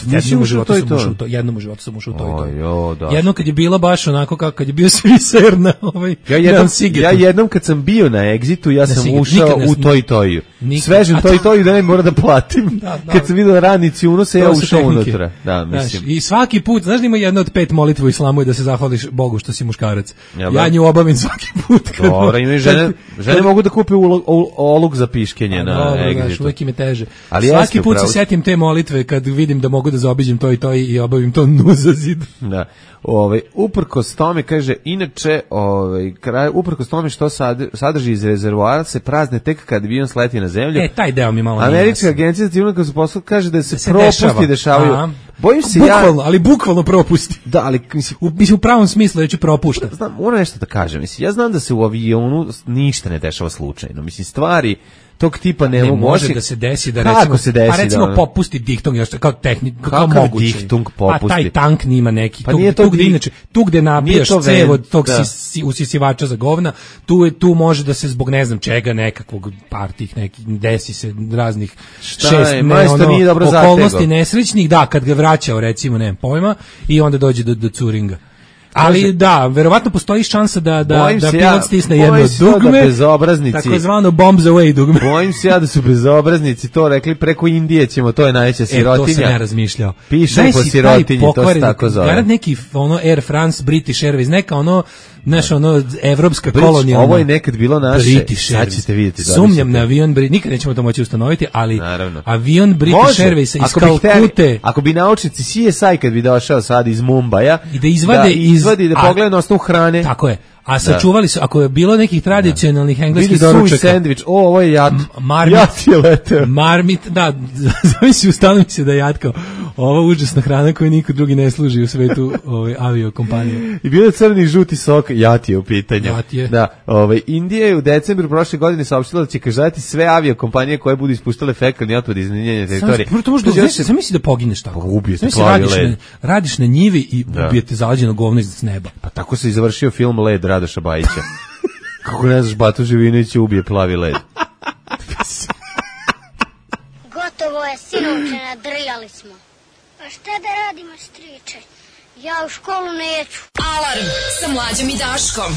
Jednom u životu sam ušao u to, jednom u životu sam ušao u to i to. Jo, da. Jednom kad je bila baš onako kako kad je bio Swissair na ovaj ja jednom, ja jednom kad sam bio na Exitu, ja sam Sigetu. ušao Nikad u Toy Toyu. Svežem Toy Toyu da ne mora da platim. Da, da. Kad sam vidio radnici unose, ja ušao unutra. Da, mislim. Znaš, i svaki put, znaš da ima jedna od pet molitva u islamu i da se zahvališ Bogu što si muškarac. Ja, ja nju obavim svaki put. Kad Dobro, imaju žene, žene mogu da kupe oluk za piškenje na dobro, Exitu. Znaš, uvijek im je teže. Ali svaki put se setim te molitve kad vidim da mogu da zaobiđem to i to i obavim to nuzazid. Da. Ovaj uprkos tome kaže inače, ovaj kraj uprkos tome što sad, sadrži iz rezervoara se prazne tek kad avion sleti na zemlju. E, taj deo mi malo nije. Američka agencija za civilnu katastrofu kaže da se, da se propusti dešava. dešavaju. Aha. Bojim se bukvalno, ja, ali bukvalno propusti. Da, ali mislim u, mislim, u pravom smislu reći propušta. Znam, moram nešto da kažem. Mislim, ja znam da se u avionu ništa ne dešava slučajno. Mislim, stvari tog tipa ne, ne mogu može osi... da se desi da Kako recimo se desi, pa recimo da, popusti diktung još kao tehnik kao Kakav moguće. diktung popusti? A taj tank nima neki Pa tu, nije to tu gde dik... inače tu gde nabijaš to cev od tog da. si, usisivača za govna, tu je tu može da se zbog ne znam čega nekakvog par tih nekih desi se raznih Šta šest je, ne, ono, nije dobro okolnosti zategao. nesrećnih, da, kad ga vraćao recimo, nemam pojma, i onda dođe do, do curinga. Ali Kaže, da, verovatno postoji šansa da da da pilot ja, stisne jedno dugme, da bezobraznici, takozvano bombs away dugme. Bojim se ja da su bezobraznici to rekli preko Indije ćemo, to je najveća sirotinja. E, to sam ja razmišljao. Piše po sirotinji, to se tako zove. Garant neki ono Air France, British Airways, neka ono naš ono evropska kolonija. Ovo je nekad bilo naše, sad ćete vidjeti. Sumnjam na avion British, nikad nećemo to moći ustanoviti, ali naravno. Avion British Airways iz Kalkute. Ako bi naučnici C S I kad bi došao sad iz Mumbaja i da izvade da iz izvadi da pogleda na osnovu hrane. Tako je. A sačuvali su, ako je bilo nekih tradicionalnih da. engleskih doručaka. Sandvič, o, ovo je jat. Marmit, jat je leteo. Marmit, da, zavisi, ustanovi se da je jatkao. Ova užasna hrana koju niko drugi ne služi u svetu ove, aviokompanije. I bilo je crni i žuti sok, jat je u pitanju. Jat je. Da, ove, Indija je u decembru prošle godine saopštila da će kažati sve aviokompanije koje budu ispuštale fekalni otpad iz njenje teritorije. Samo to možda, znaš, sam misli da pogineš tako. Pa ubijete plavi led. Radiš na njivi i da. ubijete zalađeno govno iz neba. Pa tako se i završio film Led Radoša Bajića. Kako ne znaš, Batu Živinović ubije plavi led. Gotovo je, sinovče, nadrljali smo. Pa šta da radimo, striče? Ja u školu neću. Alarm sa Mlađom i Daškom.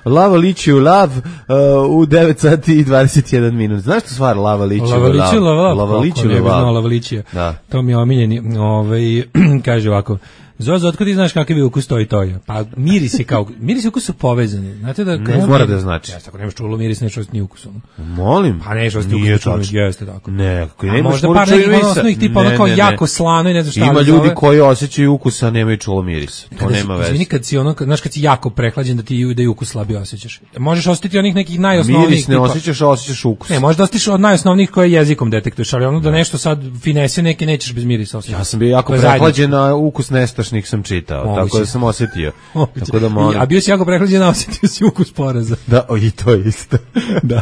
Lava liči u lav uh, u devet sati i dvadeset jedan minut. Znaš što stvar lava liči u lav? Lava liči u lav. Lava liči u lav. Lava liči. Da. To mi je omiljeni. Ovaj, kaže ovako. Zozo, otkud ti znaš kakav je ukus to i toja? Pa miris je kao, miris i ukus su povezani. Znate da... Ne mora da znači. Jeste, ako nemaš čulo miris, nećeš ostati ni ukusom. Molim? Pa nećeš ostati ukus čulo, jeste tako. Ne, ako nemaš možda par nekih osnovnih tipa, ono kao jako slano i ne znaš šta. Ima ljudi koji osjećaju ukus, a nemaju čulo miris. To kada nema si, veze. Izvini, kad si ono, znaš kad si jako prehlađen da ti da i ukus slabije osjećaš. Možeš osjetiti onih nekih najosnovnijih. Miris ne tipa, osjećaš, a osjećaš ukus. Ne, možda osjetiš od najosnovnijih koje jezikom detektuješ, ali ono da nešto sad finese neke nećeš bez mirisa osjećati. Ja sam bio jako prehlađen, a ukus nestašnih sam čitao. Moguće. Tako da sam osjetio. Tako da molim. A bio si jako prehlađen, a osjetio si ukus poraza. Da, o, i to je isto. Da.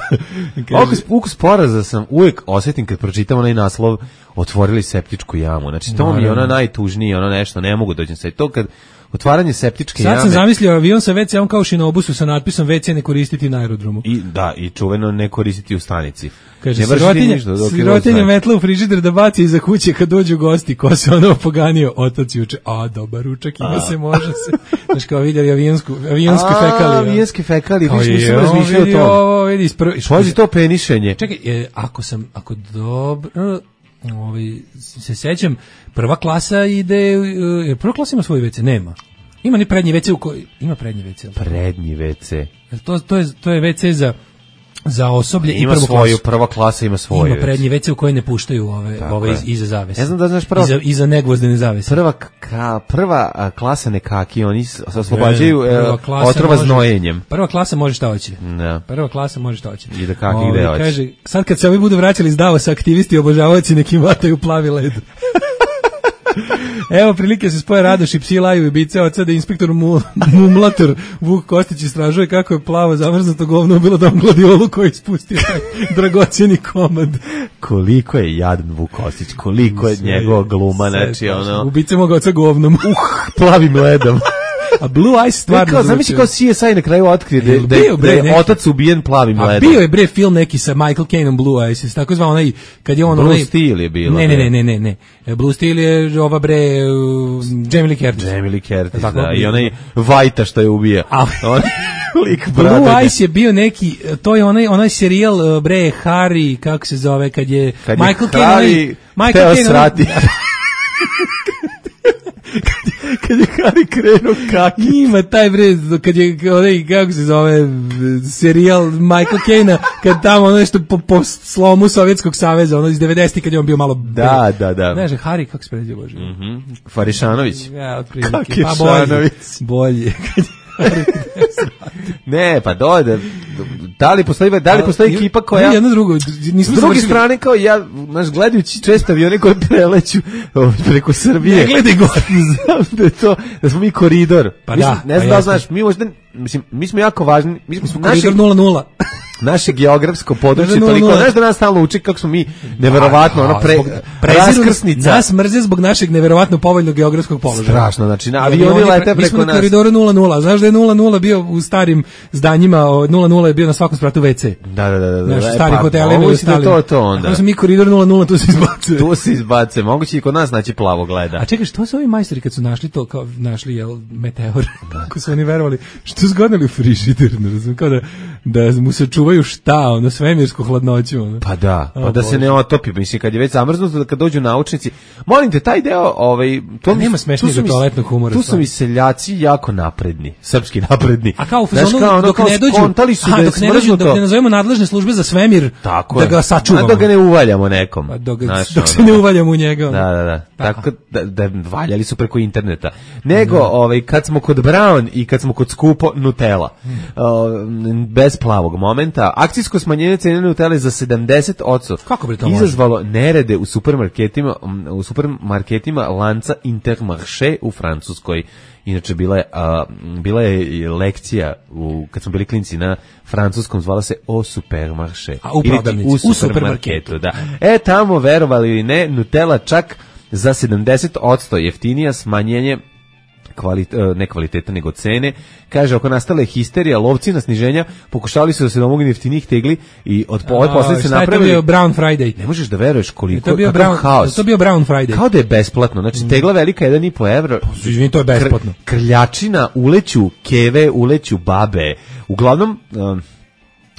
Ukus, ukus poraza sam uvijek osjetim kad pročitam onaj naslov otvorili septičku jamu. Znači to mi je ono najtužnije, ono nešto, ne mogu dođem sad. To kad otvaranje septičke sad jame. Sad sam zamislio avion sa ve ce-om kao šinobusu sa natpisom ve ce ne koristiti na aerodromu. I, da, i čuveno ne koristiti u stanici. Kaže, sirotinja, sirotinja metla u frižider da baci iza kuće kad dođu gosti, ko se ono poganio, otac juče, a dobar ručak, ima a. se, može se. Znaš, kao vidjeli avionsku, avionsku fekaliju. A, avijonske fekalije, viš nisam razmišljao o tom. Vidi, Pođi to penišenje. Čekaj, e, ako sam, ako dobro... ovaj, se sećam, prva klasa ide, uh, prva klasa ima svoj ve ce, nema. Ima ni prednji ve ce u koji, ima prednji ve ce. Prednji ve ce. To, to, je, to je ve ce za za osoblje ima i prvu svoju, klasu. Prva klasa ima svoju. Ima prednji ve ce u koji ne puštaju ove, ove iz, iza zavese. Ne znam da znaš prva... Iza, iza negvozdene zavese. Prva, ka, prva a, klasa nekaki, oni se oslobađaju e, otrova može, znojenjem. Prva klasa može šta hoće. Da. Prva klasa može šta hoće. I da kaki ove, gde hoće. Kaže, sad kad se ovi budu vraćali iz Davosa, aktivisti i obožavaoci nekim vataju plavi led. Evo prilike se spoje Radoš i psi laju i bice od sada inspektor mu, Mumlator Vuk Kostić istražuje kako je plavo zamrznuto govno bilo dom gladiolu koji ispustio taj dragocjeni komad. Koliko je jadan Vuk Kostić, koliko je njegova gluma, znači ono... Ubice moga oca govnom. Uh, plavim ledom. A Blue Ice stvarno... Kao, zamisli kao C S I na kraju otkrije da, da, bio, bre, da je otac ubijen plavim a ledom. A bio je bre film neki sa Michael Caineom Blue Ice, tako zvao onaj, kad je on... Blue onaj, Steel je bilo. Ne, ne, ne, ne, ne, ne. Blue Steel je ova bre uh, Jamie Lee Curtis. Jamie Lee Curtis, da. da. I onaj Vajta što je ubija. A, on, lik Blue Ice je bio neki, to je onaj, onaj serijal bre Harry, kako se zove, kad je kad Michael Caine... Michael Caine... kad je Harry krenuo kaki. Ima taj bre, kad je onaj, kako se zove, serijal Michael Caine-a, kad tamo ono nešto po, po slomu Sovjetskog saveza, ono iz devedesetih kad je on bio malo... Da, da, da. Znaš, Harry, kako se pređe, Bože? Mm -hmm. Farišanović. Ja, otprilike. Pa bolje. Bolje. Ne, pa dojde. Da li postoji, da li postoji ekipa koja... Ne, jedno drugo. S druge strane, kao ja, naš, gledajući često avione koje preleću preko Srbije. Ne gledaj gore. Znam da je to, da smo mi koridor. Pa mislim, da. Ne znam pa da znaš, mi možda, mislim, mi smo jako važni. Mi smo, smo koridor nula nula. Naše geografsko područje toliko, znaš da nas stalno uči kako smo mi neverovatno, ono pre, raskrsnica. Nas mrze zbog našeg neverovatno povoljnog geografskog položaja. Strašno, znači na avioni lete preko nas. Mi smo na koridoru nula nula, znaš da je nula nula bio u starim zdanjima, nula nula je bio na svakom spratu ve ce. Da, da, da. da. Naš stari pa, hoteli imaju stali. To, to onda. Ako smo mi koridor nula nula, tu se izbacuje. Tu se izbacuje, moguće i kod nas naći plavo gleda. A čekaj, što su ovi majstori kad su našli to, kao našli, jel, meteor, kako su oni verovali, što zgodili u frižider, ne znam, kao da, da mu se čuvaju šta, ono, svemirsku hladnoću. Ono. Pa da, pa o, da Bože. Se ne otopi, mislim, kad je već zamrznuto, da kad dođu naučnici, molim te, taj deo, ovaj, to nema smešnijeg toaletnog humora. Tu su mi seljaci jako napredni, srpski napredni. A kao u fazonu, kao, ono, dok ne dođu, su aha, da dok, ne dođu dok ne nazovemo nadležne službe za svemir, tako da ga sačuvamo. A dok ga ne uvaljamo nekom. A dok, znaš, dok se ne uvaljamo u njega. Da, da, da. Tako da, da valjali su preko interneta. Nego, ovaj, kad smo kod Brown i kad smo kod skupo Nutella, hmm. uh, bez plavog momenta, akcijsko smanjenje cene Nutelle za sedamdeset posto kako bi to izazvalo nerede u supermarketima, u supermarketima lanca Intermarché u Francuskoj. Inače bila je, a, bila je lekcija u, kad smo bili klinci na francuskom, zvala se O Supermarché. A u prodavnici, u, u supermarketu, da. E, tamo, verovali ili ne, Nutella čak za sedamdeset posto jeftinija, smanjenje Kvalit, ne kvaliteta nego cene. Kaže, ako nastala je histerija, lovci na sniženja pokušali su da se domognu jeftinih tegli i od ove posljedice napravili. Šta je to bio Brown Friday? Ne možeš da veruješ koliko je to bio Brown, haos. To bio Brown Friday. Kao da je besplatno. Znači, tegla velika jedan i po evra. Izvini, to je besplatno. Kr, krljačina, uleću keve, uleću babe. Uglavnom, um,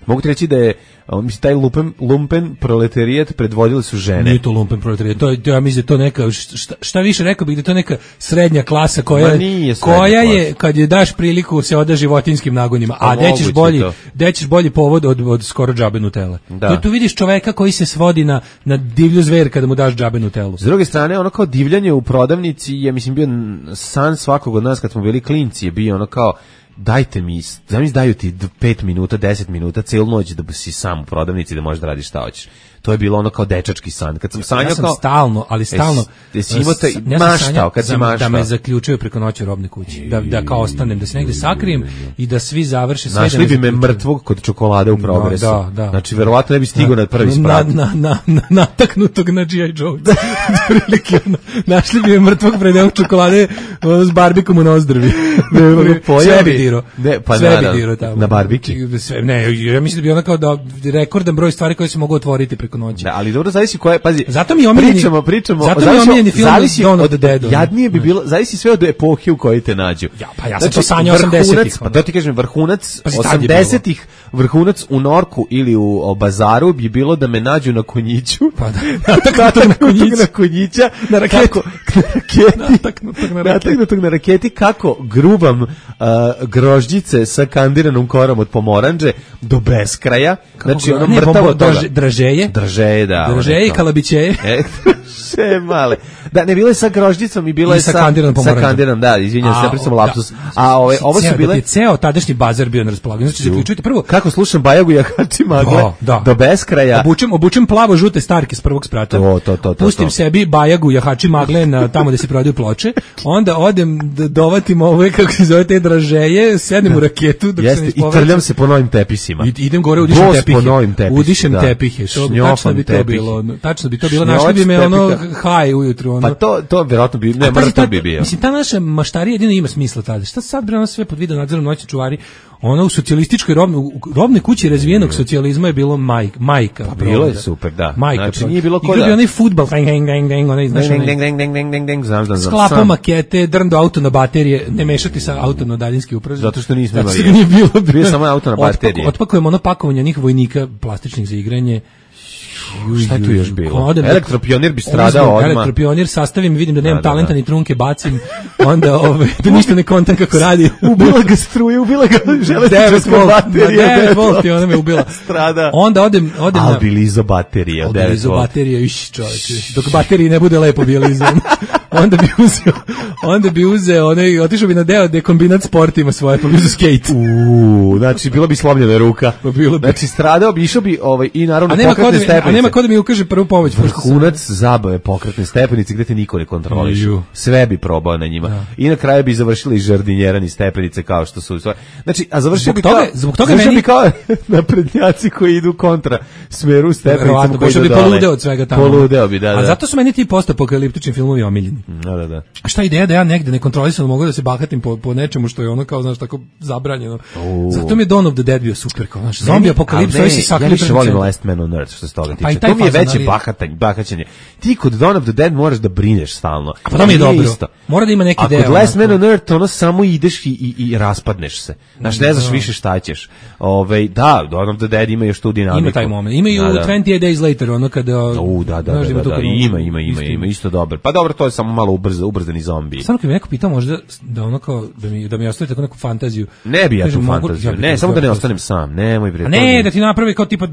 mogu ti reći da je mislim, taj lumpen, lumpen proletarijat predvodili su žene. Nije to lumpen proletarijat, to je, ja mislim, to neka, šta, šta više rekao bih da to neka srednja klasa koja, koja je, kad je daš priliku, se oda životinskim nagonima, a dećeš bolji, dećeš bolji povod od, od skoro džabe Nutelle. Da. Tu, tu vidiš čoveka koji se svodi na, na divlju zver kada mu daš džabe Nutellu. S druge strane, ono kao divljanje u prodavnici je, mislim, bio san svakog od nas kad smo bili klinci, je bio ono kao, dajte mi, zamisli daju ti pet minuta, deset minuta, celu noć da si sam u prodavnici da možeš da radiš šta hoćeš. To je bilo ono kao dečački san. Kad sam sanjao ja sam kao stalno, ali stalno jesi imao taj ja maštao, kad si maštao. Da me zaključuju preko noći u robne kući. Da, da kao ostanem, da se negde sakrijem i da svi završe sve. Našli bi me mrtvog kod čokolade u progresu. Da, da. Znači, verovatno ne bi stigao na prvi sprat. Na, na, na, nataknutog na G I Joe. Našli bi me mrtvog pred evom čokolade s barbikom u nozdrvi. Sve bi diro. Sve bi diro tamo. Na barbiki? Ne, ja mislim da bi ona kao da rekordan broj stvari koje se mogu otvoriti preko noći. Da, ali dobro, zavisi koje, pazi. Zato mi omiljeni, pričamo, pričamo, zato mi omiljeni film zavisi Dawn of od the Dead. Jadnije bi bilo, zavisi sve od epohe u kojoj te nađu. Ja, pa ja sam znači, to sanjao osamdesetih. Pa to ti kažem, vrhunac osamdesetih, vrhunac u Norku ili u o, Bazaru bi bilo da me nađu na konjiću. Pa da. Nataknutog na konjiću. Na konjića. Na raketi. Kako, na raketi. Nataknutog na raketi. Nataknutog na raketi. Kako grubam uh, grožđice sa kandiranom korom od pomoranđe do beskraja. Znači ono mrtavo toga. Dražeje. Dražeje, da. Dražeje i kalabićeje. E, še male. Da, ne, bilo je sa grožđicom i bilo je sa sa kandiranom pomoranđom. Sa kandiranom, da, izvinjam se, napravio sam lapsus. A ove, ovo su bile... Da je ceo tadašnji bazar bio na raspolaganju. Znači, zaključujte prvo... Kako slušam Bajagu Jahači Magle da, do beskraja. Obučem, obučem plavo-žute starke s prvog sprata. To, to, to, to, Pustim to. sebi Bajagu Jahači Magle na tamo gde se prodaju ploče. Onda odem da dovatim ove, kako se zove, te dražeje, sednem u raketu dok Jeste, se ne i trljam se po novim tepisima. I, idem gore, udišem Bos tepihe. Po novim tepisima. Udišem da. tepihe. To, tačno bi to tepih. bilo. Tačno bi to bilo. Našli bi me ono haj ujutru. Ono. Pa to, to vjerojatno bi, ne, mrtav bi bio. Mislim, ta naša maštarija jedino ima smisla tada. Šta sad bre, ono sve pod video nadzorom noćni čuvari? Ono u socijalističkoj robnoj, robnoj kući razvijenog socijalizma je bilo majk, majka. Pa bilo je super, da. Majka. Znači nije bilo ko da. Igra bi onaj fudbal, deng, deng, deng, deng, onaj, znaš, deng, deng, deng, deng, deng, deng, deng, znam, znam, znam. Sklapao makete, drndo auto na baterije, ne mešati sa auto na daljinski upražnje. Zato što nismo imali. Zato što nije bilo. Bio samo auto na baterije. Otpakujemo ono pakovanje onih vojnika plastičnih za igranje. Šta je tu još bilo? Elektropionir bi stradao odmah. Elektropionir sastavim, vidim da nemam da, da, talenta, da. Ni trunke bacim, onda ove, da ništa ne kontam kako radi. Ubila ga struje, ubila ga železnička baterija. devet volti, ona me ubila. Strada. Onda odem, odem na... Albilizo baterija. Albilizo baterija, iš čovječe. Dok bateriji ne bude lepo bijelizo. onda bi uzeo, onda bi uzeo, onaj, otišao bi na deo gde kombinat sportima svoje, pa bi uzeo skate. Uuu, znači, bila bi slomljena ruka. Pa bilo bi. Znači, stradao bi, išao bi, ovaj, i naravno pokretne stepenice. A nema ko da mi ukaže prvu pomoć. Vrhunac zabave pokretne stepenice gde te niko ne kontroliše. Sve bi probao na njima. Da. I na kraju bi završili žardinjerani stepenice kao što su. Znači, a završio bi toga, kao, zbog toga meni... bi kao naprednjaci koji idu kontra smeru stepenicama koji idu bi dole. poludeo od svega tamo. Poludeo bi, da, da. A zato su meni ti postapokaliptični filmovi omiljeni. Da, da, da. A šta ideja da ja negde nekontrolisano mogu da se bahatim po, po nečemu što je ono kao, znaš, tako zabranjeno. Uh. Zato mi je Dawn of the Dead bio super, kao, znaš, zombi apokalipsa, ovi si sakali. Ja više volim Last Man on Earth, što se toga tiče. To mi je veće bahatanje, bahaćanje. Ti kod Dawn of the Dead moraš da brineš stalno. A pa to mi je dobro. Isto. Mora da ima neki deo. A kod Last Man on Earth ono samo ideš i, i, i raspadneš se. Znaš, ne znaš da. Više šta ćeš. Ove, da, Dawn of the Dead ima još tu dinamiku. Ima taj moment. Ima i u da, twenty eight Days Later, ono kada... U, da, da, znaš, da, da, da, ima, ima, ima, ima, isto dobro. Pa dobro, to je samo malo ubrza, ubrzani zombi. Samo kad mi neko pitao možda da ono kao, da mi, da mi ostavi tako neku fantaziju. Ne bi ja tu fantaziju, ne, samo da ne ostanem sam, nemoj bre. A ne, da ti napravi kao tipa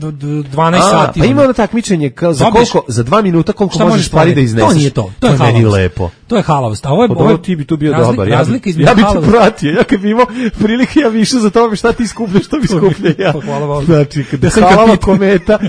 dvanaest sati. Pa ima ono takmičenje, kao za koliko, za dva minuta koliko možeš stvari da izneseš. To nije to, to je meni lepo. To je halavost. A ovo je, ovo je, ti bi tu bio dobar. Ja, ja bi te pratio, ja kad bi imao prilike ja više za tome šta ti skupljaš, što bi skuplja ja. Znači, kada halava kometa,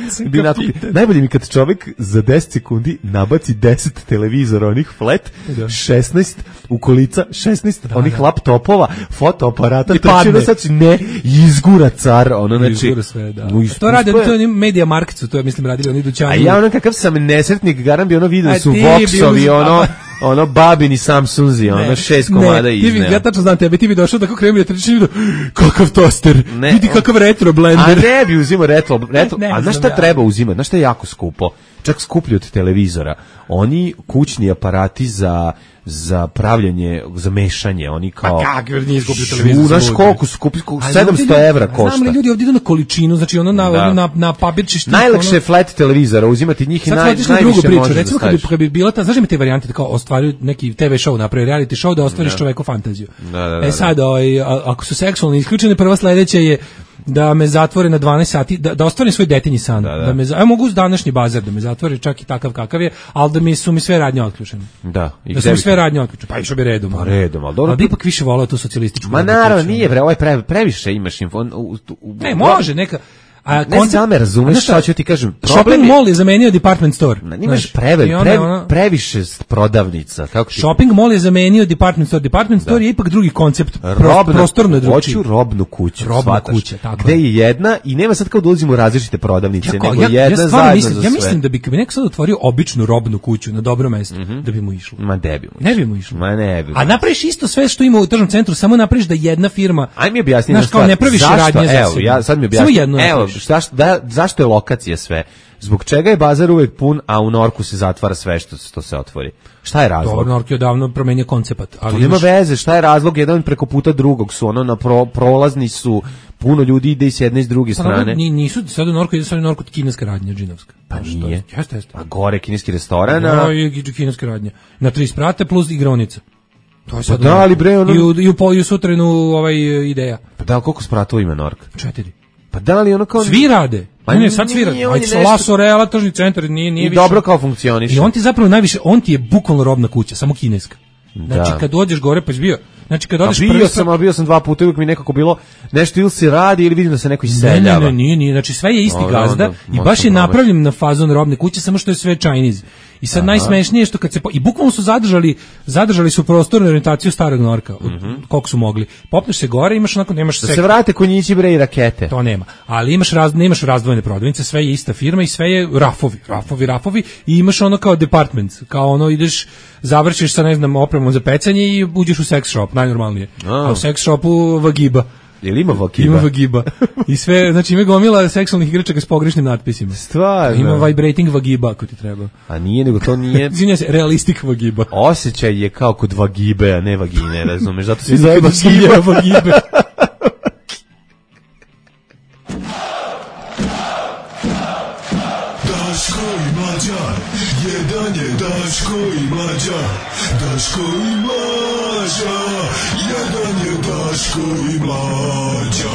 najbolje mi kad čovjek za deset sekundi nabaci deset televizora, onih flat, šesnaest ukolica, šesnaest onih laptopova, fotoaparata, trčino sad ne, izgura car, ono, znači... Izgura sve, da. To radi, to je Media Marketsu, to je, mislim, radili oni dućani. A ja ono kakav sam nesretnik, garam bi ono vidio su Voxovi, ono... ono babini Samsunzi, ono šest komada izneo. Ne, ja tačno znam tebe, ti bi došao tako kremi da trčiš i vidio, kakav toster, ne, vidi kakav retro blender. A ne bi uzimao retro, retro ne, ne, a znaš šta ja. treba uzimati, znaš šta je jako skupo, čak skuplji od televizora, oni kućni aparati za za pravljanje, za mešanje, oni kao... Pa kako, jer nije skupio televizor. Znaš koliko skupi, sedamsto evra košta. Znam li ljudi ovdje idu na količinu, znači ono na, da. na, na papirči štik. Najlakše ono... flat televizora, uzimati njih i naj, najviše možeš da recimo kad bi, kad bi bila ta, znaš mi te varijante, kao ostvaruju neki te ve show, napravi reality show da ostvariš da. čoveku fantaziju. Da, da, da, e sad, oj, ako su seksualno isključene, prva sledeća je da me zatvore na dvanaest sati, da, da ostvarim svoj detinji san. Da, da. Da me, a mogu uz današnji bazar da me zatvore, čak i takav kakav je, ali da mi su mi sve radnje otključene. Da, i da su mi sve radnje otključene. Pa išao bi redom. Pa redom, al dobro. Ali ipak više voleo tu socijalističku. Ma naravno, nije bre, ovaj pre, previše imaš info. U, u, u, ne, može neka. A ne koncept, sam me razumeš šta ću ti kažem. Shopping je, mall je zamenio department store. Na, imaš prevel, pre, ona, previše prodavnica. Kako ti... Shopping mall je zamenio department store. Department da. store je ipak drugi koncept. Robna, prostorno je drugi. Hoću robnu kuću. Robna kuća, tako. Gde je jedna i nema sad kao da ulazimo u različite prodavnice, ja, nego ja, jedna ja zajedno mislim, za sve. Ja sve. mislim da bi kad bi neko sad otvorio običnu robnu kuću na dobro mesto, mm-hmm. da bi mu išlo. Ma ne bi mu išlo. Ne bi mu išlo. Ma ne bi. A napraviš isto sve što ima u tržnom centru, samo napraviš da jedna firma. Aj mi objasni znaš, kao ne praviš radnje za Evo, ja sad mi objasni. Evo, zašto, da, zašto je lokacija sve? Zbog čega je bazar uvek pun, a u Norku se zatvara sve što, što se otvori? Šta je razlog? Dobro, Nork je odavno promenio koncept. Ali to nema veze, šta je razlog? Jedan preko puta drugog su, ono, na pro, prolazni su, puno ljudi ide i s jedne i s druge pa, strane. Ni, nisu, sad u Norku ide sad u Norku kineska radnja, džinovska. Pa nije. Jeste, jeste. A gore kineski restoran. No, i kineska radnja. Na tri sprate plus igraonica. To je sad. Pa da, ali bre, ono... I u, i u, po, i u sutrenu ovaj, ideja. Pa da, koliko spratova ima Nork? Četiri. Pa da li ono kao... Svi rade. Pa ne, sad svi rade. Ajde sa Laso Reala, tržni centar, nije, nije I više. dobro kao funkcioniše. I on ti zapravo najviše, on ti je bukvalno robna kuća, samo kineska. Znači, da. kad dođeš gore, pa si bio... Znači, kad odeš bio prvi... sam, a bio sam dva puta, uvijek mi nekako bilo nešto ili se radi ili vidim da se neko iseljava. Ne, ne, ne, nije, nije. Znači, sve je isti o, gazda onda, i baš je napravljen na fazon robne kuće, samo što je sve Chinese. I sad aha. Najsmešnije je što kad se... Po, I bukvalno su zadržali, zadržali su prostornu orijentaciju starog Norka, mm-hmm. koliko su mogli. Popneš se gore, imaš onako, nemaš... Da sek... se vrate konjići, bre, i rakete. To nema. Ali imaš, raz, nemaš razdvojene prodavnice, sve je ista firma i sve je rafovi, rafovi, rafovi i imaš ono kao department, kao ono ideš, završiš sa, ne znam, opremom za pecanje i uđeš u sex shop, najnormalnije. A, A u sex shopu vagiba. Jel ima vagiba? Ima vagiba. I sve, znači ima gomila seksualnih igračaka s pogrešnim natpisima. Stvarno? Ima vibrating vagiba ako ti treba. A nije, nego to nije... Izvinja se, realistik vagiba. Osjećaj je kao kod vagibe, a ne vagine, razumeš? Zato svi zove vagiba. vagibe. Daško i Mlađa, jedan je Daško i Mlađa, Daško i Mlađa, jedan je Daško i Mlađa.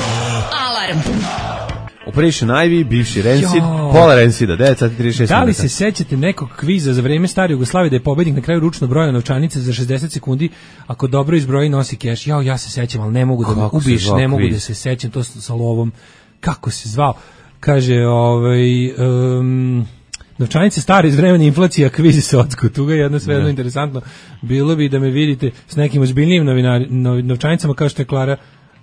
Alarm. Operation Ivy, bivši Rancid, pola Rancida, devet sati trideset šest. Da li se sećate nekog kviza za vreme stare Jugoslavije da je pobednik na kraju ručno brojao novčanice za šezdeset sekundi, ako dobro izbroji nosi keš? Jao, ja se sećam, ali ne mogu da me ubiš, ne mogu da se sećam, to sa lovom. Kako se zvao? Kaže, ovaj... Um, novčanice stare iz vremena inflacija, kvizi se odsku. Tuga je jedno sve jedno interesantno. Bilo bi da me vidite s nekim ozbiljnijim novinari, nov, novčanicama kao što je Klara,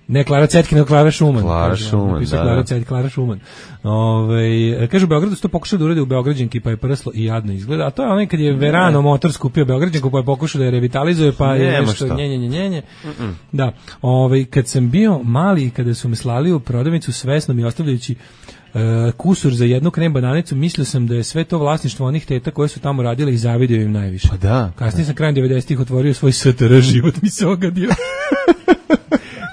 ne Klara Cetkina, Klara Šuman. Klara kaže, Šuman, da. Klara Cet, Klara Šuman. Ove, kaže, u Beogradu su to pokušali da urade u Beograđanki, pa je prslo i jadno izgleda. A to je onaj kad je Verano motor skupio Beograđanku, pa je pokušao da je revitalizuje, pa je Nema nešto šta. njenje, njenje, njenje. Da. Ove, kad sam bio mali i kada su me slali u prodavnicu svesno mi ostavljajući Uh, kusur za jednu krem bananicu, mislio sam da je sve to vlasništvo onih teta koje su tamo radile i zavidio im najviše. Pa da. Kasnije sam krajem devedesetih otvorio svoj S T R, život mi se ogadio.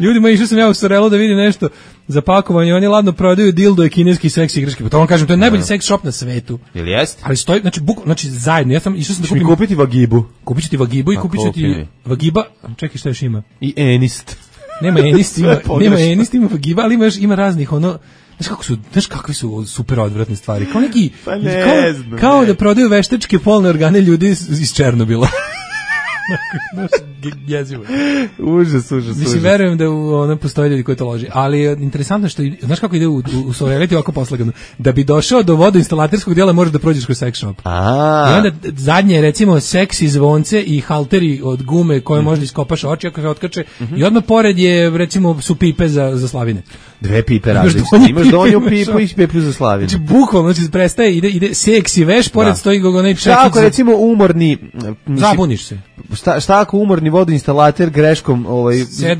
Ljudima, išao sam ja u Sorelu da vidim nešto za pakovanje, oni ladno prodaju dildo i kineski seks igračke. Pa to vam kažem, to je najbolji no. seks shop na svetu. Jel jeste? Ali stoji, znači, buk, znači zajedno, ja sam išao sam da kupim... Mi kupiti vagibu. Kupit ću ti vagibu i kupit ću ti vagiba, čekaj šta još ima. I enist. Nema enist, ima, nema enist, ima vagiba, ali ima još, ima raznih, ono... Znaš kako su, znaš kakve su super odvratne stvari. Kao neki, pa ne kao, znam, kao ne. da prodaju veštačke polne organe ljudi iz, iz Černobila. Znaš, jezivo. Užas, užas, Mislim, užas. verujem da u, ono postoje ljudi koji to loži. Ali interesantno što, znaš kako ide u, u, u Soreliti ovako poslagano. Da bi došao do vodoinstalaterskog dijela možeš da prođeš kroz sex shop. A. I onda zadnje, recimo, seksi zvonce i halteri od gume koje mm. možda iskopaš oči ako se otkače. Mm-hmm. I odmah pored je, recimo, su pipe za, za slavine. Dve pipe različite. Imaš donju pipu i pipu za slavinu. Znači, bukvalno, znači, prestaje, ide, ide seksi veš, pored da. Stoji onaj čekić. Šta ako, recimo, umorni... Mislim, zabuniš se. Šta, šta ako umorni vodoinstalater greškom ovaj,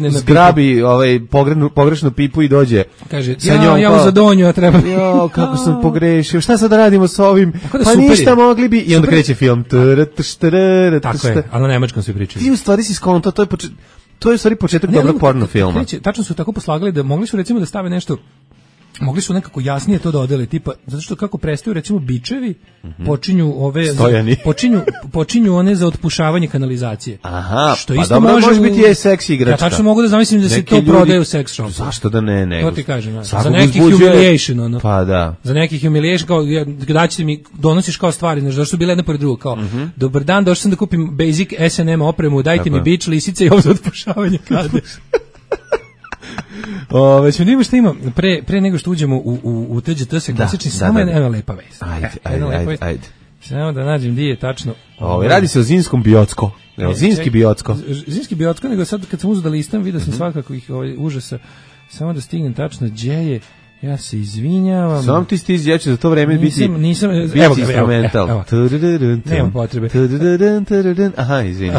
zgrabi ovaj, pogrešnu, pogrešnu pipu i dođe kaže, sa njom, ja, ja za donju, a treba... Jo, kako sam pogrešio, šta sad da radimo s ovim? Da pa ništa je. Mogli bi... I onda kreće film. Tako je, ali na nemačkom se pričaju. Ti u stvari si skonto, to je počet... To je u stvari početak ne, dobrog porno filma. Kreće, tačno su tako poslagali da mogli su recimo da stave nešto, mogli su nekako jasnije to da odele, tipa, zato što kako prestaju recimo bičevi, mm-hmm. počinju ove, Stojani. počinju, počinju one za otpušavanje kanalizacije. Aha, što pa isto dobro, može, može biti je seksi igračka. Ja tačno mogu da zamislim da se neki to ljudi, prodaje u sex shopu. Zašto da ne, ne. To ti kažem, za neki humiliation, ono. Pa da. Za neki humiliation, kao, da ćete mi, donosiš kao stvari, znaš, zašto su bile jedna pored druga, kao, mm-hmm. dobar dan, došao sam da kupim basic S and M opremu, dajte tako mi bič, lisice i ovo za otpušavanje kade. O, već mi šta ima, pre, pre nego što uđemo u, u, u T G T se klasični, da, samo da, da. jedna lepa vest. Ajde, ajde, ajde, ajde. Samo da nađem gdje je tačno. Ove, radi se o Zinskom biocko. Ne, o Zinski biocko. Zinski biocko, nego sad kad sam uzeo da listam, vidio sam mm-hmm. svakako ih ovaj, užasa. Samo da stignem tačno gdje je. Ja se izvinjavam. Sam ti stizi, ja ću za to vreme biti, nisam, nisam, biti evo ga, instrumental. evo, evo. Nema potrebe. Aha, izvini.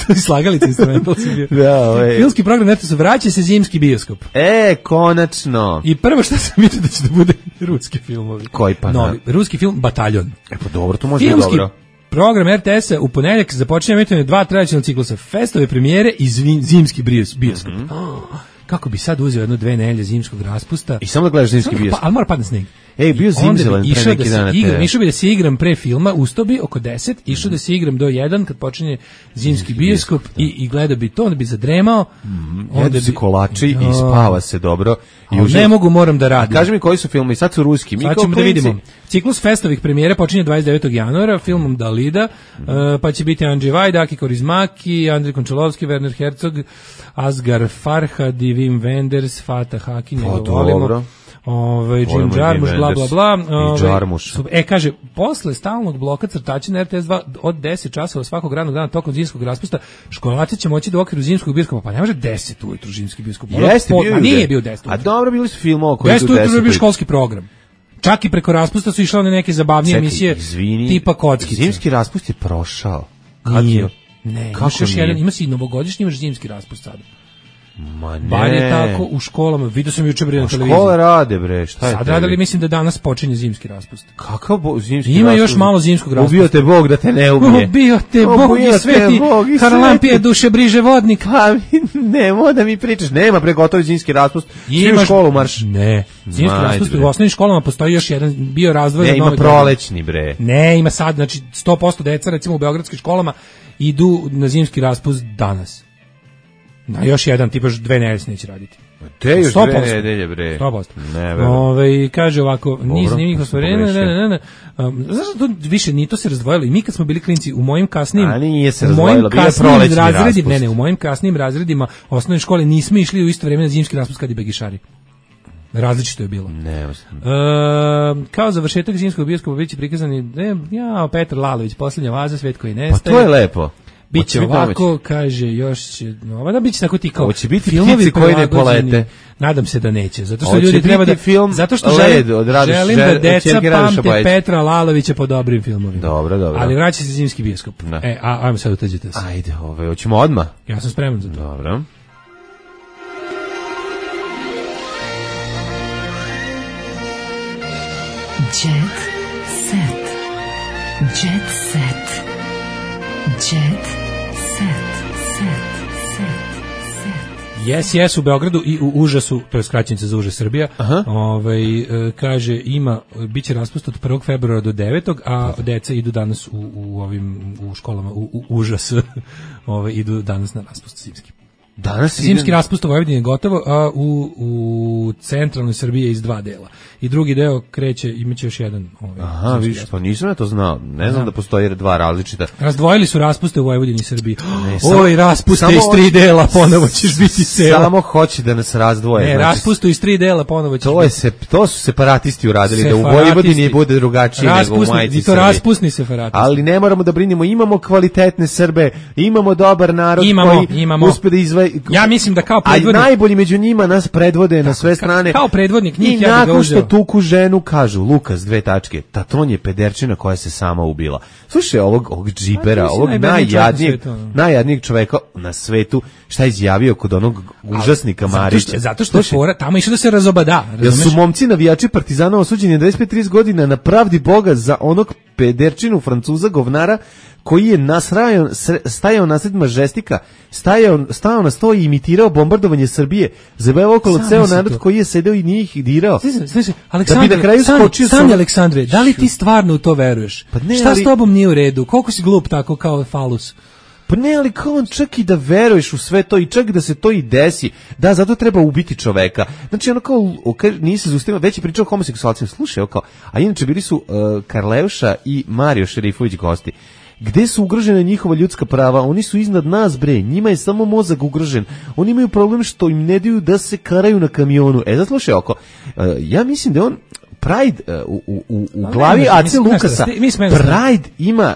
To je slagalica instrumental si bio. Da, ovaj. Filmski program Neto se vraća se zimski bioskop. E, konačno. I prvo što sam vidio da će da bude ruski filmovi. Koji pa? Novi, ruski film Bataljon. E pa dobro, to može biti dobro. Program er te esa u ponedeljak započinje emitovanje dva tradicionalna ciklusa, festove premijere i zvin, zimski bioskop. Mm -hmm. oh, kako bi sad uzeo jedno dve nedelje zimskog raspusta. I samo da gledaš zimski bioskop. Pa, ali mora padne sneg. Ej, bio zimzelen pre neki da dana. Igram, išao bi da se igram pre filma, ustao bi oko deset, išao da se igram do jedan kad počinje zimski bioskop i, i gledao bi to, onda bi zadremao. Mm, onda bi kolači i spava se dobro. I užel... Ne mogu, moram da radim. Kaži mi koji su filmi, sad su ruski. Mi sad ćemo da vidimo. Ciklus festovih premijere počinje dvadeset devetog januara filmom Dalida, mm. uh, pa će biti Andrzej Vajda, Aki Kaurismäki, Andrej Končalovski, Werner Herzog, Asghar Farhad i Wim Wenders, Fatah Hakin, pa dobro. Ovaj Jim Jarmusch, bla bla bla. Ovaj, e kaže, posle stalnog bloka crtača na er te es dva od deset časova svakog radnog dana tokom zimskog raspusta, školaraci će moći da u okviru zimskog bioskopa, pa ne može deset ujutru zimski bioskop. Jeste, po, bio a nije bio deset. A dobro, bili su filmovi koji su deset. Bio školski program. Čak i preko raspusta su išle one neke zabavnije Čekaj, emisije izvini, tipa Kockice. Zimski raspust je prošao. Kad nije. je? Ne, imaš još jedan, ima si novogodišnji, imaš zimski raspust sada. Ma ne. Bar je tako u školama, vidio sam juče bre na televiziji. Škole rade bre, šta je sad radili, mislim da danas počinje zimski raspust. Kakav bo, zimski Ima raspust? još malo zimskog raspusta. Ubio te Bog da te ne ubije. Ubio te Bog i sveti, Haralampije duše briže vodnik. Pa nemo da mi pričaš, nema pre gotovi zimski raspust. Svi u školu marš. Ne, zimski raspust u osnovnim školama postoji još jedan, bio razdvojen. Ne, ima prolećni bre. Ne, ima sad, znači sto posto deca recimo u beogradskim školama idu na zimski raspust danas. Na još jedan, tipaš dve nedelje se neće raditi. Te još dve nedelje, bre. sto posto. Ne, verujem. Ove, kaže ovako, niz zanimljivih ostvarenja, ne, ne, ne, ne. Um, zašto to više, ni to se razdvojilo? I mi kad smo bili klinci, u mojim kasnim... A nije se u razdvojilo, bio je prolećni raspust. Ne, ne, u mojim kasnim razredima osnovne škole nismo išli u isto vreme na zimski raspust kad i begišari. Različito je bilo. Ne, e, kao završetak zimskog bioskopa biće prikazani, ne, ja, Petar Lalović, posljednja vaza, svet koji nestaje. Pa to je lepo. Biće ovako, domaći. Kaže, još će, no, da biće tako ti kao Hoće biti filmovi koji ne polete. Nadam se da neće, zato što Hoće ljudi treba da film zato što Led, želim, od Radoš, želim da deca pamte Petra Lalovića po dobrim filmovima. Dobro, dobro. Ali vraća se zimski bioskop. Da. E, a ajmo sad utađite se. Ajde, ove, hoćemo odmah. Ja sam spreman za to. Dobro. Jet set. Jet set. Jet set. Yes, yes, u Beogradu i u Užasu, to je skraćenica za Užas Srbija, ovaj, kaže, ima, biće raspust od prvog februara do devetog, a deca idu danas u, u, ovim, u školama, u, u Užas, ovaj, idu danas na raspust zimski. Danas zimski raspust u Vojvodini je gotovo, a u, u centralnoj Srbiji je iz dva dela. I drugi deo kreće, imaće još jedan. Ovaj, Aha, vidiš, pa nisam ja to znao. Ne znam, znam da postoji dva različita. Razdvojili su raspuste u Vojvodini i Srbiji. Ne, samo, Oj, raspuste iz tri dela, ponovo ćeš biti cela. Samo hoće da nas razdvoje. Ne, znači, raspustu iz tri dela, ponovo ćeš to je se, to su separatisti uradili, separatisti. Da u Vojvodini bude drugačije nego u Majici. I to raspusni separatisti. Ali ne moramo da brinemo, imamo kvalitetne Srbe, imamo dobar narod imamo, koji imamo. uspe da izve... Ja mislim da kao predvodnik... A najbolji među njima nas predvode na sve strane. Kao predvodnik njih i ja nakon što tuku ženu kažu, Lukas, dve tačke, Tatron je pederčina koja se sama ubila. Slušaj, ovog, ovog džipera, ovog najjadnijeg, najjadnijeg čoveka na svetu, šta je izjavio kod onog užasnika Marića. Zato što je fora, tamo išao da se razobada. Jel su momci navijači Partizana osuđeni dvadeset pet trideset godina na pravdi Boga za onog pederčinu Francuza govnara koji je nasrajao, stajao nasred mažestika, stajao, stajao na sto i imitirao bombardovanje Srbije, zabavao okolo ceo narod to. Koji je sedeo i nije ih dirao. Slušaj, Aleksandre, da bi na kraju skočio... Sanje, Aleksandre, da li ti stvarno u to veruješ? Pa ne, šta ali... s tobom nije u redu? Koliko si glup tako kao falus? Pa ne, ali kao on čak i da veruješ u sve to i čak da se to i desi, da, zato treba ubiti čoveka. Znači, ono kao, nije se zaustavio, već je pričao o homoseksualcima, slušaj, kao, a inače bili su uh, Karleuša i Mario Šerifović gosti. Gde su ugrožene njihova ljudska prava? Oni su iznad nas, bre, njima je samo mozak ugrožen. Oni imaju problem što im ne daju da se karaju na kamionu. E, da slušaj, oko, uh, ja mislim da on Pride uh, u, u, u glavi A C Lukasa, Pride ima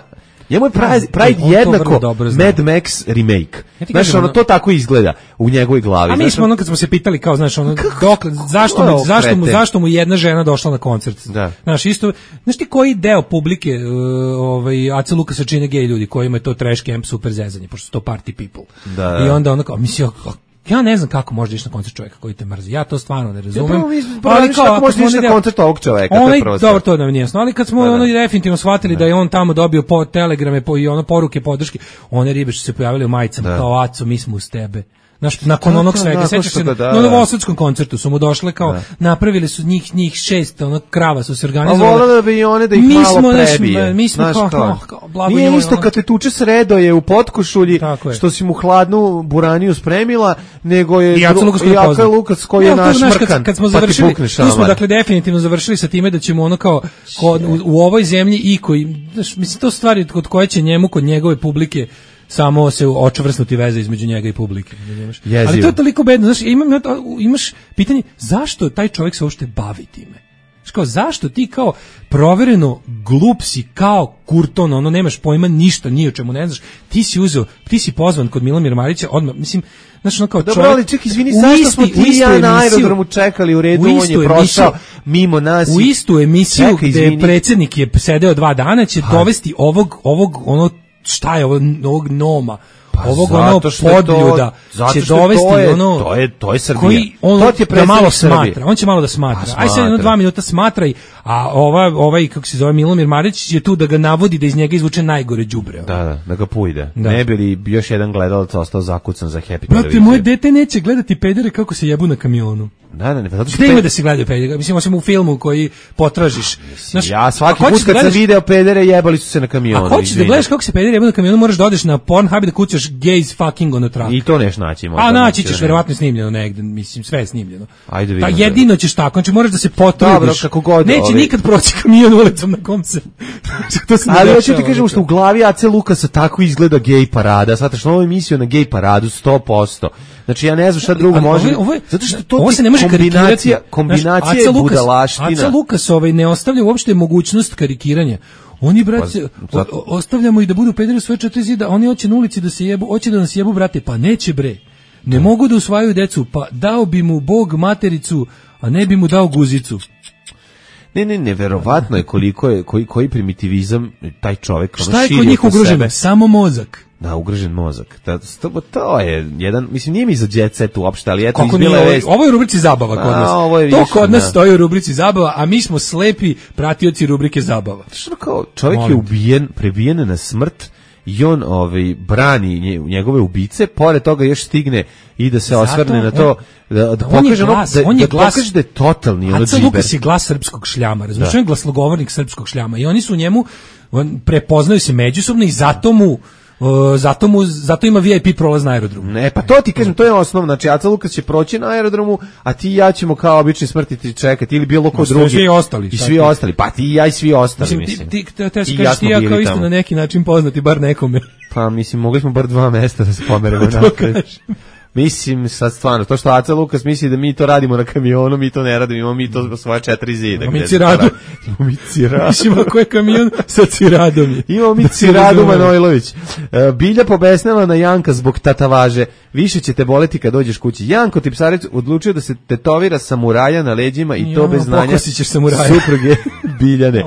Njemu je Pride, Pride jednako Mad Max remake. Ja znaš, ono, to tako izgleda u njegovoj glavi. A mi smo ono kad smo se pitali kao, znaš, ono, dok, zašto, mu, zašto, mu, zašto mu jedna žena došla na koncert? Da. Znaš, isto, znaš ti koji deo publike uh, ovaj, Aca Lukasa čine gej ljudi, kojima je to trash camp super zezanje, pošto su to party people. Da, da. I onda ono kao, mislim, ja ne znam kako možeš ići na koncert čovjeka koji te mrzi. Ja to stvarno ne razumem. Ja, prvo, ali kao kako možeš ići na koncert ovog čovjeka, onaj, to je prvo. Dobro, to nam nije jasno. Ali kad smo pa, ono definitivno shvatili da. da je on tamo dobio po telegrame po i ono poruke podrške, one ribe što se pojavile u majicama da. Kao Aco, mi smo uz tebe. Znaš, nakon onog svega, sećaš se, da, da, na Novosadskom koncertu su mu došle kao, da. Napravili su njih, njih šest, ono, krava su se organizovali. A volila da bi i one da ih mi malo smo, prebije. Naš, mi smo znaš, kao, kao, kao blago nije njoj, isto ono. Kad te tuče sredo je u potkošulji, što si mu hladnu buraniju spremila, nego je i Aca Lukas, i Aca Lukas koji je naš mrkan, kad, kad smo završili, tu smo dakle definitivno završili sa time da ćemo ono kao, kod, u, u ovoj zemlji i koji, znaš, mislim, to stvari kod koje će njemu, kod njegove publike, samo se očvrsnuti veze između njega i publike. Ali to je toliko bedno. Znaš, imam, imaš pitanje, zašto taj čovjek se uopšte bavi time? Kao, zašto ti kao provereno glup si kao Kurton, ono nemaš pojma ništa, ni o čemu ne znaš, ti si uzeo, ti si pozvan kod Milomira Marića, odmah, mislim, znaš, ono kao dobro, čovjek... Dobro, ali ček, izvini, zašto smo ti ja na aerodromu čekali u redu, on je prošao mimo nas. U istu emisiju čekaj, gde je predsjednik je sedeo dva dana, će ha. dovesti ovog, ovog, ono, šta je ovo, ovog noma, pa ovog ono podljuda to, će dovesti to je, ono to je to je Srbija. Koji on to ti je da malo Srbije. smatra, on će malo da smatra. Aj sad jedno dva minuta smatraj, a ova ovaj kako se zove Milomir Marić je tu da ga navodi da iz njega izvuče najgore đubre. Da, da, da ga pujde. Da. Ne bi li još jedan gledalac ostao zakucan za Happy televiziju. Brate, moje dete neće gledati pedere kako se jebu na kamionu. Da, da, ne, pa zato što gde ima da se gledaju pedere? Mislim, osim u filmu koji potražiš. Znaš, ja svaki put kad sam video pedere jebali su se na kamionu. A hoćeš da gledaš kako se pedere jebu na kamionu, moraš da odeš na Pornhub i da kucaš gays fucking on a truck. I to neš naći. A naći ćeš, verovatno snimljeno negde, mislim, sve je snimljeno. Ajde vidimo. Pa jedino ćeš tako, znači moraš da se potrudiš. Dobro, kako god. Neće ovi... nikad proći kamion ulicom na kom se. to se ali hoću ti kažem što u glavi Ace Lukasa tako izgleda gej parada. Shvataš, novu emisiju na gej paradu sto posto. Znači ja ne znam šta drugo može. Zato što to ovo se ne može kombinacija, kombinacija je budalaština. Aca Lukas ovaj ne ostavlja uopšte mogućnost karikiranja. Oni brate pa, ostavljamo i da budu pederi svoje četiri zida, oni hoće na ulici da se jebu, hoće da nas jebu brate, pa neće bre. Ne to. Mogu da usvajaju decu, pa dao bi mu Bog matericu, a ne bi mu dao guzicu. Ne, ne, neverovatno je koliko je, koji, koji primitivizam taj čovjek ono šta je kod njih ugroženo? Samo mozak. Da, ugrožen mozak. To, to, to je jedan, mislim, nije mi za jet set uopšte, ali eto izbila je vest. Ovo je u rubrici zabava kod nas. A, to kod nas stoji u rubrici zabava, a mi smo slepi pratioci rubrike zabava. Što kao, čovjek Molim. je ubijen, prebijen na smrt, i on ovaj brani njegove ubice, pored toga još stigne i da se zato, osvrne na to da, da pokaže ono, da, on je da glas, pokaže da je totalni ono džiber. Aca Lukas je glas srpskog šljama, razumiješ, on je glasnogovornik srpskog šljama i oni su u njemu, on, prepoznaju se međusobno i zato mu Uh, zato mu zato ima V I P prolaz na aerodromu. Ne, pa to ti kažem, to je osnovno. Znači Aca Lukas će proći na aerodromu, a ti i ja ćemo kao obični smrtiti čekati ili bilo ko drugi. Svi ostali. I svi ostali. Pa ti i ja i svi ostali, mislim. Mislim. Ti, ti, te, te, kažeš, ti ja kao isto na neki način poznati bar nekome. Pa mislim, mogli smo bar dva mesta da se pomeremo napred. Mislim, sad stvarno, to što Aca Lukas misli da mi to radimo na kamionu, mi to ne radimo, imamo mi to svoje četiri zida. Imamo mi ciradu. Imamo mi ciradu. Mislim, ako je kamion sa ciradom. Imamo mi ciradu Manojlović. Bilja pobesnela na Janka zbog tatavaže. Više će te boleti kad dođeš kući. Janko Tipsarec odlučio da se tetovira samuraja na leđima i to bez znanja supruge Biljane.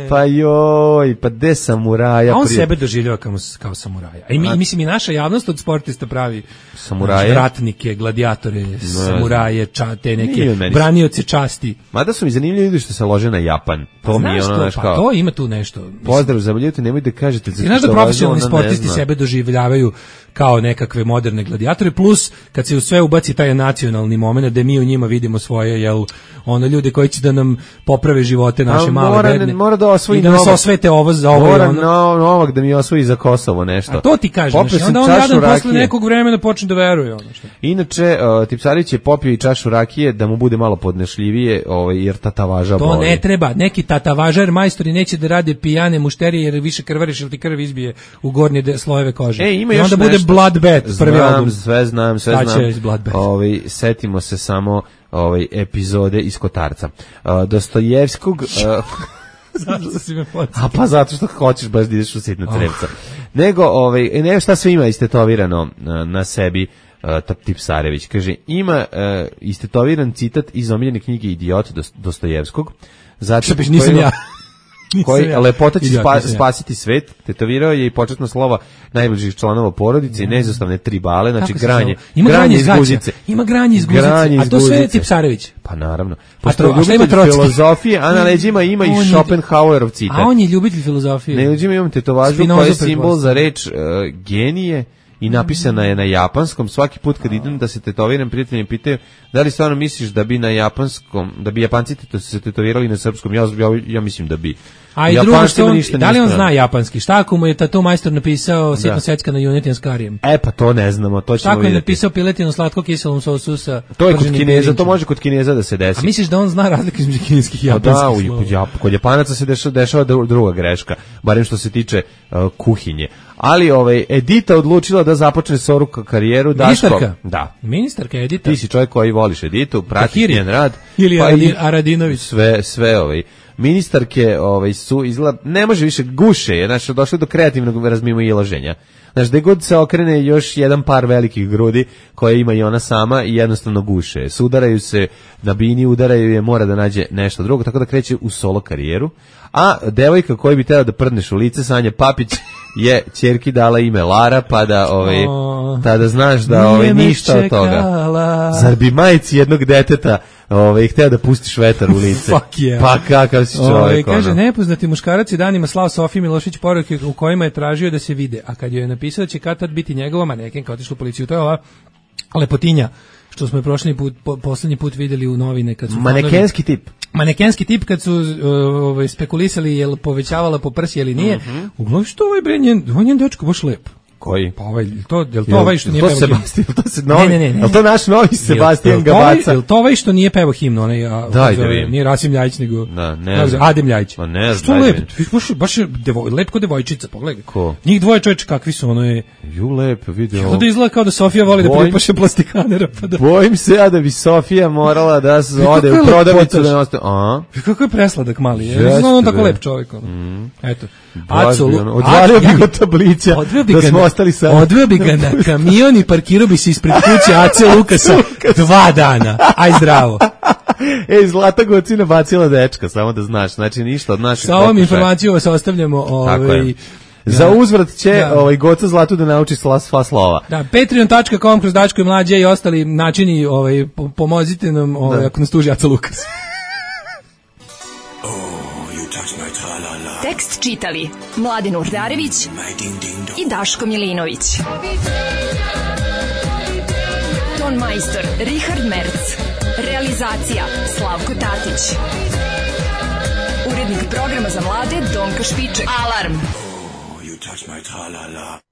Pa joj, pa de samuraja. A on sebe doživljava kao, kao samuraja. A i mi, mislim i naša javnost od sportista pravi samuraje, ratnike, gladiatore, ne, samuraje, ča, te neke branioce časti. Mada su mi zanimljivi ljudi što se lože na Japan. To pa, mi je ono, znaš kao. Pa to ima tu nešto. Pozdrav za ljudite, nemojte da kažete. Znaš da profesionalni sportisti sebe doživljavaju kao nekakve moderne gladiatore, plus kad se u sve ubaci taj nacionalni moment da mi u njima vidimo svoje, jel, ono ljude koji će da nam poprave živote naše male mora, bedne. Mora da osvoji i da nas osvete ovo za ovo. Mora ono. No, Novak da mi osvoji za Kosovo nešto. A to ti kažem, znači, onda on jadan posle nekog vremena počne da veruje. Ono što. Inače, uh, Tipsarić je popio i čašu rakije da mu bude malo podnešljivije, ovaj, jer tatavaža to boli. To ne treba, neki tatavažar majstori neće da rade pijane mušterije jer više krvariš ili ti krv izbije u gornje de, slojeve kože. E, ima i onda bude Bloodbath, prvi album. Sve znam, sve znam. Ovaj, setimo se samo ovaj epizode iz Kotarca. Uh, Dostojevskog uh, Zato si me podsjetio. A pa zato što hoćeš baš da ideš u sitna crevca. Oh. Nego, ovaj, ne, šta sve ima istetovirano na, na sebi uh, Tipsarević. Kaže, ima uh, istetoviran citat iz omiljene knjige Idiot Dostojevskog. Zato što nisam ja. koji lepota će spa, spasiti svet, tetovirao je i početno slova najbližih članova porodice i neizostavne tri bale, znači granje, ima granje iz guzice. Ima granje iz guzice, a to sve je Tipsarević. Pa naravno. Pošto je ljubitelj filozofije, a na leđima ima i Schopenhauerov citat. A on je ljubitelj filozofije. Na leđima imam tetovažu koja je simbol za reč uh, genije i napisana je na japanskom. Svaki put kad idem da se tetoviram, prijatelji me pitaju da li stvarno misliš da bi na japanskom, da bi Japanci to se tetovirali na srpskom. Ja, ja, ja mislim da bi. A i drugo što on, da li on zna japanski? Šta ako mu je tato majstor napisao sitno secka na junetinu s karijem? E pa to ne znamo, to ćemo vidjeti. Šta ako je vidjeti. napisao piletinu slatko kiselom sosu sa to je kod Kineza, to može kod Kineza da se desi. A misliš da on zna razlike između kineskih i japanskih da, slova? Da, kod, kod Japanaca se dešava, dešava druga greška, barem što se tiče uh, kuhinje. Ali ovaj Edita odlučila da započne svoju karijeru. Ministarka? Daško, da. Ministarka Edita? Ti si čovjek koji voliš Editu, pratiš njen rad. Ili pa i Aradinović. Sve, sve ovaj. Ministarke ovaj, su izgleda, ne može više guše, je, znači došlo do kreativnog razmimoilaženja. Znači, da god se okrene još jedan par velikih grudi koje ima i ona sama i jednostavno guše. Sudaraju se na bini, udaraju je, mora da nađe nešto drugo, tako da kreće u solo karijeru. A devojka koju bi trebao da prdneš u lice, Sanja Papić, je ćerki dala ime Lara, pa da ovaj, tada znaš da ovaj, ništa od toga. Zar bi majici jednog deteta ovaj, hteo da pustiš vetar u lice? Fuck yeah. Pa kakav si čovjek. Ove, kaže, nepoznati muškarac je danima slao Sofiji Milošić poruke u kojima je tražio da se vide, a kad joj je napisao da će kad tad biti njegova manekenka otišla u policiju, to je ova lepotinja što smo je prošli put, po, poslednji put videli u novine. Kad su manekenski fanovi, tip. Manekenski tip kad su uh, spekulisali je li povećavala po prsi ili nije. Mm-hmm. Uglavnom što ovaj bre, njen, njen dečko baš lep. Koji? Pa ovaj, to, je li to ovaj što nije to pevao Sebastian, himnu? To se novi, ne, ne, ne. Je li to naš novi Sebastian Gabaca? Je li to ovaj što nije pevao himnu? Onaj, a, daj zove, da vidim. Nije Rasim Ljajić, nego da, ne znam. Adem Ljajić. Pa ne znam. Što lep? Baš, baš je devoj, lep ko devojčica, pogledaj. Ko? Njih dvoje čoveče kakvi su, ono je... Ju lep, vidio. Kako da izgleda kao da Sofija voli da pripaše plastikanera. Pa da... Bojim se ja da bi Sofija morala da se ode u prodavnicu da ostaje. A? Kako je presladak mali, je. Yes, on tako lep čovjek. Mm. Eto. Apsolutno. Odvalio bi ga tablića da smo ostali sad. Odveo bi ga na kamion i parkirao bi se ispred kuće A C Lukasa dva dana. Aj zdravo. Ej, Zlata Gocina bacila dečka, samo da znaš. Znači ništa od naših. Sa ovom informacijom vas ostavljamo. Ovaj, za uzvrat će da. ovaj Goca Zlatu da nauči sva, sva slova. Da, patreon dot com kroz Daško i Mlađe i ostali načini, ovaj, pomozite nam ovaj, ako nas tuži A C Lukas. Tekst čitali Mladin Urdarević i Daško Milinović. Ton majstor Richard Merc. Realizacija Slavko Tatić. Urednik programa za mlade Donka Špiček. Alarm! Oh, you touch my tra-la-la.